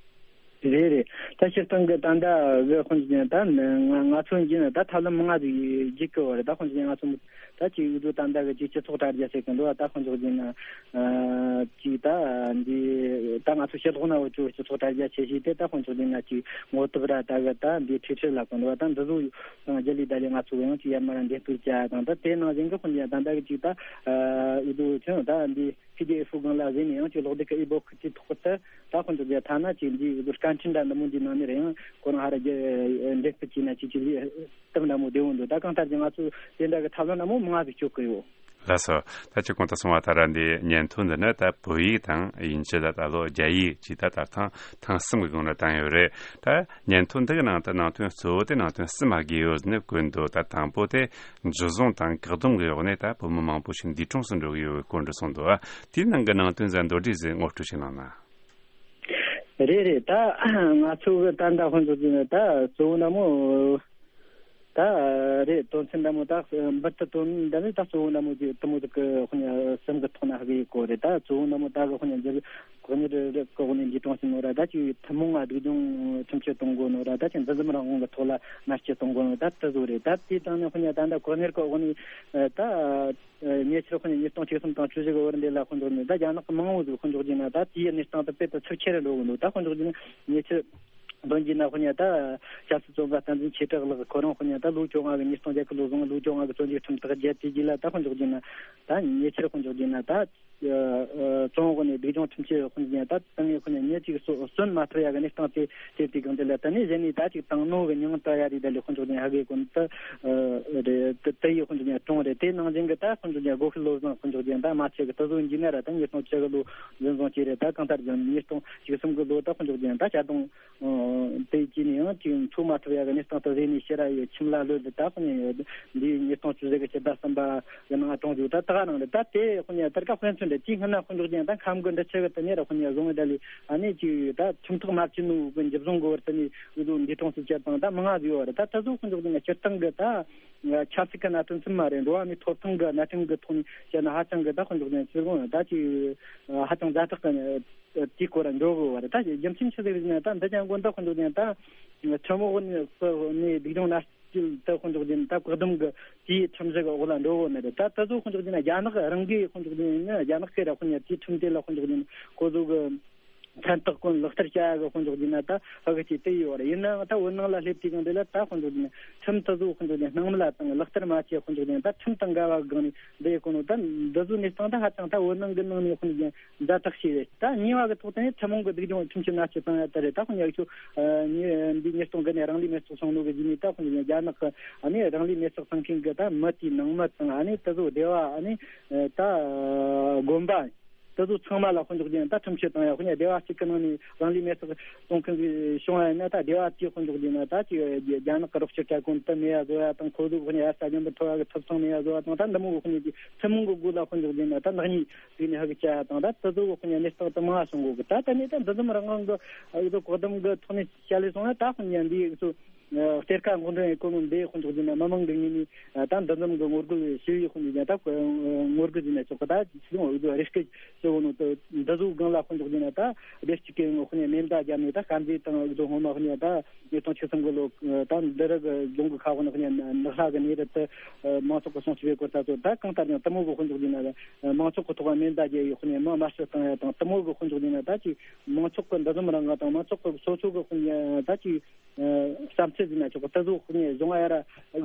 རེད་རེད། ད་སྤྱིར་བཏང་གི་ད་ལྟ་གི་དཔེ་འཇོག་ཡིན་ན་ད་ང་ང་ཚོ་ཡིན་ན་ད་ཐབས་ལམ་མང་ང་ཟིག་བརྒྱུད་གི་ཡོད་རེད། ད་དཔེ་འཇོག་ཡིན་ན་ང་ཚོ་ད་ཅིག་འུ་ཚོ་ད་ལྟ་གི་ཅིག་སྤྱི་ཚོགས་དྲ་རྒྱ་ཟེར་གི་འདུག་ད་དཔེ་འཇོག་ཡིན་ན་ཅིག་ད་འདི་ད་ང་ཚོ་ཕྱི་ལོགས་ན་འུ་ཚོ་སྤྱི་ཚོགས་དྲ་རྒྱ་ཆེ་ཤོས་དེ་ད་དཔེ་འཇོག་ཡིན་ན་ཅིག་ངོ་དེབ་ར་ད་གི་ད་འདི་ཁྲིག་ཁྲི་ལ་གི་འདུག་ད་འདི་ཚོ་དང་རྒྱུ་ལས་ད་ལས་ང་ཚོ་ཡང་ཅིག་ཡར་མར་འདེད་སྤེལ་བྱ་དང་ད་དེ་ནང་བཞིན་གི་དཔེ་འཇོག་ད་ལྟ་གི་ཅིག་ད་འུ་ཚོ་ཆུང་ད་འདི། པི་ཌི་ཨེཕ་སྒང་ལ་གཟིགས་ནས་ཡང་ཅིག་ཀློག་དེབ་ཀྱི་ཨི་བོ་ཀི་དེའི་ཐོག་ཏུ་ད་དཔེ་འཇོག་རྒྱུ་ཐ་ན་ཅིག་འདིའི་སྐད་འཕྲིན་འདྲ་འདི་མོ་འདིའི་ནང་ནས་རེད་ཡང་ཁོ་རང་ཧ་ར་རྒྱུ་འདེད་སྤེལ་བྱས་ན་ཅིག་ཅིག་སྟབས་འདྲ་མོ་བདེ་བོ་འདུག་ད་གང་ལྟར་གྱི་ང་ཚོས་དེ་འདྲ་གི་ཐབས་ལམ་འདྲ་མོ་མང་ཟིག་སྤྱོད་ཀྱི་ཡོད། ལགས་སོ། ད་ཅི་གོང་དུ་གསུངས་པ་ལྟར་འདི་སྙན་ཐོ་འདི་ནི་ད་བོད་ཡིག་དང་དབྱིན་ཇི་ལ་ད་ལོ་རྒྱ་ཡིག་ཅིག་ད་ད་ཐེངས་ཐེངས་གསུམ་གྱི་སྒང་ལ་བཏང་ཡོད་རེད། ད་སྙན་ཐོ་འདི་གི་ནང་དུ་ནང་དོན་གཙོ་བོ་དེ་ནང་དོན་གསུམ་ལ་བགོས་ཡོད་ནི་བཀོད་འདུག་ད་དང་པོ་དེ་འཇུ་བཟུང་དང་བཀག་སྡོམ་གྱི་འོག་ནས་ད་བོད་མི་མང་པོ་ཞིག་འདས་གྲོངས་སུ་འགྲོ་གི་ཡོད་པའི་སྐོར་འདྲ་གསུངས་འདུག་དེའི་ནང་གི་ནང་དོན་ཟིག་མདོར་བསྡུས་ཟིག་ངོ་སྤྲོད་ཅིག་གནང་ན། རེད་རེད། ད་ང་ཚོ་གི་ད་ད་དཔེ་འཇོག་རྒྱུ་ན་ད་གཙོ་བོ་འདྲ་མོ་ད་རེད། དོན་ཚན་འདྲ་མོ་ད་འབུར་དུ་དོན་འདྲ་ནི་ད་གཙོ་བོ་འདྲ་མོ་ཅིག་དེ་མོ་ཟིག་གི་དཔེ་གསུམ་གི་ཐོག་ན་ཧ་གི་གོ་རེད། ད་གཙོ་བོ་འདྲ་མོ་ད་གི་དཔེ་འཇོག་གོ་གཉེར་གོ་གནས་འདས་གྲོངས་ཕྱིན་ནོ་ར། ད་ཅིག་ཐུན་མོང་ང་སྡུག་སྦྱོང་ཁྲིམས་གཅོད་གཏོང་དགོས་ནོ་ར། ད་ཅིག་འཛིན་རྩོམ་རང་དབང་གི་ཐོག་ལ་མནར་གཅོད་གཏོང་དགོས་ནོ་ད་དེ་ཚོ་རེད། ད་དེའི་སྟེང་ནས་དཔེ་ད་ད་གོ་གཉེར་གོ་གནས་ད་ཉེ་ཆར་དཔེ་ཉིས་སྟོང་བཅུ་གསུམ་དང་བཅུ་བཞི་གི་བར་འདི་ལ་དཔེ་འཇོག་ནས་ད་རྒྱ་ནག་གི་མང་བོ་ཟིག་དཔེ་འཇོག་རྒྱུ་ན་ད་དེའི་གནས་སྟངས་དེ་དཔེ་ད་ཚབས་ཆེ་རུ་འགྲོ་གི་འདུག་ད་དཔེ་འཇོག་རྒྱུ་ན་ཉེ་ཆར་འདོན་རྒྱུ་ན་དཔེ་ད་ཆབ་སྲིད་བཙོན་པ་བསྟན་འཛིན་ཆོས་གྲགས་ལགས་ཁོ་རང་དཔེ་ད་ལོ་བཅོ་ལྔ་གི་ཉིས་སྟོང་བརྒྱད་གི་ལོ་ཟུང་ལོ་བཅོ་ལྔ་གི་བཙོན་འཇུག་ཁྲིམས་ཐག་བཅད་དེ་རྗེས་ལ་ད་དཔེ་འཇོག་རྒྱུ་ན་ད་ཉེ་ཆར་དཔེ་འཇོག་རྒྱུ་ན་ད། བཙོན་འོག་ནས་སྡུག་སྦྱོང་ཁྲིམས་གཅོད་དཔེ་འཇོག་ཡ་ད་ཏང་ཡོན་དཔེ་འཇོག་ཉེ་གཅིག་གསོ་གསོན་མ་ཐུབ་ཡ་གི་གནས་སྟངས་དེ་དེ་དུས་གང་དེ་ལ་ད་ནི་གཞི་ནས་ད་ཅིག་ཏང་ནོ་གི་མྱིང་བཏགས་ཡ་རེད། ད་ལས་དཔེ་འཇོག་ཉེ་ཧ་གེ་ཀུན་ད་རེད། དེ་ཡི་དཔེ་འཇོག་ཉེ་གྲོང་རེད། དེ་ནང་བཞིན་གི་ད་དཔེ་འཇོག་ཉེ་སྒོ་ཁྱི་བློ་བཟང་དཔེ་འཇོག་ཉེ་ད་མ་ཆེ་གི་ད་བཟོ་འཇིག་ན་ར་ད་ཉིས་སྟོང་བཅུ་གི་ལོ་འཛིན་བཟུང་བྱས་རེད། ད་གང་ལྟར་ཀྱང་ཉིས་སྟོང་བཅུ་གསུམ་གི་ལོ་ད་དཔེ་འཇོག་ཉེ་ད་བྱ་དང་དེ་ཀྱི་ནས་ཡང་ཅིག་འཚོ་མ་ཐུབ་ཡ་གི་གནས་སྟངས་དེ་རེད། ནས་ཤེས་ར་ཡོད་ཁྱིམ་ལ་ལོས་ད་དཔེ་འདི་ཉིས་སྟོང་བཅུ་བཞི་གི་ཕྱི་ཟླ་གསུམ་པ། ཡང་ན་གྲོང་ཆོག་ད་ད་ག་ནང་རེད། ད་དེ་དཔེ་ཉེ་ད་ག་དཔེ་མཚོན་རེད། དེའི་སྔོན་ན་དཔེ་འཇོག་ཅན་ད་ཁམས་གི་འདི་ཆེ་གི་དེ་ཉེ་ར་དཔེ་ཉེ་བཟུང་བའི་ད་ལི་ཨ་ནི་ཅིག་ད་ཁྲིམས་ཐག་མ་བཅད་ནོ་གི་འཇུ་བཟུང་གི་བར་དུ་ནི་འུ་ཚོ་འདས་གྲོངས་སུ་བཅད་དང་ད་མང་ང་ཟིག་ཡོད་རེད། ད་ད་གཟོད་དཔེ་འཇོག་ཅན་སྤྱིར་བཏང་གི་ད་ཆབ་སྲིད་ཀྱི་གནད་དོན་ཙམ་མ་རེད། འགྲོ་བ་མིའི་ཐོབ་ཐང་གི་གནད་དོན་གི་ཐོག་ནས་བཤད་ན་ཧ་ཅང་གི་ད་དཔེ་འཇོག་ཅན་ཕྱིར་གོང་ད་ཅིག་ཧ་ཅང་ཛ་དྲག་གི་དེའི་སྐོར་འགྲོ་དགོས་པ་རེད། ད་རྒྱུ་མཚན་ཆི་ཟིག་རེད་ཟེར་ན་ད་འདི་ཅང་དགོན་ད་དཔེ་འཇོག་ཅན་ད་ཁྲིམས་འོག་ནས་སྡུག་སྦྱོང་ན། ཅིག་ད་དཔེ་འཇོག་རྒྱུ་ན་ད་བཀག་སྡོམ་གི་དེའི་ཁྲིམས་གཞི་གི་འོག་ལ་འགྲོ་གོ་ནི་རེད། ད་ད་གཟོད་དཔེ་འཇོག་རྒྱུ་ན་རྒྱ་ནག་རང་གིས་དཔེ་འཇོག་རྒྱུ་ན་རྒྱ་ནག་གི་ར་དཔེ་ཉེ་དེའི་ཁྲིམས་དེ་ལ་དཔེ་འཇོག་རྒྱུ་ན་ཁོ་ཚོ་གི་ མཚན་རྟགས་ཀུན་ལག་བསྟར་བྱ་ཡ་གི་དཔེ་འཇོག་རྒྱུ་ན་ད་ཧ་གི་ཅིག་དེ་ཡོད་རེད། ཡིན་ནའང་ད་བོད་ནང་ལ་སླེབས་དུས་སྒང་དེ་ལ་ད་དཔེ་འཇོག་རྒྱུ་ན་ཁྲིམས་དེ་ཚོ་དཔེ་འཇོག་རྒྱུ་ན་སྣང་མེད་ལ་བཏང་། ལག་བསྟར་མ་བྱས་དཔེ་འཇོག་རྒྱུ་ན་ད་ཁྲིམས་དང་འགལ་བ་སྒང་ནས་འདི་ཡི་གོ་ནོ་ད་འདི་ཚོ་གནས་སྟངས་ད་ཧ་ཅང་ད་བོད་ནང་གི་ནང་ནས་དཔེ་འཇོག་རྒྱུ་ན་ཛ་དྲག་ཤོས་རེད། ད་གཉིས་པ་གི་ཐོག་ཏུ་ནས་ཐུན་མོང་གི་སྡུག་སྦྱོང་ཁྲིམས་ཀྱི་མནར་གཅོད་བཏང་ཡ་ད་རེད། ད་དཔེ་འཇོག་རྒྱུ་ཆོ་འདི་ཉིས་སྟོང་དགུ་ནས་རང་ལུས་མེར་སྲེག་སོང་ནོ་གི་གཞི་ནས་ད་དཔེ་འཇོག་རྒྱུ་ན་རྒྱ་ནག་གི་ཨ་ནི་རང་ལུས་མེར་སྲེག་བཏང་མཁན་གི་ད་མི་དེའི་ནང་མི་དང་ཨ་ནི་དེ་ཚོ་སྡེ་བ་ཨ་ནི་ད་དགོན་པ། དེ་ཚོ་ཚང་མ་ལ་དཔེ་འཇོག་རྒྱུ་ན་ད་ཁྲིམས་གཅོད་བཏང་ཡ། དཔེ་ཉ་སྡེ་བ་གཅིག་གི་ནང་ནས་རང་ལུས་མེར་སྲེག་གཏོང་མཁན་གྱི་བྱུང་བ་ཡིན་ན་ད་སྡེ་བ་དེའི་དཔེ་འཇོག་རྒྱུ་ན་ད་ཅིག་རྒྱ་ནག་གི་རོགས་སྐྱོར་སྤྲད་གོ་ནོ་དེ་མེད་ཡ་བཟོ་ཡ་དང་། ཁོ་ཚོ་དཔེ་ཉ་ཡ་ས་ཞིམ་པོ་ཐོབ་ཡ་གི་ཐོབ་ཐང་མེད་ཡ་བཟོ་བ་དང་། ད་འདི་མོ་གི་དཔེ་ཉ་ཅིག་ཐུན་མོང་གི་སྒོ་ལ་དཔེ་འཇོག་རྒྱུ་ན་ད་ནག་ཉེས་ཟིག་ནས་ཧ་གི་བྱ་ཡ་དང་། ད་དེ་ཚོ་དཔེ་ཉ་གནས་སྟངས་དེ་མང་བ་བྱུང་གོ་གི། ད་ད་ནས་ད་འདི་ཙམ་རང་དབང་གི་ཨ་ཚོ་བཀག་སྡོམ་གི་ཐོག་ནས་བྱ་ལས་སོང་ན་ད་དཔེ་ཉ་འདི་ཚོ། ཨ་གཏེར་ཁ་འགོག་འདྲེན་ཡེ་གོ་ནོ་འདི་དཔེ་འཇོག་རྒྱུ་ན་མི་མང་གི་ངོས་ནས་ཨ་ད་འདི་འཛོམས་གི་ངོ་རྒོལ་ཞི་བའི་དཔེ་འཇོག་རྒྱུ་ན་ད་ངོ་རྒོལ་ཟེར་ན་ཆོག་གི། ད་ཅི་ཡོང་འོས་བསྡུ་རེ་སྐུལ་ཞུ་གོ་ནོ་དེ་འདི་ཚོ་སྒང་ལ་དཔེ་འཇོག་རྒྱུ་ན་ད་བདེ་སྐྱིད་ཀྱི་ངོ་དཔེ་ཉ་མེ་མདའ་བརྒྱབ་ནས་ད་དཀར་མཛེས་དང་འོས་བསྡུ་སྔོན་མ་དཔེ་ཉ་ད་ཉིས་སྟོང་བཅུ་གསུམ་གི་ལོ་ད་འདི་རིགས་རྫོང་གི་ཁ་དཔེ་ཉ་ནགས་ལྷ་གི་གནས་རི་དེ་མང་ཚོགས་ཀྱི་སྲུང་སྐྱོབ་བྱེད་སྐོར་ད་ཚོ་ད་གང་ལྟར་ཡང་དེ་མོ་གི་དཔེ་འཇོག་རྒྱུ་ན་མང་ཚོགས་ཀྱི་ཐོག་མེ་མདའ་བརྒྱབ་ཡོད་དཔེ་ཉ་མི་མར་ཤོད་བཏང་ཡ་དང་། དེ་མོ་གི་དཔེ་འཇོག་རྒྱུ་ན་ད་ཅིག་མང་ཚོགས་ཀྱི་འདུ་འཛོམས་རང་དབང་དང་མང་ཚོགས་ཀྱི་སོ་སོ་གི་དཔེ་ཉ་ད་ཅིག་བསམ་ཚུལ་ཟིན་ན་ཆོག་པ་དེ་ཚོ་དཔེ་ཉ་གཞུང་ཡ་ར་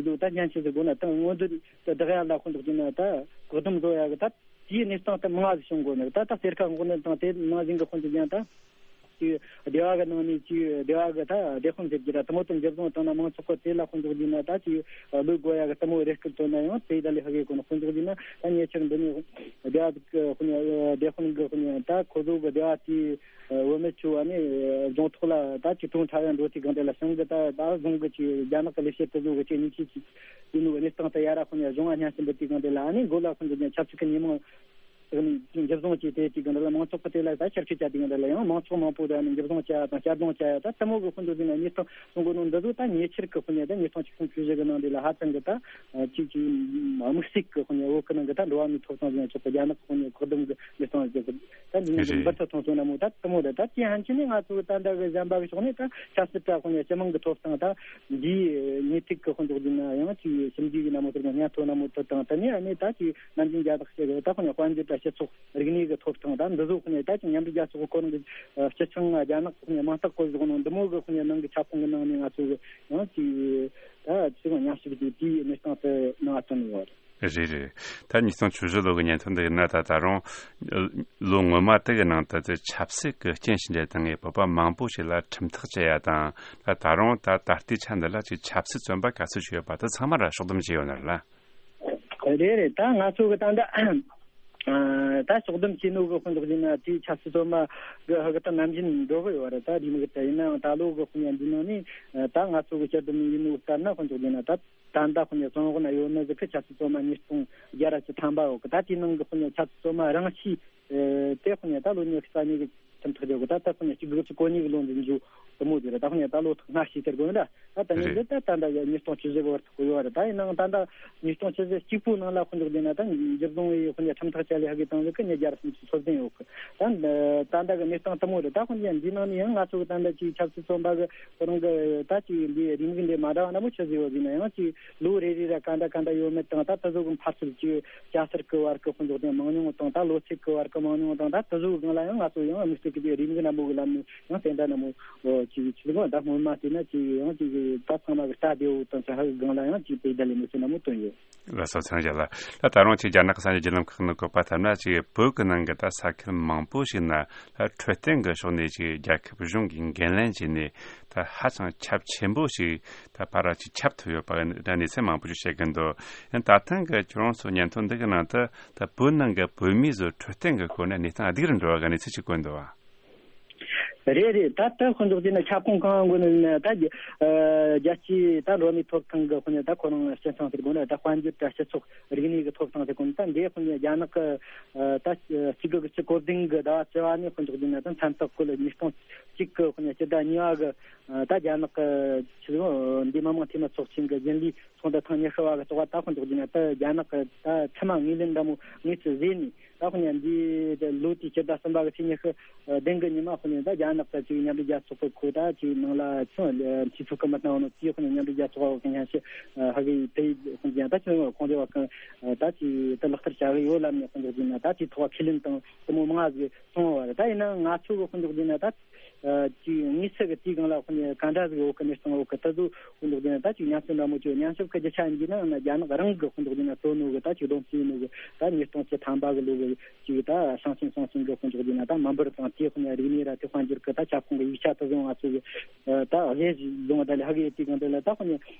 འདུག་ད་སྙན་ཆེན་ཟིག་དགོས་ན་ད་སྔོན་འདི་བདག་ཡ་ལ་དཔེ་འཇོག་རྒྱུ་ན་ད་བཀག་སྡོམ་བཟོ་ཡ་གི་ད་དེའི་གནས་སྟངས་ད་མང་ཟིག་བྱུང་དགོས་ནི་ད་ད་གཏེར་ཁ་འགོག་འདྲེན་དང་དེ་ནང་བཞིན་གི་དཔེ་འཇོག་རྒྱུ་ན་ད་ཅིག་སྡེ་བ་གི་ནང་ནས་ཅིག་སྡེ་བ་གི་ད་སྡེ་དཔོན་ཟེར་གྱི་ར་དེ་མོ་དང་འཇུ་བཟུང་བཏང་ན་མང་ཚོགས་གི་དེ་ལ་དཔེ་འཇོག་རྒྱུ་ན་ད་ཅིག་ལོས་དགོས་ཡ་གི་དེ་མོ་རེ་སྐུལ་བཏང་ན་ཡང་དེ་ད་ལས་ཧ་གི་དགོས་ན་དཔེ་འཇོག་རྒྱུ་ན་ད་ཉེ་ཆར་འདི་ནས་སྡེ་བ་གི་དཔེ་འཇོག་སྡེ་དཔོན་གི་དཔེ་འཇོག་ད་ཁོ་ཚོ་གི་སྡེ་བ་དེའི། བུད་མེད་ཚོ་ཨ་ནི་རྫོང་ཐོག་ལ་ད་ཅིག་གྲོང་ཁྲ་ཡང་འགྲོ་དུས་སྒང་དེ་ལ་ཞང་གི་ད་ད་རྫོང་གི་ཅིག་རྒྱ་ནག་གི་ལས་བྱེད་དེ་ཚོ་གི་ཅིག་ཉེས་ཆད་ཅིག་ཡིན་ནོ་གནས་སྟངས་དེ་ཡ་ར་དཔེ་ཉ་གཞུང་ང་སྙན་སེང་འབུལ་དུས་སྒང་དེ་ལ་ཨ་ནི་མགོ་ལ་དཔེ་འཇོག་རྒྱུ་ན་ཆབ་སྲིད་ཀྱི་ཉེས་མིང་འཇུ་བཟུང་བྱས་ཏེ་དུས་སྒང་དེ་ལ་མང་ཚོགས་ཀྱི་དེ་ལ་ད་ཆར་ཆུ་བཅད་དུས་སྒང་དེ་ལ་ཡང་མང་ཚོགས་མང་པོ་དེ་ཨ་ནི་འཇུ་བཟུང་བྱ་ཡ་དང་གཅར་རྡུང་བྱ་ཡ་ད་དེ་མོ་གི་དཔེ་འཇོག་རྒྱུ་ན་གནས་སྟངས་སོང་གོ་ནོ་འདི་ཚོ་ད་ཉེ་ཆར་གི་དཔེ་ཉ་ད་ཉིས་སྟོང་བཅུ་གསུམ་བཅུ་བཞི་གི་ནང་དེ་ལ་ཧ་ཅང་གི་ད་ཅིག་ཅིག་དམིགས་བསལ་གི་དཔེ་ཉ་བོད་གི་ནང་གི་ད་འགྲོ་བ་མིའི་ཐོབ་ཐང་ཟེར་ན་ཆོག་གི་རྒྱ་ནག་གི་དཔེ་ཉ་བཀག་སྡོམ་གི་ལས་སྟངས་ཟེར་གི་ད་འདི་ནས་རེད། འབུར་ཐོན་ཐོན་སོང་ན་མོ་ད་དེ་མོ་རེད། ད་དེ་ཡང་ཕྱིན་ནས་ང་ཚོ་ད་ལྟ་གི་གཞན་པ་གི་ཕྱོགས་ནས་ད་ཆབ་སྲིད་དྲ་དཔེ་ཉ་སྤྱི་དམངས་གི་ཐོབ་ཐང་ད་འདིའི་ཉེས་ཐིག་གི་དཔེ་འཇོག་རྒྱུ་ན་ཡང་ཅིག་ཞིབ་འཇུག་གི་ན་མོ་ཟེར་གི་སྙན་ཐོ་ན་མོ་དེ་དང་དེ་ནས་ཨ་ནི་ད་ཅིག་ནམ་རྒྱུན་རྒྱ་ལག་བཤད་གི་ད་དཔེ་ཉ་དཔལ་འབྱོར་དྲ་སྤྱི་ཚོགས་རིག་གནས་ཀྱི་ཐོབ་ཐང་ད་འདི་ཚོ་ཁོ་ནས་ད་ཅིག་མཉམ་འབྲེལ་རྒྱལ་ཚོགས་ཁོ་རང་གི་སྤྱི་ཆིངས་རྒྱ་ནག་ཁོ་ནས་མིང་རྟགས་བཀོད་བཞག་ནོ་འདི་མོ་གི་ཁོ་ནས་ནང་གི་ཁྱབ་ཁོངས་ཀྱི་ནང་ནས་ང་ཚོ་གི་ཡང་ཅིག་ད་ཅིག་མཉམ་ཞུགས་ཀྱི་དེའི་གནས་སྟངས་དེ་ནང་ཨ་བཏོན་ཡོད་རེད། རེད་རེད། ད་ཉིས་སྟོང་བཅུ་བཞི་ལོ་གི་སྙན་ཐོ་འདི་ཡིན་ན་ད་ད་རུང་ལོ་སྔོན་མ་དེ་གི་ནང་དུ་དེ་ཆབ་སྲིད་ཀྱི་རྐྱེན་ཞིག་འདྲ་དང་ངས་བོད་པ་མང་པོ་ཞིག་ལ་ཁྲིམས་ཐག་བཅད་ཡ་དང་ད་ད་རུང་ད་ད་ལྟའི་ཆ་འདི་ལ་ཅིག་ཆབ་སྲིད་བཙོན་པ་ག་ཚོད་ཞིག་ཡོད་པ་དེ་ཚང་མ་ལ་ཕྱོགས་བསྡོམས་བྱས་ཡོད་ན་རེད་ལ། རེད་རེད། ད་ང་ཚོ་གི་ད་ལྟ་ཨ་ད་ཕྱོགས་བསྡོམས་བྱས་ནོ་གི་དཔེ་འཇོག་རྒྱུ་ན་དེའི་ཆབ་སྲིད་བཙོན་མ་གི་ཧ་གི་ད་ནམ་རྒྱུན་འགྲོ་གི་ཡོད་རེད། ད་རེའུ་མིག་གི་ད་ཡིན་ནའང་ད་ལོ་གི་དཔེ་ཉ་འདི་ནང་ནས་ད་ང་ཚོ་གི་དཔྱད་བསྡོམས་ཡིན་ནོ་ལྟར་ན་དཔེ་འཇོག་རྒྱུ་ན་ད་ད་ལྟ་དཔེ་ཉ་བཙོན་འོག་ན་ཡོད་ནི་ཟིག་གི་ཆབ་སྲིད་བཙོན་མ་ཉིས་སྟོང་བརྒྱ་ར་བཅུ་ཐམ་པ་ཡོད་གི། ད་དེའི་ནང་གི་དཔེ་ཉ་ཆབ་སྲིད་བཙོན་མ་རང་ཤི་དེ་དཔེ་ཉ་ད་ལོ་ཉི་ཤུ་རྩ་གཉིས་གི་ཁྲིམས་ཐག་བཅད་གི། ད་ད་དཔེ་ཉ་གཅིག་དགུ་བཅུ་གོ་གཉིས་གི་ལོ་འདི་འཇུ་དེ་མོ་དེ་རེད། ད་དཔེ་ཉ་ད་ལོ་ཐོག་སྔ་ཕྱི་ཟེར་དགོས་ན་ད་ད་ད་ནི་རེད། འདི་ད་ད་ལྟ་གི་ཉིས་སྟོང་བཅུ་བཞི་གི་བར་དུ་གོ་ཡོད་རེད། ད་ཡིན་ནའང་ད་ལྟ་ཉིས་སྟོང་བཅུ་བཞི་གཅིག་པུའི་ནང་ལ་དཔེ་འཇོག་རྒྱུ་ན་ད་འཇུ་བཟུང་བའི་དཔེ་ཉ་ཁྲིམས་ཐག་བཅད་ལས་ཧ་གི་བཏང་ཟིག་གི་ཉིས་བརྒྱ་ར་སུམ་ཅུ་སོ་བདུན་ཡོད་གི། ད་ད་ལྟ་གི་གནས་སྟངས་དེ་མོ་རེད། ད་དཔེ་ཉ་འདི་ནང་ནས་ཡང་ང་ཚོ་གི་ད་ལྟ་ཅིག་ཆབ་སྲིད་བཙོན་པ་གི་ཁོ་རང་གི་ད་ཅིག་འདི་རེའུ་མིག་འདི་མ་འདྲ་བ་འདྲ་མོ་ཆི་ཟིག་ཡོད་ཟེར་ན་ཡང་ཅིག་ལོ་རེ་རེ་ར་ག་འདྲ་ག་འདྲ་ཡོད་མེད་དང་ད་ད་གཟོད་གི་འཕར་ཚུལ་གྱི་སྐྱ་སེར་གི་བར་གི་དཔེ་འཇོག་དེ་མང་ཉུང་དང་ད་ལོ་ཚད་གི་བར་གི་མང་ཉུང་དང་ད་ད་གཟོད་གང་ལ་ཡང་ང་ཚོ་ཡང་དམིགས་བསལ་གྱི་རེའུ་མིག་འདྲ་མོ་གི་ལམ་ནས་ཡང་དེ་འདྲ་འདྲ་མོ་ཅིག་ཅིག་གང་ད་སྔོན་མ་དེ་ན་ཅིག་ཡང་ཅིག་ད་ཚང་མ་གི་ལྟ་བདེ་བོ་དང་ཅིག་ཧ་གི་གང་ལ་ཡང་ཅིག་དེ་འདྲ་ལས་མི་ཚེ་འདྲ་མོ་བཏོན་ཡོད། ལགས་སོ། ཚང་རྒྱ་ལགས། ད་ད་རུང་ཅིག་རྒྱ་ནག་གི་གསར་འགྱུར་བརྒྱུད་ལམ་ཁག་ནང་བཀོད་པ་ལྟར་ན་ཅིག་བོད་ཀྱི་ནང་གི་ད་ས་ཁུལ་མང་པོ་ཞིག་ན་ད་འཕྲོད་བསྟེན་གྱི་ཕྱོགས་ནས་ཅིག་རྒྱལ་ཁབ་གཞུང་གིས་འགན་ལེན་བྱས་ནས་ད་ཧ་ཅང་ཁྱབ་ཆེན་པོ་ཞིག་ད་ཕར་ཅིག་ཁྱབ་ཐུབ་ཡོད་པ་འདྲ་གནས་ཚུལ་མང་པོ་ཞིག་བཤད་ཀྱི་འདུག་ཡང་ད་ཐེངས་ཀྱི་ཁྱོད་རང་ཚོ་སྙན་ཐོ་འདི་གི་ནང་དུ་ད་བོད་ནང་གི་བོད་མིའི་བཟོ་འཕྲོད་བསྟེན་གྱི་སྐོར་ནས་གནས་སྟངས་སྡུག་རུ་འགྲོ་བ་གི་གནས་ཚུལ་ཅིག་བཀོད་འདུག་བ། རེད་རེད། ད་ལྟ་དཔེ་འཇོག་བྱས་ན་ཁྱབ་ཁོངས་གང་དགོས་ནི་ན་ད་རྒྱ་རྒྱལ་སྤྱིའི་ད་འགྲོ་བ་མིའི་ཐོབ་ཐང་གི་དཔེ་ནས་ད་ཁོ་རང་སྤྱི་ཚོགས་ཟེར་དགོས་ན་ད་དཔལ་འབྱོར་དང་སྤྱི་ཚོགས་རིག་གནས་ཀྱི་ཐོབ་ཐང་ཟེར་དགོས་ན་ད་འདི་དཔེ་ནས་རྒྱ་ནག་གི་ད་གཅིག་དགུ་གི་གཅིག་གོ་བདུན་གི་ཟླ་བ་བཅུ་བ་ནས་དཔེ་འཇོག་བྱས་ན་ད་མཚན་རྟགས་ཀུན་ལ་ཉིས་སྟོང་གཅིག་གི་དཔེ་ནས་སྤྱི་ཟླ་གཉིས་པ་གི་ད་རྒྱ་ནག་གི་ཆི་ཟེར་འདི་མི་དམངས་འཐུས་མི་ཚོགས་ཆེན་གི་རྒྱུན་ལས་ཚོགས་འདུ་ཐེངས་ཉི་ཤུ་བ་གི་ཐོག་ད་དཔེ་འཇོག་བྱས་ན་ད་རྒྱ་ནག་གི་ད་མཐའ་མ་ངོས་ལེན་འདྲ་མོ་ངོས་སུ་བཟོས་ནས། ད་ཁོ་ནས་འདི་ལོ་དེའི་སྤྱི་ཟླ་གསུམ་པ་གི་ཚེས་ཉི་ཤུ་བདུན་གི་ཉི་མ་ཁོ་ནས་ད་རྒྱ་ནག་གི་ཅིག་མཉམ་འབྲེལ་རྒྱལ་ཚོགས་གི་ཁོ་ད་ཅིག་ནང་ལ་ཚོ་འཐུས་ཚོགས་ཀྱི་མི་སྣ་བོ་ནོ་དེ་ཁོ་ནས་མཉམ་འབྲེལ་རྒྱལ་ཚོགས་གི་སྙན་ཞུ་ཧ་གི་དེ་ཁོ་ནས་ད་ཅིག་ཁོང་ཚོ་བ་གང་ད་ཅིག་ད་ལག་བསྟར་བྱ་གི་ཡོད་ལབ་ནས་ཁོ་ཚོ་ཅིག་ན་ད་དེ་ཐོག་ཁས་ལེན་དང་དེ་མོ་མང་ཟིག་སོང་བ་རེད། ད་ཡིན་ན་ང་ཚོ་གི་དཔོན་ཚོགས་ཀྱི་ན་ད་ཅིག་དངོས་སུ་གི་དེའི་སྒང་ལ་དཔོན་ག་འདྲ་ཟིག་འོག་གི་གནས་སྟངས་འོག་གི་ད་གཟོད་དཔོན་ཚོགས་ཀྱི་ན་ད་ཅིག་ཉམས་ཞིབ་འདྲ་མོ་ཅིག་ཉམས་ཞིབ་གི་རྒྱུ་ཆ་ཡིན་གྱི་ན་ཡང་ན་རྒྱ་ནག་རང་གི་དཔོན་ཚོགས་ཀྱི་ན་གཙོ་ནོ་གི་ད་ཅིག་བསྡོམས་བྱས་ནོ་གི་ད་ཉིས་སྟོང་བཅུ་ཐམ་པ་གི་ལོ་གི་ཅིག་ད་ཞིང་ཆེན་སྲུང་སྐྱོང་གི་དཔོན་ཚོགས་ཀྱི་ན་ད་མི་འབོར་དང་དེའི་དཔོན་རིག་གནས་ར་དེ་དཔལ་འབྱོར་གི་ད་ཁྱབ་ཁོངས་གི་ཡིག་ཆ་ད་གཟོད་ང་ཚོ་གི་ད་གཞས་བཟུང་བ་ད་ལས་ཧ་གི་དེའི་སྒང་ད་ལ་ད་དཔོན་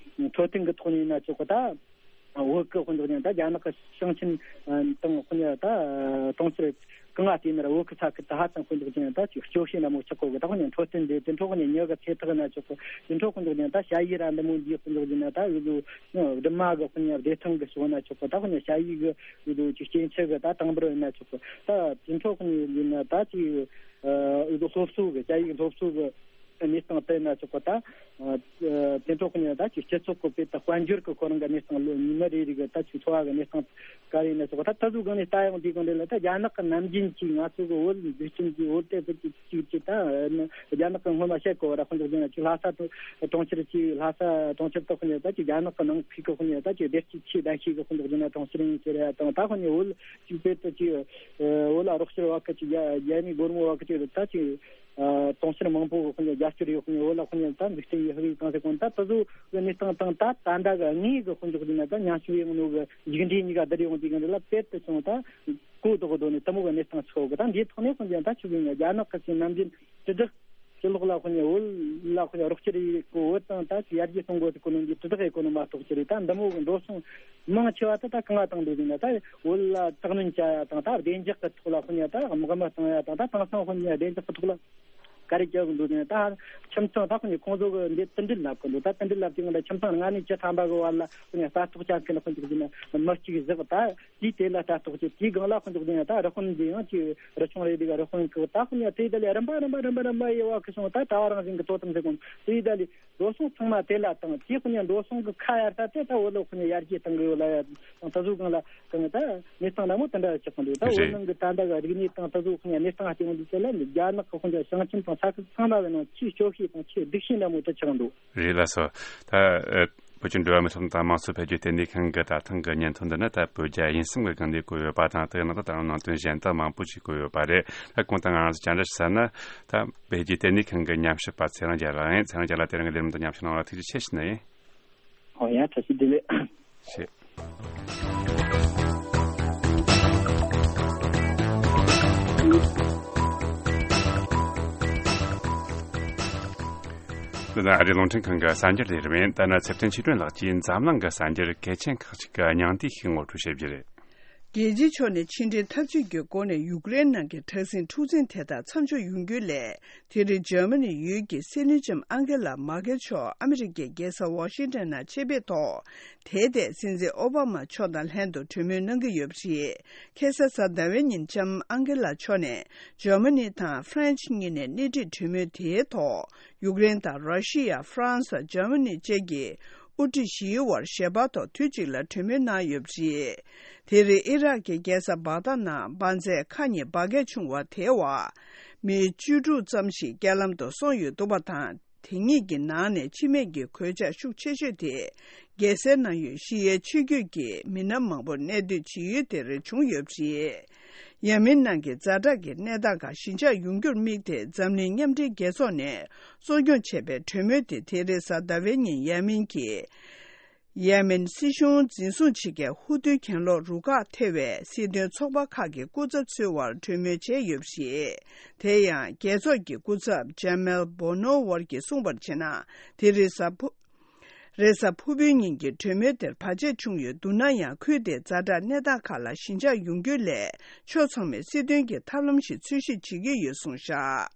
འཕྲོད་བསྟེན་གི་ཐོག་ནས་ཡིན་ན་ཆོག་གི་ད། བོད་ཀྱི་དཔོན་ཚོགས་ཀྱང་ད་རྒྱ་ནག་གི་ཞིང་ཆེན་དང་དཔོན་ཉ་ད་གྲོང་ཁྱེར་གང་ང་བལྟས་ན་ར་བོད་ཀྱི་ས་ཁུལ་ད་ཧ་ཅང་དཔོན་ཚོགས་ཀྱང་ད་ཅིག་སྐྱོ་ཤས་འདྲ་མོ་ཆགས་གོ་གི། ད་དཔོན་ཉ་འཕྲོད་བསྟེན་དེ་དེ་འཕྲོ་དཔོན་ཉ་མྱི་གི་ཚེ་ཐག་ན་ཆོག་གི། དེ་འཕྲོ་དཔོན་ཚོགས་ཀྱང་ད་ཞ་ཡི་ར་འདི་མོ་འདིའི་དཔོན་ཚོགས་ཀྱང་ད་འུ་ཚོ་སྦྲུམ་མ་གི་དཔོན་ཉ་བདེ་ཐང་གི་ཕྱོགས་ན་ཆོག་གི། ད་དཔོན་ཉ་ཞ་ཡི་གི་འུ་ཚོ་ཅིག་སྐྱེ་འཆི་གི་ད་དང་པོར་ཡིན་ན་ཆོག་གི། ད་དེ་འཕྲོ་དཔོན་ཉ་ཡིན་ན་ད་ཅིག་འུ་ཚོ་སློབ་གསོ་གི་ཞ་ཡི་གི་སློབ་གསོ་གི་གནས་སྟངས་དེ་ན་ཆོག་པ་དང་། དེ་འཕྲོ་ཁོ་ནས་ད་ཅིག་སྤྱི་ཚོགས་ཀྱི་དཔེ་དང་དཔལ་འབྱོར་གྱི་ཁོ་རང་གི་གནས་སྟངས་ལོ་ཉི་མ་རེ་རེ་གི་ད་ཅིག་འཚོ་བ་གི་གནས་སྟངས་ག་རེ་ན་ཆོག་པ་ད་ད་གཟོད་གང་ནས་ལྟ་ཡང་དེ་གང་རེད་ལ། ད་རྒྱ་ནག་གི་ནམ་རྒྱུན་གྱི་ང་ཚོ་གི་བོད་འཛུགས་སྐྲུན་གྱི་བོད་དེ་བོད་ཀྱི་ཅིག་ཅིག་ད་རྒྱ་ནག་གི་སྔོན་མ་བཤད་གོ་བ་ར་ཁོ་འདུག་ཅིག་ལྷ་ས་གྲོང་ཁྱེར་གྱི་ལྷ་ས་གྲོང་ཁྱེར་དུ་ཁོ་ནས་ད་ཅིག་རྒྱ་ནག་གི་ནང་ཁུལ་གི་ཁོ་ནས་ད་ཅིག་བདེ་སྐྱིད་ཆེས་ལྡན་ཤོས་གི་ཁོ་འདུག་ཅིག་ན་གྲོང་ཁྱེར་ཡིན་ཟེར་ཡ་དང་། ད་ཁོ་ནས་བོད་ཅིག་དཔེ་དུ་ཅིག་བོད་ལ་རོགས་སྐྱོར་བ་གི་ཅིག་རྒྱ་རྒྱ་མི་སྒོར་མོ་བ་གི་ཅིག་ད་ཅིག་ཨ། གྲོང་ཁྱེར་མང་པོ་གི་ཁོ་ནས་རྒྱ་སྐྱོར་ཡོད། ཁོ་ནས་བོད་ལ་ཁོ་ནས་ད་འཛུགས་སྐྲུན་ཡོད་ཧ་གི་གང་ཟེར་གོ་ད་ད་གཟོད་གི་གནས་སྟངས་དང་ད་ད་ད་གི་དངོས་གི་དཔོན་ཚོགས་འདི་ན་ད་མཉམ་ཞུགས་ཡོང་ནོ་གི་ཡིག་འབྲེལ་གཉིས་ཀ་བསྡུར་ཡོང་དུས་གི་འདི་ལ་དཔེ་དུ་སོང་ད་གོ་ལྡོག་གི་སྡོད་ནས་དེ་མོ་གི་གནས་སྟངས་ཆགས་གི། ད་འདིའི་ཐོག་ནས་ཁོ་ནས་ད་ཆུ་བོའི་ནས་རྒྱ་ནག་གི་ཅིག་ནམ་རྒྱུན་དྲིལ་བསྒྲགས་ཕྱི་ལོགས་ལ་ཁོ་ནས་བོད་ལ་ཁོ་ནས་རོགས་སྐྱོར་ཡེད་གོ་བོད་དང་ད་ཅིག་ཡར་རྒྱས་གཏོང་དགོས་ཟེར་གོ་ནོ་འདི་དྲིལ་བསྒྲགས་ཡེད་གོ་ནོ་མ་གཏོགས་ཅི་རེད། ད་འདི་མོ་གི་འགྲོ་སོང་མང་ཆེ་བ་ད་ད་གང་ང་བཏང་འདུག་ཟེར་ན་ད་བོད་ལ་དྲག་གནོན་བྱ་ཡ་དང་ད་བདེ་འཇགས་ཀྱི་ཐོག་ལ་ཁོ་ནས་ད་དམག་མི་བཏང་ཡ་དང་ད་དེང་སང་ཁོ་ནས་བདེ་འཇགས་ཀྱི་ཐོག་ལ་ག་རེ་བྱ་གི་འདུག་ཟེར་ན་ད་ཁྱིམ་ཚང་ད་ཁོ་ནས་ཁོང་ཚོ་གི་འདི་དུད་འགྲིལ་ལབ་གི་འདུག་ད་དུད་འགྲིལ་ལབ་དུས་ང་ད་ཁྱིམ་ཚང་ལྔ་ནས་བཅུ་ཐམ་པ་གི་བར་ལ་ཁོ་ནས་ལྟ་རྟོག་བྱ་མཁན་ཁོ་ཚོ་གི་ཟེར་ན་མི་གཅིག་བཞག་ད། དེའི་དེ་ལ་ལྟ་རྟོག་བྱེད། དེའི་སྒང་ལ་ཁོ་འདུག་ཟེར་ན་ད་རི་དཔོན་འདི་ཡང་ཅིག་རི་ཆུང་རེད་འདུག་རི་དཔོན་གི་ད་ཁོ་ནས་དེ་ད་ལས་རིམ་པ་རིམ་པ་རིམ་པ་རིམ་པ་ཡེ་བ་གི་སོང་ད་ད་རང་བཞིན་གི་དོ་དམ་ཟེར་གོ་དེ་ད་ལས་འགྲོ་སོང་ཚང་མ་དེ་ལ་བཏང་། དེ་ཁོ་ནས་འགྲོ་སོང་གི་ཁ་ཡར་ས་དེ་ད་བོད་ལ་ཁོ་ནས་ཡར་རྒྱས་བཏང་གི་ཡོད་ལ་ཡ་དང་ད་གཟོད་གང་ལ་གང་ད་གནས་སྟངས་འདྲ་མོ་དེ་འདྲ་ཆགས་གི་འདུག་ད་བོད་ནང་གི་ད་ལྟ་གི་རིག་གནས་དང་ད་གཟོད་ཁོ་ནས་གནས་སྟངས་ཧ་ཅང་འདུག་ཟེར་ལ་རྒྱ་ནག་གི་ཁོ་ནས་ཞིང་ཆེན་དང་ས་ཁུལ་ཚང་མ་གི་ནང་ཆེས་སྐྱོ་ཤོས་དང་ཆེས་སྡུག་ཤོས་འདྲ་མོ་དེ་ཆགས་འདུག་རེད་ལགས་སོ། ད་ཨ། བོད་ཀྱི་འགྲོ་བ་མིའི་ཐོབ་ཐང་དང་དམངས་གཙོ་འཕེལ་རྒྱས་ལྟེ་གནས་ཁང་གི་ད་ཐེངས་ཀྱི་སྙན་ཐོ་འདི་ནི་ད་བོད་རྒྱ་དབྱིན་གསུམ་གྱི་སྒང་ནས་བཀོད་ཡོད་པ་དང་། དེའི་ནང་དུ་ད་ནང་དོན་གཞན་དག་མང་པོ་ཞིག་བཀོད་ཡོད་པ་རེད། ད་གོང་དུ་ང་རང་ཚོ་བཅར་འདྲི་ཞུ་ས་ནི་ད་འཕེལ་རྒྱས་ལྟེ་གནས་ཁང་གི་ཉམས་ཞིབ་པ་ཚེ་རིང་རྒྱལ་ལགས་ཡིན། ཚེ་རིང་རྒྱལ་ལགས་དེ་རིང་གི་ལས་རིམ་དུ་མཉམ་ཞུགས་གནང་བར་ཐུགས་རྗེ་ཆེ་ཞུ་ནི་ཡིན། ཨོ་ཡ། བཀྲ་ཤིས་བདེ་ལེགས། ཞེས། འདི་ནི་ཨ་རིའི་རླུང་འཕྲིན་ཁང་གི་གསར་འགྱུར་ལས་རིམ་ཡིན། ད་ནི་ཚེ་བརྟན་ཆོས་སྒྲོན་ལགས་ཀྱིས་འཛམ་གླིང་གི་གསར་འགྱུར་གལ་ཆེན་ཁག་ཅིག་གི་སྙིང་བསྡུས་ཤིག་ངོ་སྤྲོད་བྱེད་རྒྱུ་རེད། རྒྱལ་སྤྱིའི་ཕྱོགས་ནས་ཕྱི་འབྲེལ་འཐབ་ཇུས་ཀྱི་སྒོ་ནས་ཡུཀ་རེན་ནང་གི་དྲག་ཟིང་འཁྲུག་འཛིང་དེ་དག་མཚམས་འཇོག་ཡོང་རྒྱུ་སླད། དེ་རིང་འཇར་མ་ནི་ཡུལ་གྱི་སྲིད་བློན་ལྕམ་ཨང་གེ་ལ་མར་ཀེལ་མཆོག་ཨ་མི་རི་ཀའི་རྒྱལ་ས་ཝ་ཤིང་ཏོན་ནང་ཆེད་ཕེབས་ཐོག་དེའི་ཐད་སྲིད་འཛིན་ཨོ་བྷ་མ་མཆོག་དང་ལྷན་དུ་གྲོས་མོལ་གནང་གི་ཡོད་པ་རེད། ཁ་སང་གཟའ་ཟླ་བའི་ཉིན་ལྕམ་ཨང་གེ་ལ་མཆོག་ནས་འཇར་མ་ནི་དང་ཧྥ་རན་ཆི་གཉིས་ནས་སྣེ་ཁྲིད་གྲོས་མོལ་དེའི་ཐོག་ཡུཀ་རེན་དང་ར་ཤི་ཡ། ཧྥ་རན་སི། འཇར་མ་ནི་བཅས་ཀྱི་དབུ་ཁྲིད་བཞིའི་དབར་ཞལ་པར་ཐོག་དུས་གཅིག་ལ་གྲོས་མོལ་གནང་ཡོད་པ་རེད། དེ་རིང་ཨི་རག་གི་རྒྱལ་ས་བྷག་དྷ་ནང་འབར་རྫས་ཁག་གཉིས་འབར་གས་བྱུང་བ་དེའི་འོག་མི་བཅུ་དྲུག་ཙམ་ཞིག་རྐྱེན་ལམ་དུ་སོང་ཡོད་འདུག་པ་དང་། དེ་གཉིས་ཀྱི་ནང་ནས་འཆི་རྨས་ཀྱི་གོད་ཆག་ཤུགས་ཆེ་ཤོས་དེ་རྒྱལ་སའི་ནང་ཡོད་ཤི་ཡའི་ཆོས་བརྒྱུད་ཀྱི་མི་སྣ་མང་པོ་གནས་སྡོད་བྱེད་ཡུལ་དེར་བྱུང་ཡོད་པ་རེད། ཡ་མེན་ནང་གི་ཛ་དྲག་གི་གནས་སྟངས་ཁག་ཞི་འཇགས་ཡོང་རྒྱུར་དམིགས་ཏེ་འཛམ་གླིང་མཉམ་འབྲེལ་རྒྱལ་ཚོགས་ནས་གཙོ་སྐྱོང་བྱས་པའི་གྲོས་མོལ་དེ་དེ་རིང་གཟའ་ཟླ་བའི་ཉིན་ཡ་མེན་གྱི་ཡ་མེན་སྲིད་གཞུང་འཛིན་བཟུང་བྱེད་མཁན་ཧུ་ཐུའི་གྱེན་ལོག་རུ་ཁག་ཐེ་བའི་སྲིད་དོན་ཚོགས་པ་ཁག་གི་སྐུ་ཚབ་ཚོའི་དབར་གྲོས་མོལ་བྱས་ཡོད་པ་རེད། དེ་ཡང་རྒྱལ་ཚོགས་ཀྱི་སྐུ་ཚབ་ཇ་མེལ་བྷོ་ནོ་ཝར་གྱིས་གསུངས་པར་བྱས་ན། དེ་རེས་གཟའ་ཕུ། རེས་གཟའ་ཕུར་བུའི་ཉིན་གྱི་གྲོས་མོལ་དེར་བར་ཆད་བྱུང་ཡོད་འདུག་ན་ཡང་། ཁུལ་དེའི་ཛ་དྲག་གནས་སྟངས་ཁག་ལ་ཞི་འཇགས་ཡོང་རྒྱུའི་སླད་ཕྱོགས་ཚང་མས་སྲིད་དོན་གྱི་ཐབས་ལམ་ཞིག་འཚོལ་ཞིབ་བྱེད་ཀྱི་ཡོད་གསུངས་བཞག་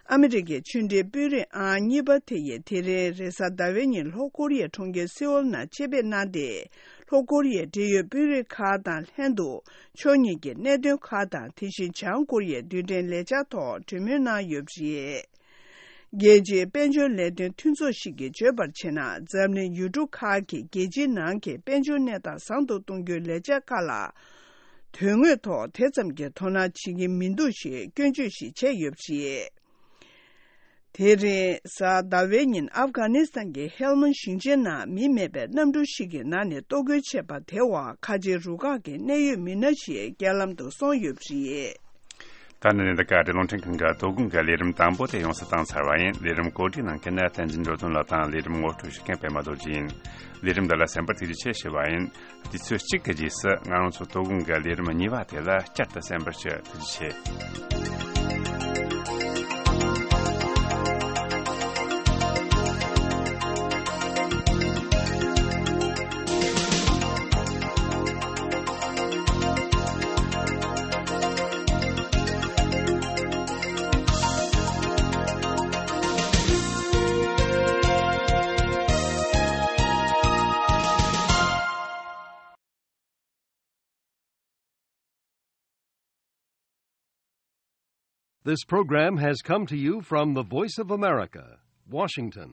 ཨ་མི་རི་ཀའི་ཕྱི་འབྲེལ་དཔོན་རིགས་ཨང་གཉིས་པ་དེ་ཡིས་དེ་རིང་རེས་གཟའ་ཟླ་བའི་ཉིན་ལྷོ་ཀོ་རི་ཡའི་གྲོང་ཁྱེར་སེའོལ་ནང་ཆེད་ཕེབས་གནང་སྟེ། ལྷོ་ཀོ་རི་ཡའི་འབྲེལ་ཡོད་དཔོན་རིགས་ཁག་དང་ལྷན་དུ་ཕྱོགས་གཉིས་ཀྱི་གནད་དོན་ཁག་དང་། དེ་བཞིན་བྱང་ཀོ་རི་ཡའི་རྡུལ་ཕྲན་ལས་འཆར་ཐོག་གྲོས་མོལ་གནང་ཡོད་པ་རེད། རྒྱལ་སྤྱིའི་དཔལ་འབྱོར་ལས་དོན་མཐུན་ཚོགས་ཤིག་གིས་བརྗོད་པར་བྱས་ན། འཛམ་གླིང་ཡུལ་གྲུ་ཁག་གིས་རྒྱལ་སྤྱིའི་ནང་གི་དཔལ་འབྱོར་གནས་སྟངས་བཟང་དུ་གཏོང་རྒྱུའི་ལས་འཆར་ཁག་ལ་ དོན་དངོས་ཐོག་དེ་ཙམ་གྱི་དོ་སྣང་བྱེད་ཀྱི་མི་འདུག་ཞེས་སྐྱོན་བརྗོད་ཞིག་བྱས་ཡོད་པ་རེད། དེ་རིང་གཟའ་ཟླ་བའི་ཉིན་ཨབ་གྷ་ནི་སི་ཐན་གྱི་ཧེལ་མན་ཞིང་ཆེན་ནང་མི་མེད་པའི་གནམ་གྲུ་ཞིག་གི་ནང་ནས་གཏོར་རྒོལ་བྱས་པ་དེ་བར་ཁ་ཆེའི་རུ་ཁག་གི་གནད་ཡོད་མི་སྣ་ཞིག་རྐྱེན་ལམ་དུ་སོང་ཡོད་པ་རེད། ད་ནི་འདི་ག་རེ་རླུང་འཕྲིན་ཁང་གི་དོ་དགོང་གི་ལས་རིམ་དང་པོ་དེ་ཡོངས་སུ་བཏང་ཚར་བ་ཡིན། ལས་རིམ་གོ་སྒྲིག་གནང་མཁན་ནི་བསྟན་འཛིན་འགྲོ་དོན་ལགས་དང་ལས་རིམ་ངོ་སྤྲོད་ཞུ་མཁན་པད་མ་རྡོ་རྗེ་ཡིན། ལས་རིམ་འདི་ལ་གསན་པར་ཐུགས་རྗེ་ཆེ་ཞུ་བ་ཡིན། དུས་ཚོད་གཅིག་གི་རྗེས་སུ་ང་རང་ཚོ་དོ་དགོང་གི་ལས་རིམ་གཉིས་པ་དེ་ལ་བསྐྱར་དུ་གསན་པར་ཞུ། ཐུགས་རྗེ་ཆེ། This program has come to you from the Voice of America, Washington.